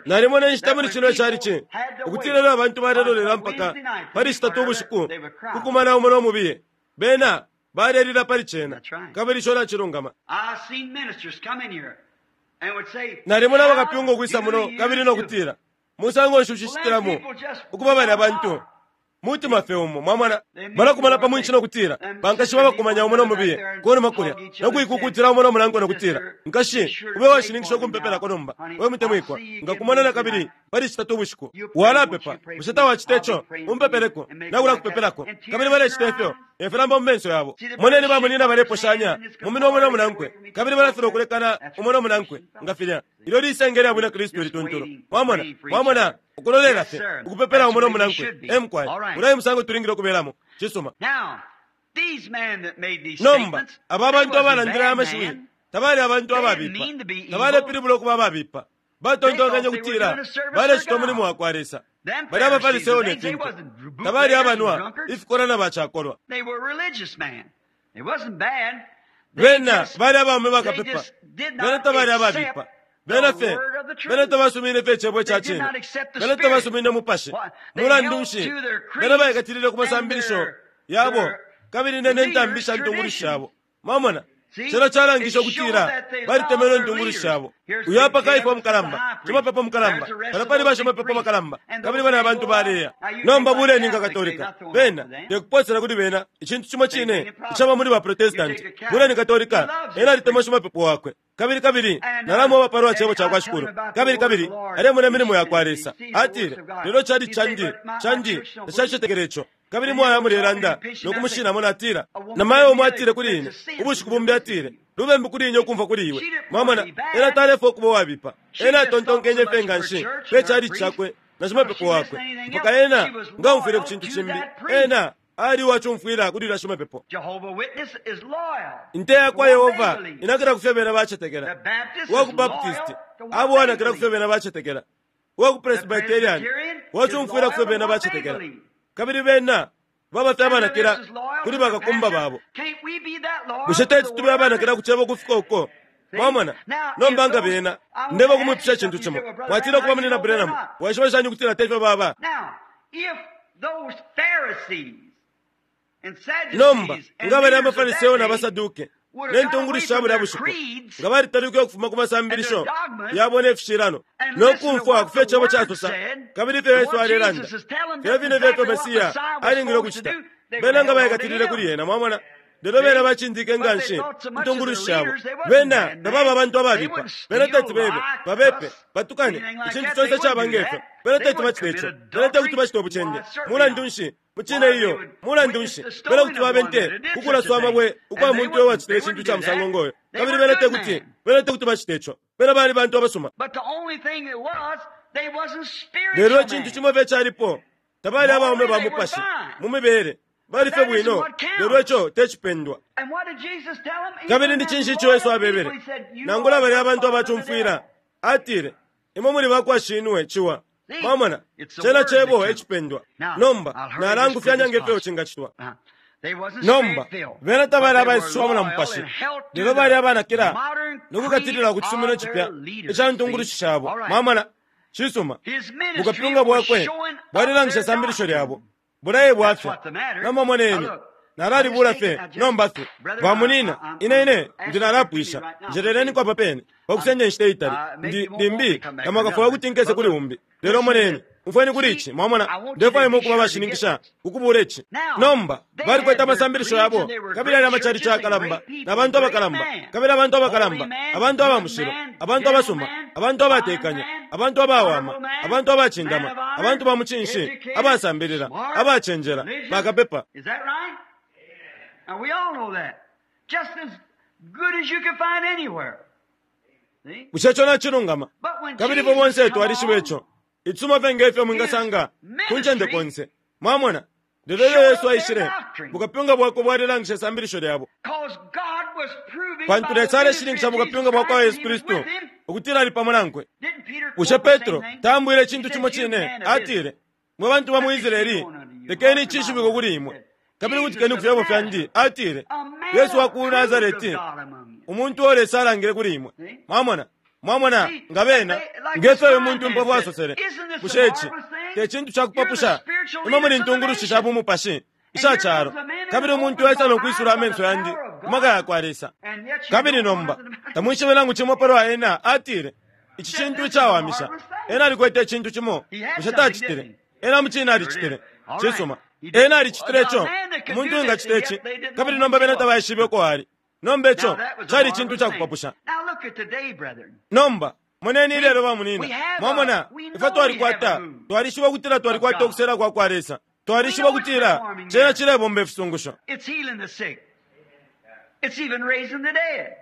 Nalimona inshita muli cino calici ukutila ilyo abantu balelolela mpaka pali shitatu ubushiku kukumana umo no mubiye, bena balelila pali cena, kabili ico nacilungama. Nalimona bakapyunga ukwisa muno kabili no kutila, Musango nshi ucishitilamo ukuba balya bantu? Mutima fye umo, mwamona, balakumana pa mwinshi no kutila, Bankashi babakumanya umo no mubiye kunuma kulya, no kuikukutila umo no munankwe no kutila, Nkashi, ube uwashininkisha ukumpepelako nomba, we mutemwikwa. Nkakumona na kabili pali Citatu ubushiku. Walapepa, bushe tawacite ico? Umpepeleko, nakulakupepelako. Kabili balecita ifyo, ne filamba mu menso yabo. Moneni bamunyina baleposhanya mu minwe umo no munankwe, kabili balafilwa ukulekana umo no munankwe, nga filya. Ilyo lisenge lya Bwina Kristu ilituntulu. Mwamona? Mwamona? Ukulolela fye, ukupepela umo no munankwe. E mukwai. Ulya e musango tulingile ukubelamo. Cisuma. Nomba, aba abantu abalandile aya mashiwi tabali abantu ababipa. Tabalepilibula ukuba ababipa. Batontonkenye ukutila balecita umulimo wa kwa Lesa. Bali abaFariseo ne fintu. Tabali abanwa ifikolwa na bacakolwa. Bena bali abaume bakapepa. Bena tabali ababipa. Bena fye, bena tabasumine fye Icebo ica cine. Bena tabasumine Mupashi. Mulandu nshi? Bena baikatilile ku masambilisho yabo kabili ne ntambi sha ntungulushi shabo. Mwamona? Cena calangishe ukutila balitemenwe intungulushi shabo. Uyu apa Kaifa umukalamba, shimapepo mukalamba, palya pali bashimapepo bakalamba, kabili balya abantu baleya. Nomba buleni nga Katolika, bena, tekuposela kuli bena icintu cimo cine icaba muli ba Protestanti. Buleni Katolika, ena alitemwa shimapepo wakwe. Kabili, kabili, nalamweba palwa Cebo cakwa Shikulu. Kabili, kabili, alemona imilimo yakwa Lesa. Atile, Lelo cali candi, candi, tacacetekele ico. Kabili mwaya mulelanda no kumushinamo natila, Namayo umo atile kuli ine, ubushiku bumbi atile, Lubembu kuli ine ukumfwa kuli iwe. Mwamona, ena talefwaya ukuba uwabipa. Ena atontonkenye fye nganshi pe chalichi cakwe na shimapepo wakwe, mpaka ena nga aumfwile ku cintu cimbi. Ena ali uwacumfwila kuli ulya shimapepo. Inte ya kwa Yehova inakila ku fyo bena bacetekela. Uwa ku Baptist aba uwanakila ku fyo bena bacetekela. Uwa ku Presbyterian wacumfwila ku fyo bena bacetekela. Kabili bena baba fye abanakila kuli bakakumba babo. Bushe teti tube abanakila ku Cebo ukufika uko? Mwamona? Nomba nga bena, ndeba kumwipusha icintu cimo. Mwatila kuba Munyina Branham, waishiba shani ukutila te fyo baba? Nomba, nga balya abaFariseo na baSaduke, ne ntungulushi sha bulya bushiku, nga balitaluke ukufuma ku masambilisho yabo ne fishilano, no kumfwa ku fyo Icebo casosa, kabili ifyo Yesu alelanda, filya fine fye ifyo Mesiya alingile ukucita, bena nga baikatilile kuli ena. Mwamona? Lelo bena bacindike nga nshi intungulushi shabo. Bena tababa abantu ababipa. Bena teti bebe, babepe, batukane, icintu conse caba nge fyo. Bena teti bacite ico. Bena tekuti bacite ubucende. Mulandu nshi? Mucine iyo. Mulandu nshi? Bena kuti babe nte ku kulaswa amabwe ukwa muntu uyo wacitile icintu ca musango ngoyo. Kabili bena tekuti, bena tekuti bacite ico. Bena bali bantu abasuma. Lelo icintu cimo fye calipo, tabali abaume ba mupashi mu mibele. Bali fye bwino, lelo ico te cipendwa. Kabili ni cinshi ico Yesu abebele? Nangula balya abantu abacumfwila, atile, Imwe muli ba kwa shinwe, Ciwa. Mwamona, cena Cebo e cipendwa. Nomba, nalangufyanya nge fyo cingacitwa. Nomba, bena tabali abaisushiwamo na Mupashi, lelo bali abanakila no kukatilila ku cisumino cipya ica ntungulushi shabo. Mwamona? Cisuma. Bukapyunga bwakwe bwalilangisha isambilisho lyabo. Bulaya bwafya. Nomba moneni, nalalibula fye nomba fye. Bamunina, ine ine ndi nalapwisha. Njeleleniko apa pene, pa kusenda inshita itali. Ndi, limbi tamwakafwaye ukuti nkese kuli umbi. Lelo moneni, umfweni kuli ici, mwamona, ndefwaya imwe ukuba abashininkisha ukubula ici. Nomba, balikwete amasambilisho yabo, kabili yali amacalici ayakalamba, na bantu abakalamba, kabili abantu abakalamba, abantu aba mushilo, abantu abasuma, abantu abatekanya, abantu abawama, abantu abacindama, abantu ba mucinshi, abasambilila, abacenjela, bakapepa. Is that right? Now we all know that. Just as good as you can find anywhere. See? Bushe ico nacilungama? But when Kabili ifwe Jesus bonse come twalishiba on, ico. Icisuma fye nge fyo mwingasanga ku ncende konse. Mwamona? Lelo ilyo Yesu aishile, bukapyunga bwakwe bwalilangisha isambilisho lyabo. Cause God was proving Pantu by the Lesa ministry aleshininkisha of Jesus bukapyunga bwa kwa Christ Yesu that he was Kristu with him. ukutila ali pamo nankwe. Didn't Peter Bushe quote the same Petro thing? taambwile He icintu said, cimo "You cine? men of Atile, Israel, mwe bantu ba mu let this be Israeli, known unto you, lekeni hearken to my icishibiko kuli words." imwe. Kabili Jesus kutikeni ku of fyebo fyandi. Nazareth, Atile, a man Yesu wa ku approved of Nazareti, God among you. umuntu uo Lesa alangile kuli imwe. See? Mwamona? Mwamona, See, nga bena, they, like nge this fyo uyu blind muntu man impofu said, asosele. isn't this a Bushe ici marvelous thing? te cintu ca You're the kupapusha? spiritual Imwe muli leaders of the ntungulushi sha nation. bumupashi And isha here calo. comes a man Kabili who umuntu opened esa my no eyes kwisula by the amenso yandi power of ku maka God, ya kwa Lesa. and yet you Kabili don't know nomba, nothing about it. tamwishibe nangu cimo palwa ena, atile, ici Said cintu this is a icawamisha. marvelous thing. Ena alikwete icintu cimo. He had Bushe something, tacitile? didn't he? Ena mucine Sure did. alicitile. All right. Cisuma. He did. Ena alicitile A ico. man that could Umuntu do this, engacita and ici. yet they didn't know Kabili who nomba he bena was. tabaishibe uko ali. Nomba ico Now that was a cali cintu marvelous ca thing. kupapusha. Now look at today, brethren. Nomba, moneni ilelo See, we bamunina. have a, Mwamona, we ifwe know we have a twalikwata, move twalishiba ukutila of twalikwata God. ukusela kwa kwa Lesa. We Twalishiba know it's ukutila performing cena miracles. cilebomba ifisungusho. It's healing the sick. It's even raising the dead.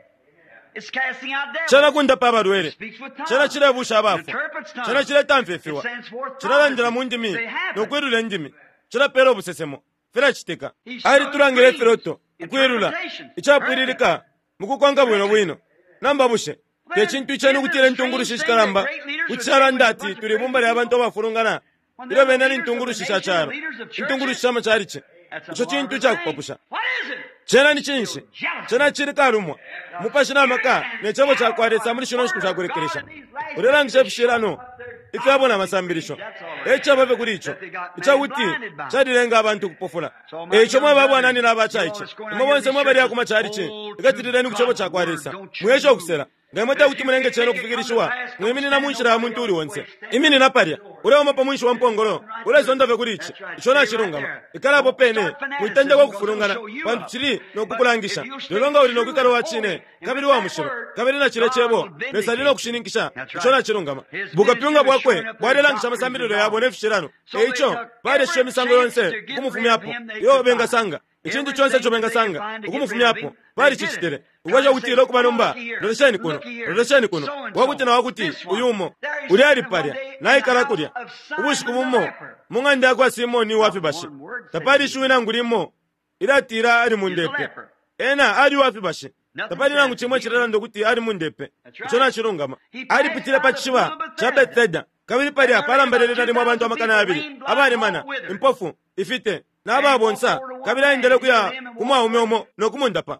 It's casting out Cena devils. kundapa It abalwele. speaks with Cena tongues. cilebusha It abafwa. interprets Cena tongues. ciletamfya It ifiwa. sends forth Cilalandila prophecies. mu ndimi They no happen. kwilula indimi. Cilapela ubusesemo. Filacitika. He showed Alitulangile dreams, ifiloto, ukwilula, interpretations, perfect. icapwililika, mukukonka bwino bwino. Nomba bushe, te Then, cintu iceni isn't it ukutila a intungulushi strange thing that shikalamba, great leaders kuti would say we shalanda a ati bunch of tuli ibumba crazy lya bantu people abafulungana, when ilyo they're the bena ni leaders of the ntungulushi sha nation, the calo, leaders of intungulushi churches? sha macalici. That's a Ico cintu marvelous ica thing. kupapusha. What is it? Cena ni cinshi? Still jealousy. Cena cili kalumwa. The Mupashi na spirit maka and ne cebo ca power kwa of Lesa the muli shino nshiku Word sha of God kulekelesha. in these last days Ulelangisha to show ifishilano up their ifyabo na doctrines and creeds. masambilisho. That's all E it is. caba fye kuli ico. That they got man Icakuti blinded by. calilenga abantu ukupofula. So my E ico young mwe brethren, babwanani na you all abacaice. that's going out Imwe here in bonse these mwe balya churches, ku macalici, hold to ikatilileni ku cebo God's ca kwa word. Lesa. Don't you Mweshe move. ukusela. Nga imwe If tekuti you mulenge can't cena make it come to ukufikilishiwa, pass, don't mwiminina mu stand nshila ya nobody muntu uli else's onse. way. Stand Iminina right palya. at the door. Uleuma pa mwinshi wa mpongolo. Right through. Ulesonda fye kuli ici. That's right. Ico Stay right nacilungama. there. Ikalapo Don't pene. start Mwitendeka fanaticism because it'll ukufulungana show you pantu up. cili no But if kukulangisha. you'll Lelo stay nga uli no true kwikala and wa holy cine, and kabili with wa that mushilo, word, kabili na cile God cebo, will Lesa ali vindicate no you. kushininkisha. That's Ico right. nacilungama. His ministry Bukapyunga was bwakwe showing up their bwalelangisha doctrines and amasambililo yabo ne dogmas. fishilano. So E they ico, took every balesha imisango chance yonse to get rid of ukumufumyapo. him they Iyo could find. bengasanga. Icintu conse ico Everything that they could bengasanga find to get rid of ukumufumyapo him, they did it. balicicitile. Trying Ukwesha to say, ukutila ukuba oh, nomba, looky here, lolesheni kuno, looky here, lolesheni kuno, so and wakuti so, na wakuti, this uyu one. umo. There he Ulya sat ali one palya, day in the naikala house kulya. of Ubushiku Simon the bumo, leper. mu ng'anda ya kwa Simoni uwa Not fibashi. one word said Tapali he ishiwi nangu limo ilatila ali mu is a ndepe. leper. Ena ali uwa fibashi. Nothing Tapali nangu says that cimo he is. cilelanda ukuti ali mu ndepe. That's Ico right. nacilungama. He passed Alipitile by pa the pool cishiba of ca Bethesda. Bethesda. Kabili And palya there lay about palambalele nalimo abantu 2,000 amakana people, yabili, lame, blind, abalemana, all withered. impofu, ifite, And he walked n'ababonsa. over to one Kabili man aendele and healed kuya him and ku walked mwaume away. umo no kumundapa.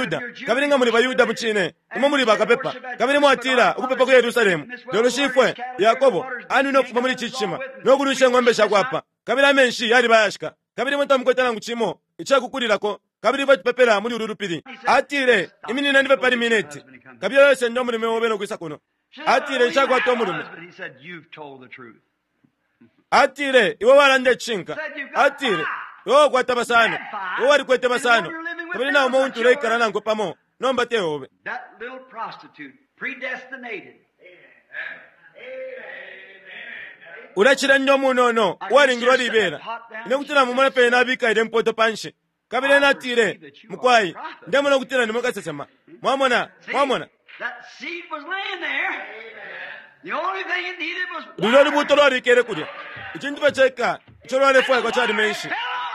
baYuda, kabili nga muli baYuda mucine, imwe muli bakapepa, kabili mwatila ukupepa ku Yerusalemu. Lelo shifwe Yakobo anwine ukufuma muli ici cishima no kunwisha ing'ombe shakwe apa, kabili amenshi yaliba ayashika. Kabili imwe tamukwete nangu cimo icakukulilako, kabili ifwe tupepela muli ulu lupili. Atile, Iminineni fye pali mineti. Kabiye ulesenda umulume obe no kwisa kuno. Atile, Nshakwata umulume. Atile, Iwe walanda icishinka. Atile, Iwe wakwata basano. Iwe walikwete basano. Kabili na umo untu uleikala nankwe pamo, nomba te obe. Ulacilanya umunono uwalingilwa libela. Ine kuti namumona pene nabika ilye mpoto panshi. Kabili ena atile, Mukwai, ndemona ukutila nimwe kasesema. Mwamona, mwamona. Lulyo lubuuto lwalikele kulya. Icintu fye ceka ico lwalefwaikwa cali menshi,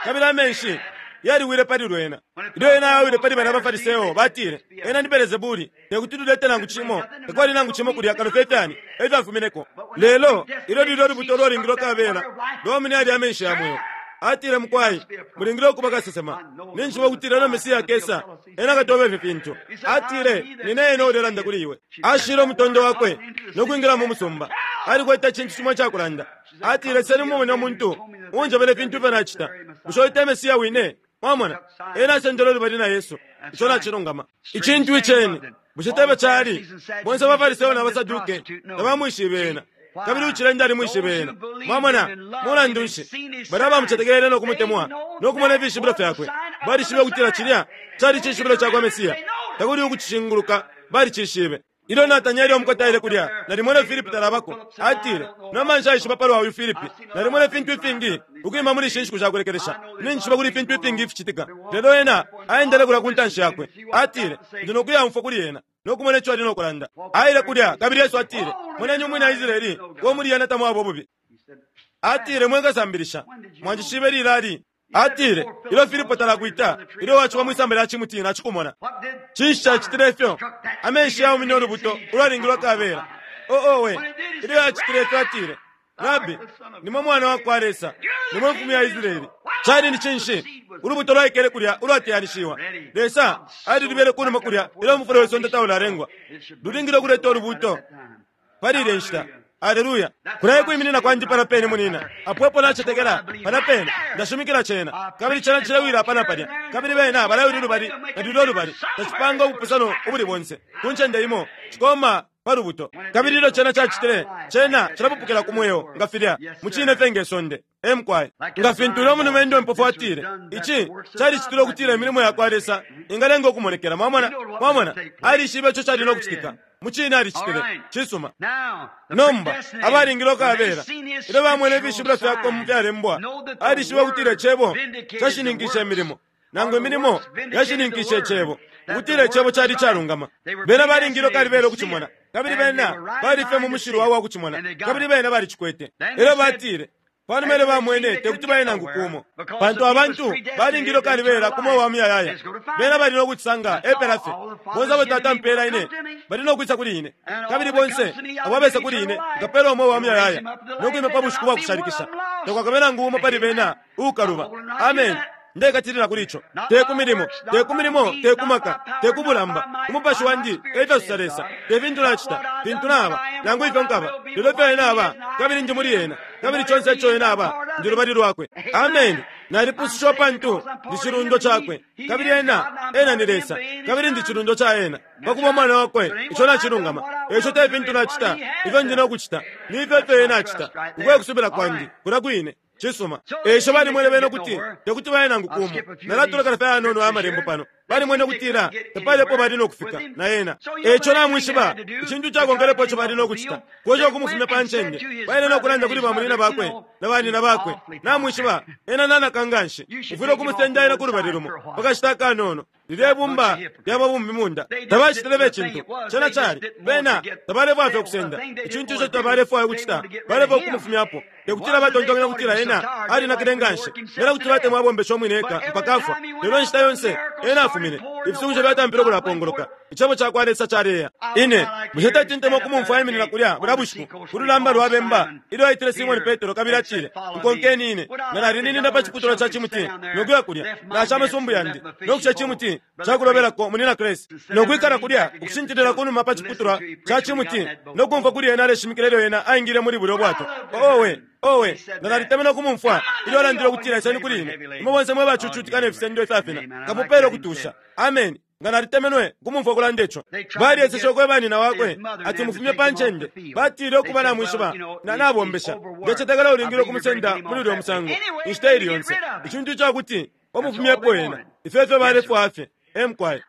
kabili amenshi yaliwile pali lwena. Ilyo ena awile pali balya baFariseo, batile, Ena ni Belezebuli, te kuti lulete nangu cimo, takwali nangu cimo kulya kano fye ifyani e fyafumineko. Lelo ilyo lulyo lubuto lwalingilwe kabela, lwaumine yalya amenshi ya mweo. Atile, Mukwai, mulingile ukuba kasesema. Ninjishiba ukutila ilyo Mesia akesa, ena akatweba ifi fintu. Atile, Nine ena uulelanda kuli iwe. Ashile umutondo wakwe no kwingila mu musumba. Alikwete icintu cimo icakulanda. Atile, Seni mumone umuntu uunjebele ifintu ifyo nacita. Bushe uyu te Mesia wine? Mwamona? Ena asendele ulubali na Yesu. Ico nacilungama. Icintu iceni. Bushe tebe cali? Bonse abaFariseo na baSaduke tabamwishibe ena. Kabili ucilende alimwishibe ena. Mwamona? Mulandu nshi? Balya abamucetekele no kumutemwa, no kumona ifishibilo fyakwe, balishibe ukutila cilya cali cishibilo ca kwa Mesia. Takuli ukucishinguluka, balicishibe. Ilyo Natanieli umukote aile kulya, nalimwene Filipi talabako. Atile, Nomba nshaishiba palwa uyu Filipi. Nalimona ifintu ifingi ukwima muli ishi nshiku sha kulekelesha. Ninjishiba kuli ifintu ifingi ificitika. Lelo ena aendele kulya ku ntanshi yakwe. Atile, Ndi no kuyaumfwa kuli ena, no kumona ico ali no kulanda. Aile kulya, kabili Yesu atile, Moneni umwina Israele, uo muli ena tamwaba ububi. Atile, Mwe kasambilisha, mwanjishibe lilali? Atile, Ilyo Filipo talakwita, ilyo waciwa mwi samba lya cimuti, nacikumona. Cinshi cacitile ifyo? Amenshi yaumine ulubuto ulwalingilwe kabela. Oh, owe! Ilyo yacitile ifyo, atile, Rabi, nimwe Mwana wa kwa Lesa, nimwe Mfumu ya Israele. Cali ni cinshi? Ulubuto lwaikele kulya ulwateyanishiwa. Lesa alilubele kunuma kulya ilyo umufula we sonde taulalengwa. Lulingile ukuleta ulubuto pali ilya nshita. Aleluya! Kulya ekwiminina kwandi palya pene, munina. Apo epo nacetekela, palya pene. Ndashimikila cena, kabili cena cilewila apa na palya, kabili bena balaya ulu lubali na lulyo lubali. Tacipanga ubupusano ubuli bonse. Ku ncende imo, cikoma pa lubuto. Kabili ilyo cena cacitile, cena cilapupukila ku mweo, nga filya, mucine fye nge sonde. Ee, mukwai. Nga fintu ulya mulumendo impofu atile, ici calicitilwe ukutila imilimo yakwa Lesa ingalenga ukumonekela. Mwamona? Mwamona? Alishibe ico cali no kucitika. Mucine alicitile. Cisuma. Nomba, abalingile ukabela, ilyo bamwene ifishibilo fyakwe mu fyalembwa, alishibe ukutila Icebo cashininkishe imilimo, nangu imilimo yashininkishe Icebo, ukutila Icebo cali icalungama. Bena balingile ukalibela ukucimona, kabili bena bali fye mu mushilwa wa kucimona, kabili bena balicikwete. Elyo batile, Panuma ilyo bamwene, te kuti baye nangu kumo, pantu abantu balingile ukalibela ku mweo wa muyayaya. Bena bali no kucisanga, epela fye. Bonse abo Tata ampeela ine, bali no kwisa kuli ine, kabili bonse abo abesa kuli ine, nkapeela umweo wa muyayaya, no kwima pa bushiku bwa kushalikisha. Takwakabe nangu umo pali bena uukaluba. Ameni. Ndekatilila kuli ico. Te ku milimo, te ku milimo, te ku maka, te ku bulamba. Umupashi wandi, e fyo sosa Lesa. Te fintu nacita, fintu naba, nangu ifyo nkaba, lelo ifyo Ena aba, kabili ndi muli Ena, kabili conse ico Ena aba, ndi lubali Lwakwe. Ameni. Nalipusushiwa pantu ndi cilundwa Cakwe, kabili Ena, Ena ni Lesa, kabili ndi cilundwa ca Ena. Pa kuba umwana Wakwe, ico nacilungama. E ico te fintu nacita, ifyo ndi no kucita, ni ifyo ifyo Ena acita. Uko e kusubila kwandi, kulya kwine. Cisuma. E ico balimwene bena ukuti te kuti baye nangu kumo. Nalatulekela fye ayanono aya Malembo pano. Balimwene ukutila tapali apo bali no kufika na ena. E ico namwishiba, icintu cakonkelepo ico bali no kucita, kwesha ukumufumya pa ncende. Baile no kulanda kuli bamunyina bakwe na banina bakwe. Namwishiba, ena nanaka nganshi. Mufwile ukumusenda ena kulubali lumo pa kashita akanono. Lilye bumba lya babumbimunda tabacitile be cintu. Cena cali, bena tabalefwaya fye ukusenda icintu ico tabalefwaya ukucita, balefwaya ukumufumyapo. Te kutila batontonkanya ukutila ena alinakile nganshi, bena kuti batemwa abombesha umwine eka mpaka afwa. Lelo inshita yonse ena afumine, ifisungusho fyatampile ukulapongoloka. Icebo cakwa Lesa caleya. Ine, bushe teti ntemwe ukumumfwa aiminina kulya bulya bushiku ku lulamba lwa bemba, ilyo aitile Simoni Petro kabili atile, Nkonkeni ine, nga nalininina pa ciputulwa ca cimuti no kuya kulya, nasha amasumbu yandi, no kusha icimuti ca kulobelako munyina Crase, no kwikala kulya ukushintilila kunuma pa ciputulwa ca cimuti no kumfwa kuli ena aleshimikila ilyo ena aingile muli bulyo bwato. Owe! Owe, nga nalitemenwe ukumumfwa ilyo alandile ukutila, Iseni kuli ine, imwe bonse mwe bacucutika ne fisendo ifyafina, nkamupela ukutusha. Ameni. Nga nalitemenwe ukumumfwa ukulanda ico. Balyeseshe ukweba nyina wakwe ati mufumye pa ncende. Batile, Ukuba, namwishiba, na, nabombesha. Ndecetekela ulingile ukumusenda muli ulyo musango inshita ili yonse. Icintu ica kuti bamufumyepo ena. Ifyo efyo balefwaya fye. E mukwai.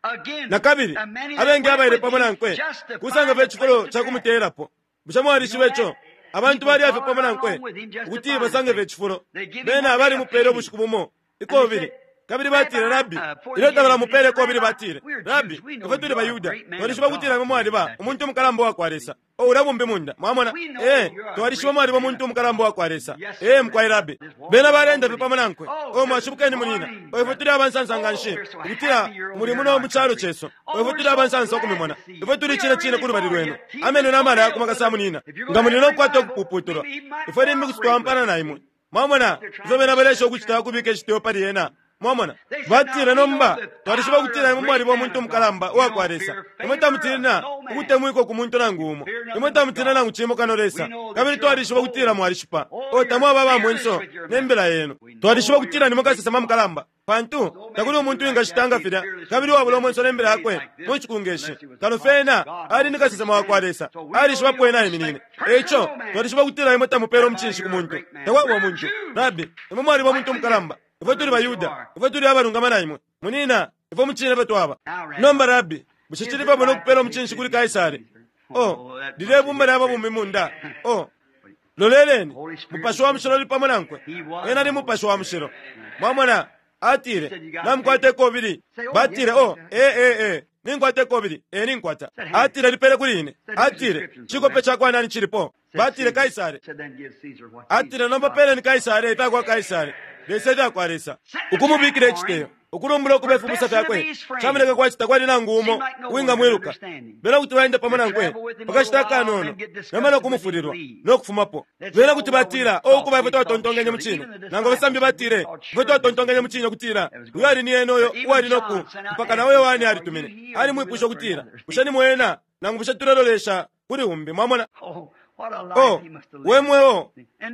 Na kabili, abengi abaile pamo nankwe kusanga fye icifulo ca kumuteyelapo. Bushe mwalishiba ico? Abantu balya fye pamo nankwe ukuti basange fye icifulo. Bena balimupele ubushiku bumo ikobili. Kabili batile, Rabbi, ilyo tabalamupeele ikobili batile, Rabbi, ifwe tuli baYuda, twalishiba ukutila imwe mwaliba umuntu umukalamba uwa kwa Lesa. Oh, ulya bumbimunda, mwamona. Ee, twalishiba mwaliba umuntu umukalamba uwa kwa Lesa. Ee, mukwai Rabbi. Bena baleenda fye pamo nankwe. Oh, mwashibukeni munyina. Oh, ifwe tuli abansansa nganshi ukutila muli muno mu calo cesu. Oh, ifwe tuli abansansa ukumimona. Ifwe tuli cine cine kulubali lwenu. Ameno na mala yakuma kasa munyina. Nga muli no kukwata ukupuputulwa, ifwe limbi kuti twaampana na imwe. Mwamona ifyo bena baleesha ukucita ukubika iciteyo pali ena? Mwamona? Batile, Nomba, twalishiba ukutila imwe mwaliba umuntu umukalamba uwa kwa Lesa. Imwe tamutina ukutemwikwa ku muntu nangu umo. Imwe tamutina nangu cimo kano Lesa. Kabili twalishiba ukutila mwalishipa. Oh, tamwaba aba mwenso ne mbila yenu. Twalishiba ukutila nimwe kasesema mukalamba. Pantu, takuli umuntu uwingacita nga filya, kabili uwabula umwenso ne mbila yakwe mu nshiku nge shi, kano fye ena ali ni kasesema wa kwa Lesa. Alishiba apo ena aiminine. E ico, twalishiba ukutila imwe tamupeela umucinshi ku muntu. Takwaba umuntu. Rabbi, imwe mwaliba umuntu umukalamba. Ifwe tuli baYuda. Ifwe tuli abalungama na imwe. Munyina, ifwe mucine efyo twaba. Nomba, Rabbi, bushe cili pamo no kupeela umucinshi kuli Kaisare? Oh, lilye bumba lya babumbimunda. Oh, loleleni, Mupashi wa Mushilo uli pamo nankwe. Ena ni Mupashi wa Mushilo. Mwamona? Atile, Namukwata ikobili. Batile, Oh, ee, ee, ee, ninkwata ikobili. Ee, ninkwata. Atile, Lipele kuli ine. Atile, Cikope ca kwa nani cilipo? Batile, Kaisare. Atile, Nomba peleni Kaisare ifya kwa Kaisare, Lesa ifya kwa Lesa. Ukumubikila iciteyo, ukulumbula ukuba ifibusa fyakwe, camoneke kwati takwali nangu umo uwingamwiluka. Bena kuti baenda pamo nankwe pa kashita akanono, nomba no kumufulilwa, no kufumapo. Bena kuti batila, Oh, ukuba, ifwe twatontonkenye mucine. Nangu abasambi batile, Ifwe twatontonkenye mucine ukutila uyu ali ni ena uyo uwali no ku, mpaka na o Yohane alitumine. Alimwipwishe ukutila, Bushe ni mwe ena, nangu bushe tulelolesha kuli umbi? Mwamona? Oh, we mweo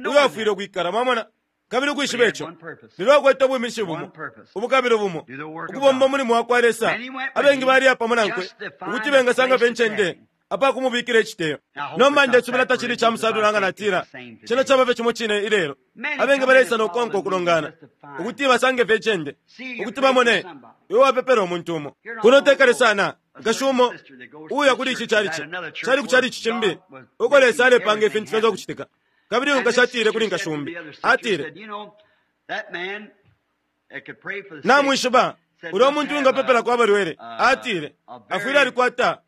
uyo afwile ukwikala, mwamona? Kabili ukwishiba ico, lelo akwete ubwiminishi bumo, ubukabilo bumo, ukubomba umulimo wa kwa Lesa. Abengi baliya pamo nankwe ukuti bengasanga fye incende apa kumubikila iciteyo. Nomba ndesubila tacili ica musalula nga natila cena caba fye cimo cine ilelo. Abengi baleisa no kukonka ukulongana ukuti basange fye icende, ukuti bamone iwe wapepela umuntu umo. Kuno te kale sana, nkashi umo uuya kuli ici calici, cali ku calici cimbi uko Lesa alepanga ifintu fyonse ukucitika. Kabili uyu nkashi atile kuli nkashi umbi, atile, Namwishiba, ulya umuntu uwingapepelako abalwele, atile, afwile alikwata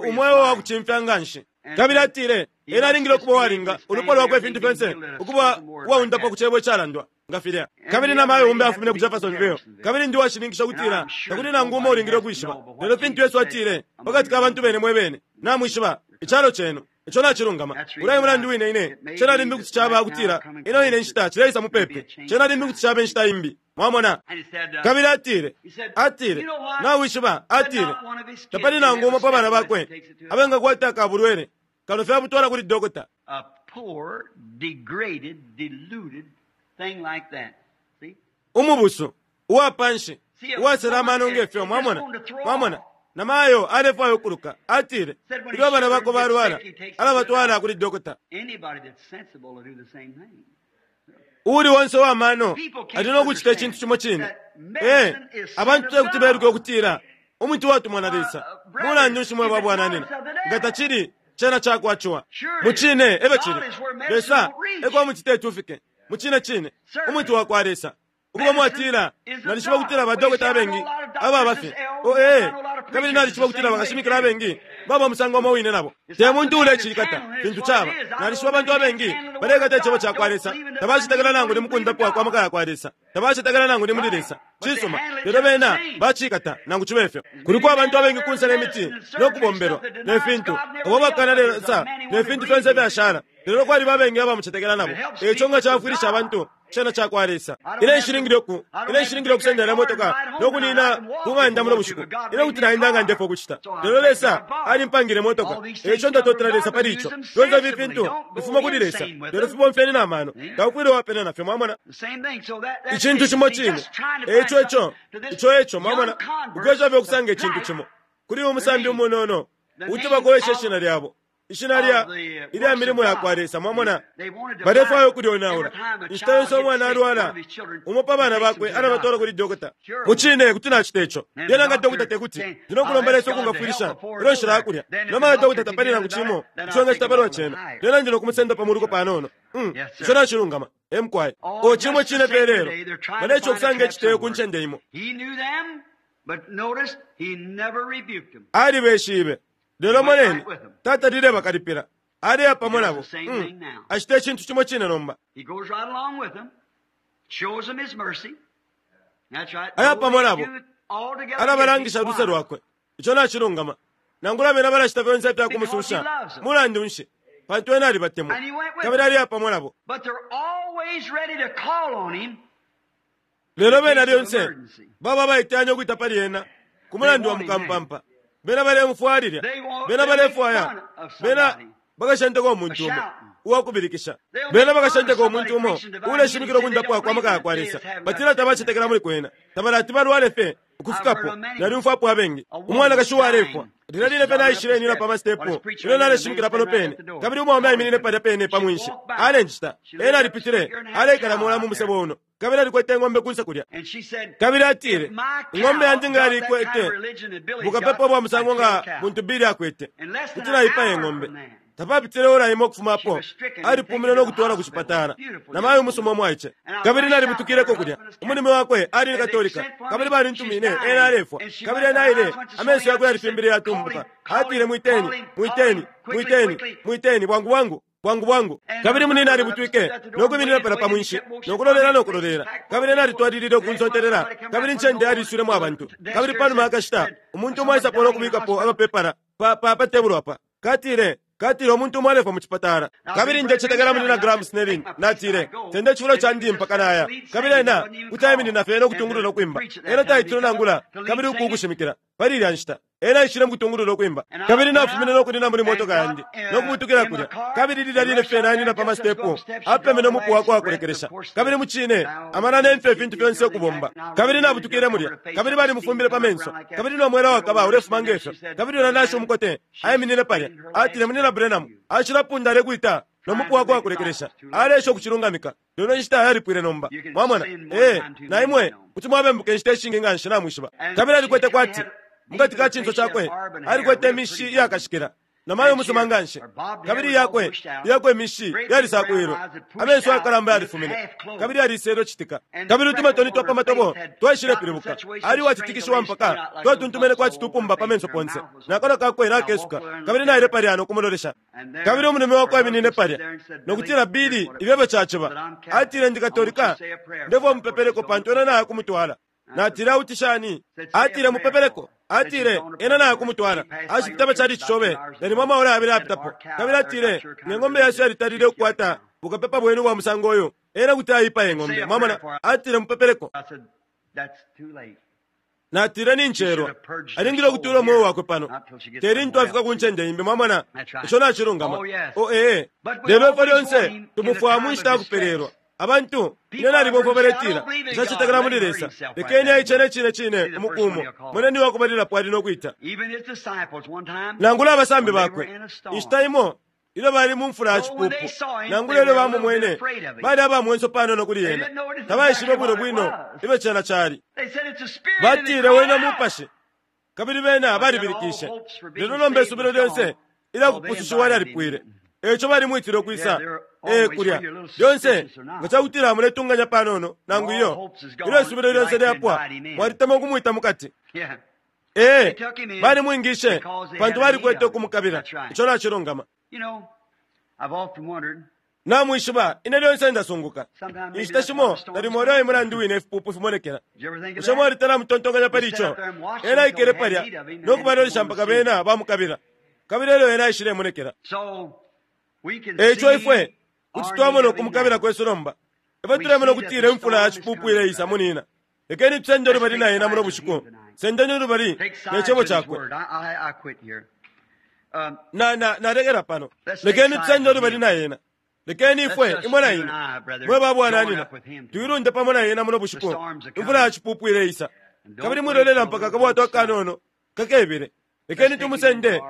umweo wa kucimfya nga nshi. Kabili atile, Ena alingile ukuba uwalinga, ulupwa lwakwe, ifintu fyonse, ukuba uwaundapwa ku cebo icalandwa, nga filya. Kabili na mayo umbi afumine ku Jeffersonville. Kabili ndi uwashininkisha ukutila takuli nangu umo ulingile ukwishiba. Lelo fintu Yesu atile, Pakati ka bantu bene mwe bene, namwishiba, icalo cenu. Ico nacilungama. Ulya e mulandu wine ine, cena limbi kuti caba ukutila ino ine nshita cileisa mupepi. Cena limbi kuti caba inshita imbi. Mwamona? Kabili atile, atile, Nawishiba, atile, tapali nangu umo pa bana bakwe abengakwata aka bulwele, kano fye abutwala kuli dokota. Umubusu, uwa panshi, uwasela amano nge fyo, mwamona. Mwamona? Na mayo alefwaya ukuluka. Atile, ilyo abana bakwe balwala, alabatwala kuli dokota. Uuli onse uwa mano ali no kucita icintu cimo cine. Ee, abantu te kuti beluke ukutila umuti watumwa na Lesa. Mulandu nshi mwe ba bwananyina? Nga tacili, cena ca kwa Ciwa. Mucine, e fyo cili. Lesa e ko umuti teti ufike. Mucine cine, umuti wa kwa Lesa. Ukuba mwatila, Nalishiba ukutila badokota abengi ababa fye. Oh, ee. Kabili nalishiba ukutila bakashimikila abengi baba musango umo wine nabo. Te muntu uulecikata, fintu caba. Nalishiba abantu abengi balekata Icebo ca kwa Lesa, tabacetekela nangu ni mukundapwa kwa maka ya kwa Lesa, tabacetekela nangu ni muli Lesa. Cisuma, lelo bena bacikata nangu cibe fyo. Kuliko abantu abengi kunse ne miti no kubombelwa, ne fintu, abo bakana Lesa ne fintu fyonse ifyashala. Lelo kwaliba abengi abamucetekela nabo. Eico nga cafwilisha abantu Cena cakwa Lesa. Ine nshilingile uku, ine nshilingile ukusenda ilya motoka no kunina ku ng'anda muno bushiku. Ine kuti naenda nga ndefwa ukucita. Lelo Lesa alimpangile motoka. Eico ndatotela Lesa pali ico. Fyonse ifi fintu fifuma kuli Lesa, lelo fibomfyeni na mano. Taufwile wapena nafyo, mwamona. Icintu cimo cine. Eico ico, ico eco, mwamona. Ukwesha fye ukusanga icintu cimo. Kuli umusambi umunono, kuti bakowesha ishina lyabo. Ishina lya ilya milimo yakwa Lesa, mwamona. Balefwaya ukulyonaula. Inshita yonse umwana alwala, umo pa bana bakwe alabatwala kuli dokota. Mucine kuti nacita ico. Lyena nga dokota tekuti, ndi no kulomba Lesa ukungafwilisha ilyo nshilaya kulya. Nomba nga dokota tapali nangu cimo ico engacita palwa cena, lyena ndi no kumusenda pa muluko panono. Mm, ico nacilungama. E mukwai. O cimo cine fye lelo. Baleesha ukusanga iciteyo ku ncende imo. Alibeshibe. Lelo moneni, tatalile bakalipila. Aleya pamo nabo. Mm. Acita icintu cimo cine nomba. Aya pamo nabo. Alabalangisha luse lwakwe. Ico nacilungama. Nangula bena balacita fyonse ifya kumususha. Mulandu nshi? Pantu ena alibatemwa. Kabili aleya pamo nabo. Lelo bena lyonse baba abaiteyanya ukwita pali ena ku mulandu wa mukampampa. Bena balemufwalilya. Bena balefwaya. Bena bakashenteka umuntu umo uwakubilikisha. Bena bakashenteka umuntu umo uuleshimikila ukundapwa kwa maka yakwa Lesa. Batila tabacetekela muli kwena. Tabalati balwale fye ukufikapo. Nalyumfwapo abengi. Umwanakashi uwalefwa. Lilya line fye naishile nina pa masitepu ilyo naleshimikila pano pene, kabili umwaume aiminine palya pene pa mwinshi. Alenjita. Ena alipitile, aleikala mola mu musebo uno, kabili alikwete ing'ombe kunse kulya. Kabili atile, Ing'ombe yandi nga yalikwete bukapepa ubwa musango nga buntu Billy akwete, kuti naipaya ing'ombe. Tapapitile ora imo ukufuma apo, alipumine no kutwala ku cipatala. Namayo umusuma umwaice. Kabili nalibutukileko kulya. Umulume wakwe ali ni Katolika. Kabili balintumine, ena alefwa. Kabili ena aile, amenso yakwe yalifimbile yatumbuka. Atile, Mwiteni, mwiteni, mwiteni, mwiteni, bwangu bwangu, bwangu bwangu. Kabili munina alibutwike, no kwiminina palya pa mwinshi, no kulolela no kulolela. Kabili ena alitwalilile ukunsotelela. Kabili incende yaliiswilemo abantu. Kabili panuma yakashita, umuntu umo aisapo no kubikapo amapepala pa, pa, pa tebulo apa. Katile, Katile umuntu umo alefwa mu cipatala. Kabili ndecetekela Munyina Graham Snelling. Natile, Senda icifulo candi mpaka naya. Kabili ena kuti aiminina fye no kutungulula ukwimba. Ena taitile nangula kabili uku ukushimikila. Pali ilya nshita, ena aishile mu kutungulula ukwimba. Kabili nafumine no kunina muli motoka yandi, no kubutukila kulya. Kabili lilya line fye nainina pa masitepu, apemene umupu wakwe uwakulekelesha. Kabili mucine, amana ne mfyo ifintu fyonse ukubomba. Kabili nabutukile mulya, kabili balimufumbile pa menso. Kabili no mwela wakaba ulefuma nge fyo. Kabili ulya nashi umukote aiminine palya. Atile, Munyina Branham, acilapunda alekwita no mupu wakwe wakulekelesha. Aleesha ukucilungamika. Lelo inshita yalipwile nomba. Mwamona? Ee, na imwe kuti mwabembuka inshita ishingi nganshi, namwishiba. Kabili alikwete kwati, mukati ka cinso cakwe, alikwete imishi iyakashikila. Namayo umusuma nganshi. Kabili iyakwe, iyakwe imishi yalisakwilwe. Amenso ayakalamba yalifumine. Kabili yaliselwe citika. Kabili utumatoni twa pa matobo twaishilepilibuka. Ali uwatitikishiwa mpaka twatuntumene kwati tupumba pa menso ponse. Na kanwa kakwe nakesuka. Kabili naile palya no kumulolesha. Kabili umulume wakwe aiminine palya, no kutila, Billy, ifyo caciba. Atile, Ndi Katolika. Ndefwaya umupepeleko pantu ena naya kumutwala. Natile, Auti shani? Atile, Mupepeleko. Atile, Ena naya kumutwala. Ashipita pa chalichi cobe, nalimo amaora yabili ayapitapo. Kabili atile, Nge ng'ombe yesu yalitalile ukukwata bukapepa bwenu ubwa musango uyu, ena kuti aipaya ing'ombe. Mwamona? Atile, Mupepeleko. Natile, Nincelwa. Alingile ukutuula umweo wakwe pano. Te lintu afika ku ncende imbi. Mwamona? Ico nacilungama. Oh, ee. Lelo ifwe lyonse tumufwaya mu nshita ya kupelelwa. Abantu, ine nalibomfwa baletila, Nshacetekela muli Lesa. Lekeni aicene cine cine umuku umo. Moneni uwakubalilapo ali no kwita. Nangula abasambi bakwe, inshita imo, ilyo bali mu mfula ya cipupu, nangula ilyo bamumwene, bali aba mwenso panono kuli ena. Tabaishibe bwino bwino ifyo cena cali. Batile, Wene mupashi. Kabili bena balibilikishe. Lelo nomba isubilo lyonse ilya kupusushiwa lyalipwile. Eico balimwitile ukwisa ee kulya. Lyonse nga ca kutila muletunganya panono nangu iyo, ilyo isubilo lyonse lyapwa, mwalitemwa ukumwita mukati. Ee, balimwingishe pantu balikwete ukumukabila. Ico nacilungama. Namwishiba, ine lyonse ndasunguka. Inshita shimo nalimo ulya e mulandu wine ifipupu fimonekela. Bushe mwalitala amutontonkanya pali ico? Ena aikele palya no kubalolesha mpaka bena bamukabila, kabili elyo ena aishilemonekela. E ico ifwe kuti twamona ukumukabila kwesu nomba. Ifwe tulemona ukutila imfula ya cipupu ileisa, munina. Lekeni tusende ulubali na ena muno bushiku. Sendeni ulubali ne Cebo Cakwe. Na, na, nalekela pano. Lekeni tusende ulubali na ena. Lekeni ifwe, imwe na ine, mwe ba bwananyina, tuilunde pamo na ena muno bushiku. Imfula ya cipupu ileisa. Kabili mwilolela mpaka akabwato akanono kakebile. Lekeni tumusende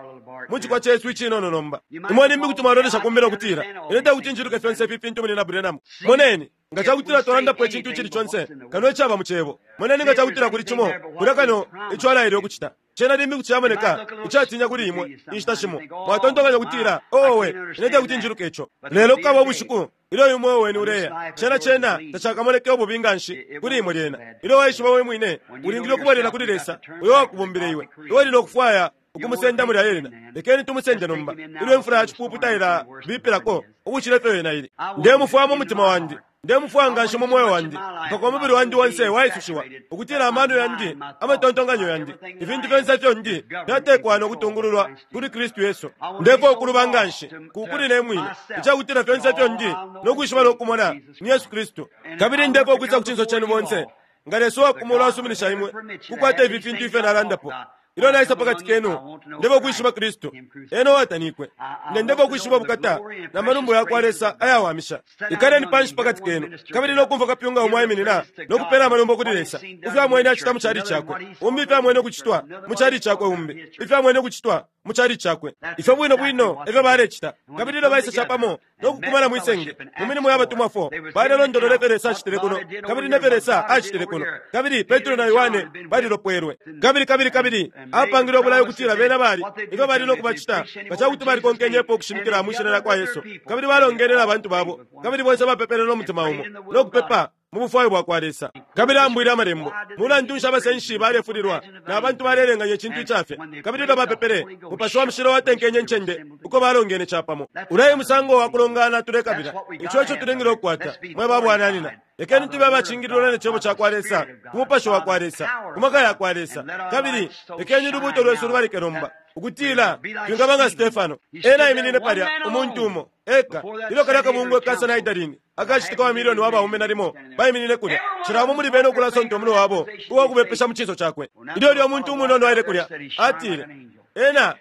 mu cikwa cesu icinono nomba. Imwe limbi kuti mwalolesha kumbele ukutila, Ine tekuti njiluke fyonse ifi fintu muli na Branham. Moneni, nga cakutila twalandapo icintu icili conse kano icaba mu Cebo. Moneni nga cakutila kuli cimo kulya kano ico Alaile ukucita. Cena limbi kuti camoneka icatinya kuli imwe inshita shimo. Mwatontonkanya ukutila, Owe, ine tekuti njiluke ico. Lelo kukaba ubushiku ilyo uyu mweo wenu uleya. Cena, cena tacakamoneke ububi nganshi kuli imwe lyena. Ilyo waishiba we mwine, ulingile ukubwelela kuli Lesa uyo wakubumbile iwe. Iwe uli no kufwaya ukumusenda mulya ena. Lekeni tumusende nomba. Ilyo imfula ya cipupu tailabipilako ukucila ifyo yena ili. Ndemufwaya mu mutima wandi. Ndemufwaya nganshi mu mweo wandi, mpaka umubili wandi onse waisushiwa, ukutila amano yandi, amatontonkanyo yandi, ifintu fyonse ifyo ndi, fyatekwa no kutungululwa kuli Kristu Yesu. Ndefwaya ukuluba nganshi ku kuli ne mwine, icakutila fyonse ifyo ndi no kwishiba no kumona ni Yesu Kristu. Kabili ndefwaya ukwisa ku cinso cenu bonse, nga Lesa uwa ku mulu asuminisha imwe kukwata ifi fintu ifyo nalandapo. Ilyo naisa pakati kenu, ndefwaya ukwishiba Kristu, Ena uwatanikwe. Ine ndefwaya ukwishiba ubukata na malumbo yakwa Lesa ayawamisha. Ikaleni panshi pakati kenu, kabili no kumfwa kapyunga umo aiminina no kupela amalumbo kuli Lesa, ifyo amwene acita mu cali cakwe, umbi ifyo amwene ukucitwa mu cali cakwe, umbi ifyo amwene ukucitwa mu cali cakwe. Ifyo bwino bwino efyo balecita. Kabili ilyo baisa capamo no kukumana mwi senge, mu milimo ya batumwa 4, balelondolola ifyo Lesa acitile kuno, kabili ne fyo Lesa acitile kuno. Kabili Petro na Yohane balilopwelwe. Kabili, kabili, kabili apangile ubulayo ukutila bena bali ifyo bali no kubacita nga ca kuti balikonkenyepo ukushimikila mwi shina lya kwa Yesu. Kabili balongene na bantu babo, kabili bonse bapepele no mutima umo, no kupepa mu bufwayo bwa kwa Lesa. Kabili ambwile amalembo. Mulandu nshi abasenshi balefulilwa na bantu balelenganya icintu icafye? Kabili ilyo bapepele, Mupashi wa Mushilo watenkenye incende uko balongene capamo. Ulya e musango wa kulongana tulekabila. Ico eco tulingile ukukwata, mwe ba bwananyina. Lekeni tube abacingililwa ne Cebo ca kwa Lesa, ku Mupashi wa kwa Lesa, ku maka ya kwa Lesa. Kabili lekeni ulubuuto lwesu lubalike nomba, ukutila twingaba nga Stefano. Ena aiminine palya, umuntu umo eka, ilyo kalya kabungwe ka Sanhedrini akacitika wa milioni wa baume nalimo baiminine kulya, cila umo muli bena ukulasonta umunwe wabo uwa kubepesha mu cinso cakwe. Ilyo ulya umuntu umunono aile kulya, atile, Ena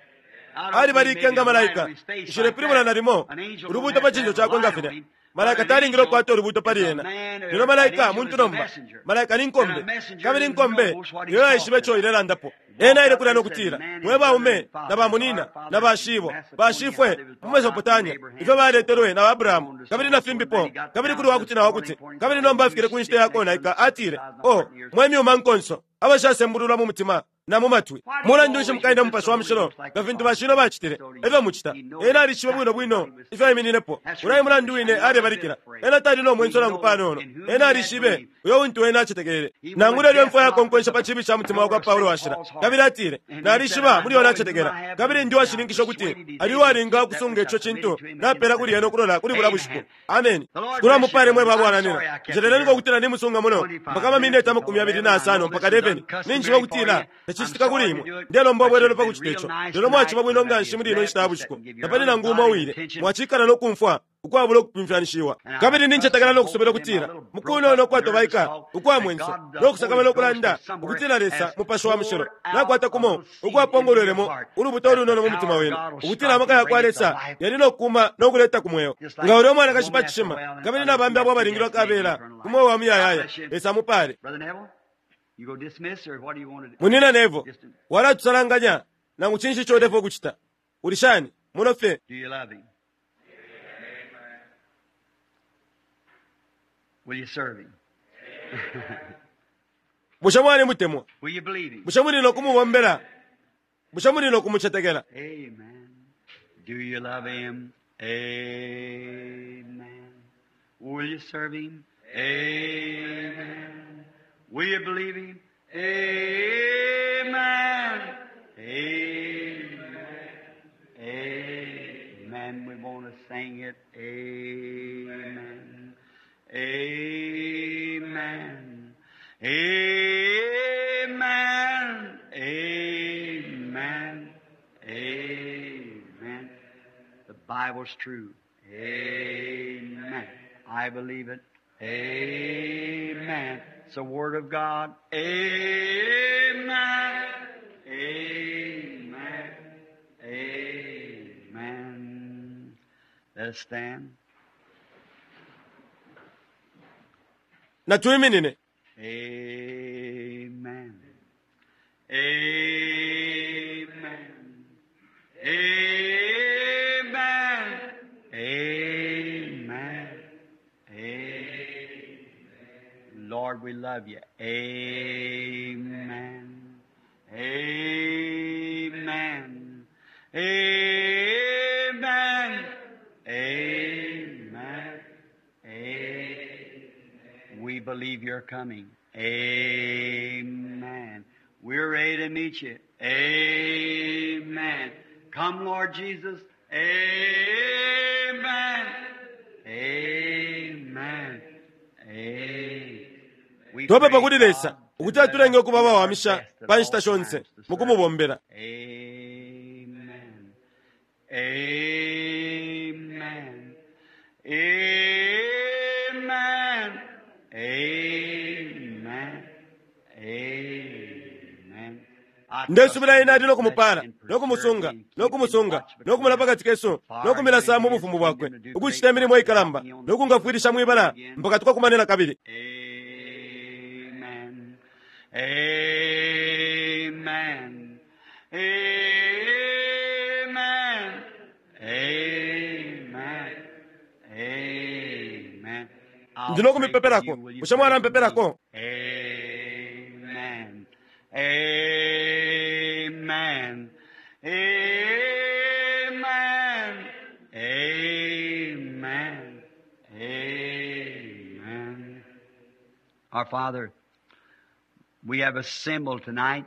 alibalike nga malaika. Nshilepilibula nalimo ulubuuto pa cinso cakwe nga filya. Malaika talingile ukukwata ulubuuto pali ena. Lelo malaika muntu nomba. Malaika ni nkombe. Kabili inkombe iyo yaishiba ico ilelandapo. Ena aile kulya no kutila, Mwe baume, na bamunina, na bashibo, bashifwe mu Mesopotamia, ifyo baletelwe na Abrahamu, kabili na fimbipo, kabili kuli wakuti na wakuti. Kabili nomba afikile ku nshita ya konaika, atile, Oh, mwe myuma nkonso, abashasembululwa mu mutima na mu matwi. Mulandu nshi mukaina Mupashi wa Mushilo nga fintu bashino bacitile? Efyo mucita. Ena alishiba bwino bwino ifyo aimininepo. Ulya e mulandu wine alebalikila. Ena tali no mwenso nangu panono. Ena alishibe uyo untu ena acetekele. Nangula ilyo imfwa yakonkwenshe pa ciibi ca mutima wakwa Paulo washila. Kabili atile, Nalishiba muli yo nacetekela. Kabili ndi uwashininkisha ukuti ali uwalinga ukusunga ico cintu napela kuli ena ukulola kuli bulya bushiku. Ameni. Shikulu amupale mwe ba bwananyina. Njeleleniko ukutila nimusunga muno mpaka amamineti 25 mpaka 11. Ninjishiba ukutila tacicitika kuli imwe. Ndelomba ubwelelo pa kucita ico. Lelo mwaciba bwino nganshi muli ino nshita ya bushiku. Tapali nangu umo uwile. Mwacikala no kumfwa ukwabula ukupimfyanishiwa. Kabili nincetekela no kusubila ukutila mu kunono ukwatobaika, ukwa mwenso, no kusakamana ukulanda, ukutila Lesa, Mupashi wa Mushilo, nakwata kumo ukwapongolwelemo ulubuto ulunono mu mutima wenu, ukutila amaka yakwa Lesa yali no kuma no kuleta ku mweo. Nga ulya umwanakashi pa cishima, kabili na bambi abo abalingilwa kabela ku mweo wa muyayaya, Lesa amupale. Brother Neville, you go dismiss or what do you want to do? Munina Neville, walatusalanganya nangu cinshi ico ulefwaya ukucita. Uli shani? Muno fye. Do you love him? Will you serve him? Bushe mwalimutemwa? Will you believe him? Bushe muli no kumubombela? Bushe muli no kumucetekela? Amen. Do you love him? Amen. Will you serve him? Amen. Will you believe him? Amen. Amen. Amen. We want to sing it. Amen. Amen. Amen. Amen. Amen. The Bible's true. Amen. I believe it. Amen. It's the Word of God. Amen. Amen. Amen. Let us stand. Natuiminine. Amen. Amen. Amen. Amen. Amen. Lord, we love you. Amen. Amen. Amen. Amen. Amen. We believe you're coming. Amen. We're ready to meet you. Amen. Come, Lord Jesus. Amen. Amen. Amen. We Twapepa pray, kuli Lesa God, ukuti that atulenge ukuba we do our abawamisha best at pa all nshita shonse times to mu serve. kumubombera. Amen. Amen. Amen. Amen. Amen. I Ndesubila trust ine ali you no will bless kumupala and no preserve kumusunga and no keep and kumusunga watch no between kumula us. pakati kesu Far no kumilasa mu into his bufumu bwakwe kingdom to do ukuchita great imilimo works to help ikalamba me on no the kungafwilisha mwibala again. mpaka tukakumanena kabili. Amen. Amen. Amen. Amen. Amen. I'll Ndi no pray for kumipepelako. you. Will you Bushe pray for me? mwalampepelako? Amen. Amen. Amen. Amen. Amen. Our Father, we have assembled tonight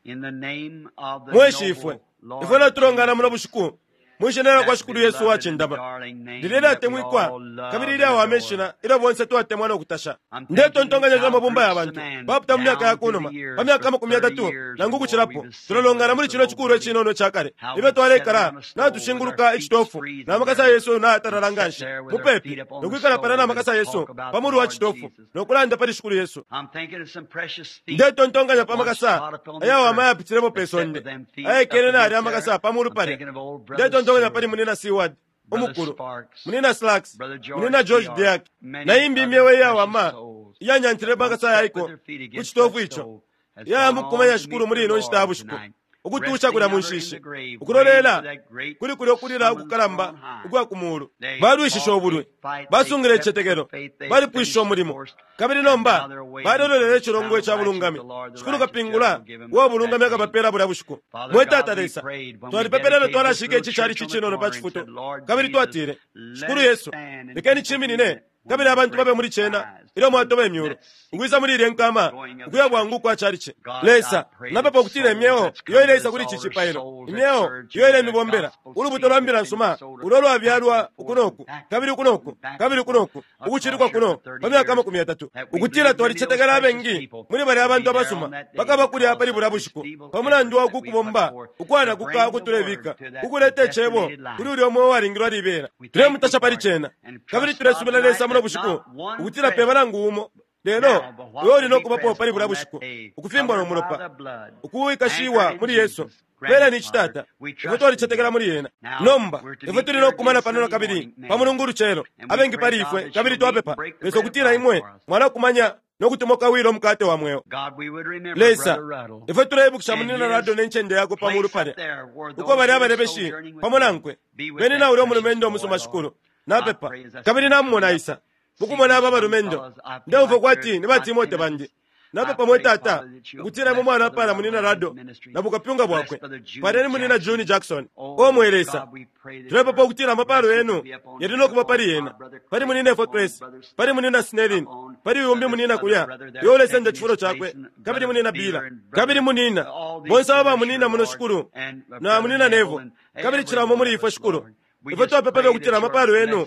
in the name of the Mwe Shifwe, noble ifwe Lord natulongana muno Jesus, bushiku mwishina lya kwa that Shikulu Yesu beloved and wacindama darling name lilye that we lyatemwikwa all love kabili and ilyawama adore. ishina ilyo bonse twatemwa no kutasha. I'm thinking Ndetontonkanya how mabumba ya groups of bantu men bapita mu myaka ya down through kunuma the years, pa myaka for amakumi 30 yatatu years or nangu more, kuchilapo we've assembled tulalongana at muli this chino little chikulu building, echinono chakale how ifyo we'd sit twalekala around a stove with our natushinguluka feet echitofu freezing na makasa there yesu nayatalala and sit nganshi there with our mupepi feet up on the nokwikala pala stove na and makasa yesu talk about pa the mulu wa Lord chitofu Jesus. nokulanda pali Shikulu Yesu. I'm thinking of some precious feet Ndetontonkanya that pa once makasa trod upon the ayawama earth ayapitilemo pe that sat with sonde them feet up ayekele nali against amakasa there. pa mulu I'm palya. thinking of old Brother Ndetontonkanya pali Seward, munina Seward Brother umukulu Sparks, munina Slacks Brother George munina George Diak, Diak many na imbi other imyewe precious iyawama souls iyanyantile that once makasa sat with yaiko their feet ku against chitofu that icho stove has gone on yamukumanya to Shikulu meet muli their ino nshita ya Lord bushiku tonight, ukutusha resting kulya mu yonder in the nshishi grave, waiting for ukulolela that great kuli kulya okulila summons ukukalamba on high. ukwa ku mulu. They Balwishishe fought obulwi the fight, they basungile kept the icitetekelo faith, they balipwishishe finished the umulimo course, kabili and now nomba they're waiting for balololele the echilongo crown of echa righteousness. bulungami. The Lord, the Shikulu righteous judge, kapingula will give them wa bulungami that day. akabapela bulya bushiku. Father Mwe God, Tata we Lesa prayed when we twalipepelelo dedicated this twalashika little ichi chali church on the chichinono pa corner and chifuto said, Lord kabili Jesus, twatile let Shikulu it Yesu stand and lekeni people be in chiminine it when kabili we abantu break babe muli the chena ties ilyo and mwatoba emyulu that secret ukwisa muli ilye nkama going of the ukuya church. bwangu kwa chalichi. God, I Lesa pray that napepa ukutila souls imyeo that's iyo come to ileisa this kuli ichi altar, chipailo souls that imyeo served iyo you, that ilemibombela gospel ulubuto seed lwa that's mbila been nsuma sowed ulo back lwabyalwa and forth and ukunoku back kabili and forth ukunoku and back kabili and forth ukunoku ukuchilikwa across here kuno for pa 30 myaka years, amakumi yatatu that we ukutila believe many of those twalicetekela precious abengi people muli balya will abantu be there on abasuma that day bakaba kulya because pali of bulya this bushiku feeble pa mulandu effort wa that we put kukubomba forth to ukwanakuka bring the word ukutulebika to that ukuleta icebo predestinated life. kuli ulya omwe walingilwa libela We thank thee tulemutasha pali for it chena and kabili trust God tulesubila tonight Lesa muno that bushiku not one ukutila peba present nangu umo lelo now, but what uyo will uli be nokubapo present pali bulya on that bushiku day, ukufimbwa no covered by mulopa the blood, ukuwikashiwa anchored in muli Yesu Jesus, grant pela it, ni Father. chitata We ifwe trust in twalicetekela you. muli yena Now, nomba we're to ifwe meet tuli here nokumana again pano na Sunday kabili morning, pa many, mulungu ulucelo and we abengi pray, pali God, ifwe that kabili you'll meet and twapepa break the Lesa bread of ukutila life imwe for us. mwalakumanya nokutumoka wilo omukate wa mweo. God, we would remember Lesa Brother Ruddle ifwe tuleibukisha and munina his Rado ne ncende yakwe pa mulu place up palya there where uko those bali who are abalebeshi sojourning with pamo him nankwe be with bene that na ulya precious umulumendo boy, umusuma Lord. shikulu I napepa pray as I see kabili them namumona coming up, isa see mukumona these aba young balumendo fellows, I feel ndeumfwa like kwati they're ni ba my Timote bandi Timothys. I napepa mwe pray, tata Father, that you'll ukutila imwe bless mwana Brother pala Ruddle munina and his Rado ministry. na bukapyunga Bless bwakwe Brother June paleni munina Jackson. June Jackson Oh, omwe Lesa God, we pray that tulepepa your ukutila amapalo blessings yenu be upon yali him, nokuba upon pali our yena brother pali Craig, munina upon Fortress Brother pali Smith, munina Snellin upon pali uyumbi this munina other kulya brother there yolesenda taking chifulo his place, chakwe and kabili Brother munina Beeler Bila and kabili Brother munina all these bonse aba brothers munina here, muno Lord, shikulu and na Brother munina Neville Nevo and kabili every chilamo one muli of ifwe us, shikulu Lord. Ifwe twapepa fye ukutila amapalo yenu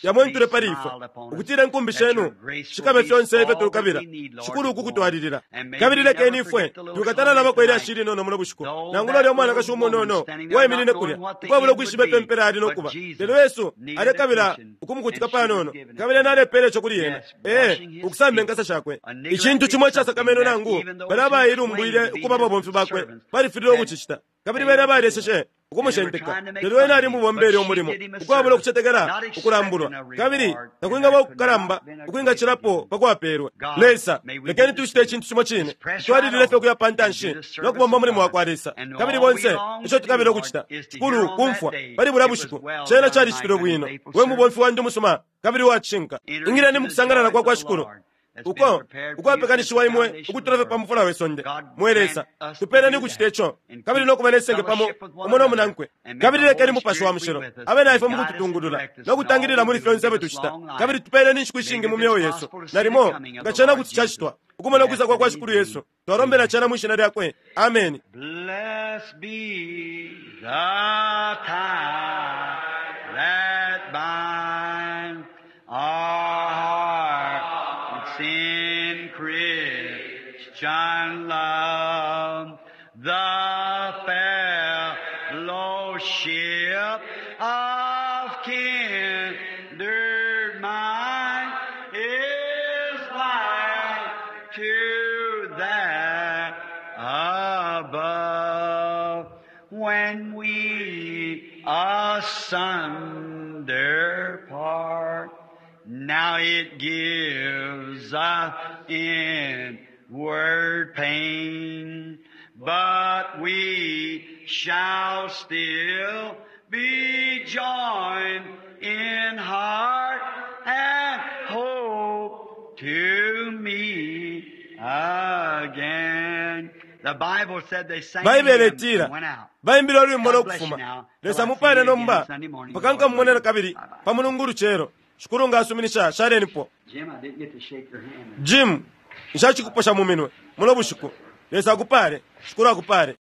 yamwentule pali ifwe, ukutila inkumbi shenu shikabe fyonse ifyo tulukabila, Shikulu, uku kutwalilila. Kabili lekeni ifwe twikatala labako ilyashi ilinono muno bushiku, nangula ulya umwanakashi umunono waiminine kulya ukwabula ukwishiba ifyo impela yali nokuba, lelo Yesu alekabila ukumukutika panono, kabili ena alepela ico kuli ena, ee, ukusamba inkasa shakwe. Icintu cimo icasakamene nangu bali abailumbwile ukuba ababomfi bakwe balifililwe ukucicita, kabili bena balyeseshe ukumushenteka, lelo ena ali mubombele umulimo ukwabula ukucetekela ukulambulwa, kabili takwingaba ukukalamba ukwingacilapo pa kwapelwe. Lesa, lekeni tucite icintu cimo cine, twalilile fye ukuya pa ntanshi no kubomba umulimo wa kwa Lesa. Kabili bonse ico tukabila ukucita, Shikulu, kumfwa pali bulya bushiku cena calicitilwe bwino, we mubomfi wandi umusuma kabili uwacishinka, ingileni mukusangalala kwa kwa Shikulu uko ukwapekanishiwa imwe ukutula fye pa mufula we sonde. Mwe Lesa, tupeleni ukucita ico, kabili no kuba nesenge pamo umo no munankwe. Kabili lekeni Mupashi wa Mushilo abe na ifwe mukututungulula no kutangilila muli fyonse ifyo tucita, kabili tupeleni inshiku ishingi mu myeo yesu. Nalimo nga cena kuti cacitwa, ukumona ukwisa kwa kwa Shikulu Yesu, twalombela cena mwi shina lyakwe. Ameni. Blessed be the tie that binds our hearts in Christian love, the fellowship of kindred mind is like to that above. When we asunder part, now it gives us inward pain, but we shall still be joined in heart and hope to meet again. The Bible said they sang Baibele hymns itila and went out. baimbile ulwimbo God bless you lokufuma. now. Lesa Till I see mupale you again nomba Sunday morning. mpaka nkamumonera kabili pa mulungu lucelo. Shikulu nga asuminisha shalenipo. Jim, I didn't get to shake your hand. Jim, nshacikuposha mu minwe muno bushiku. Lesa akupale, Shikulu akupale.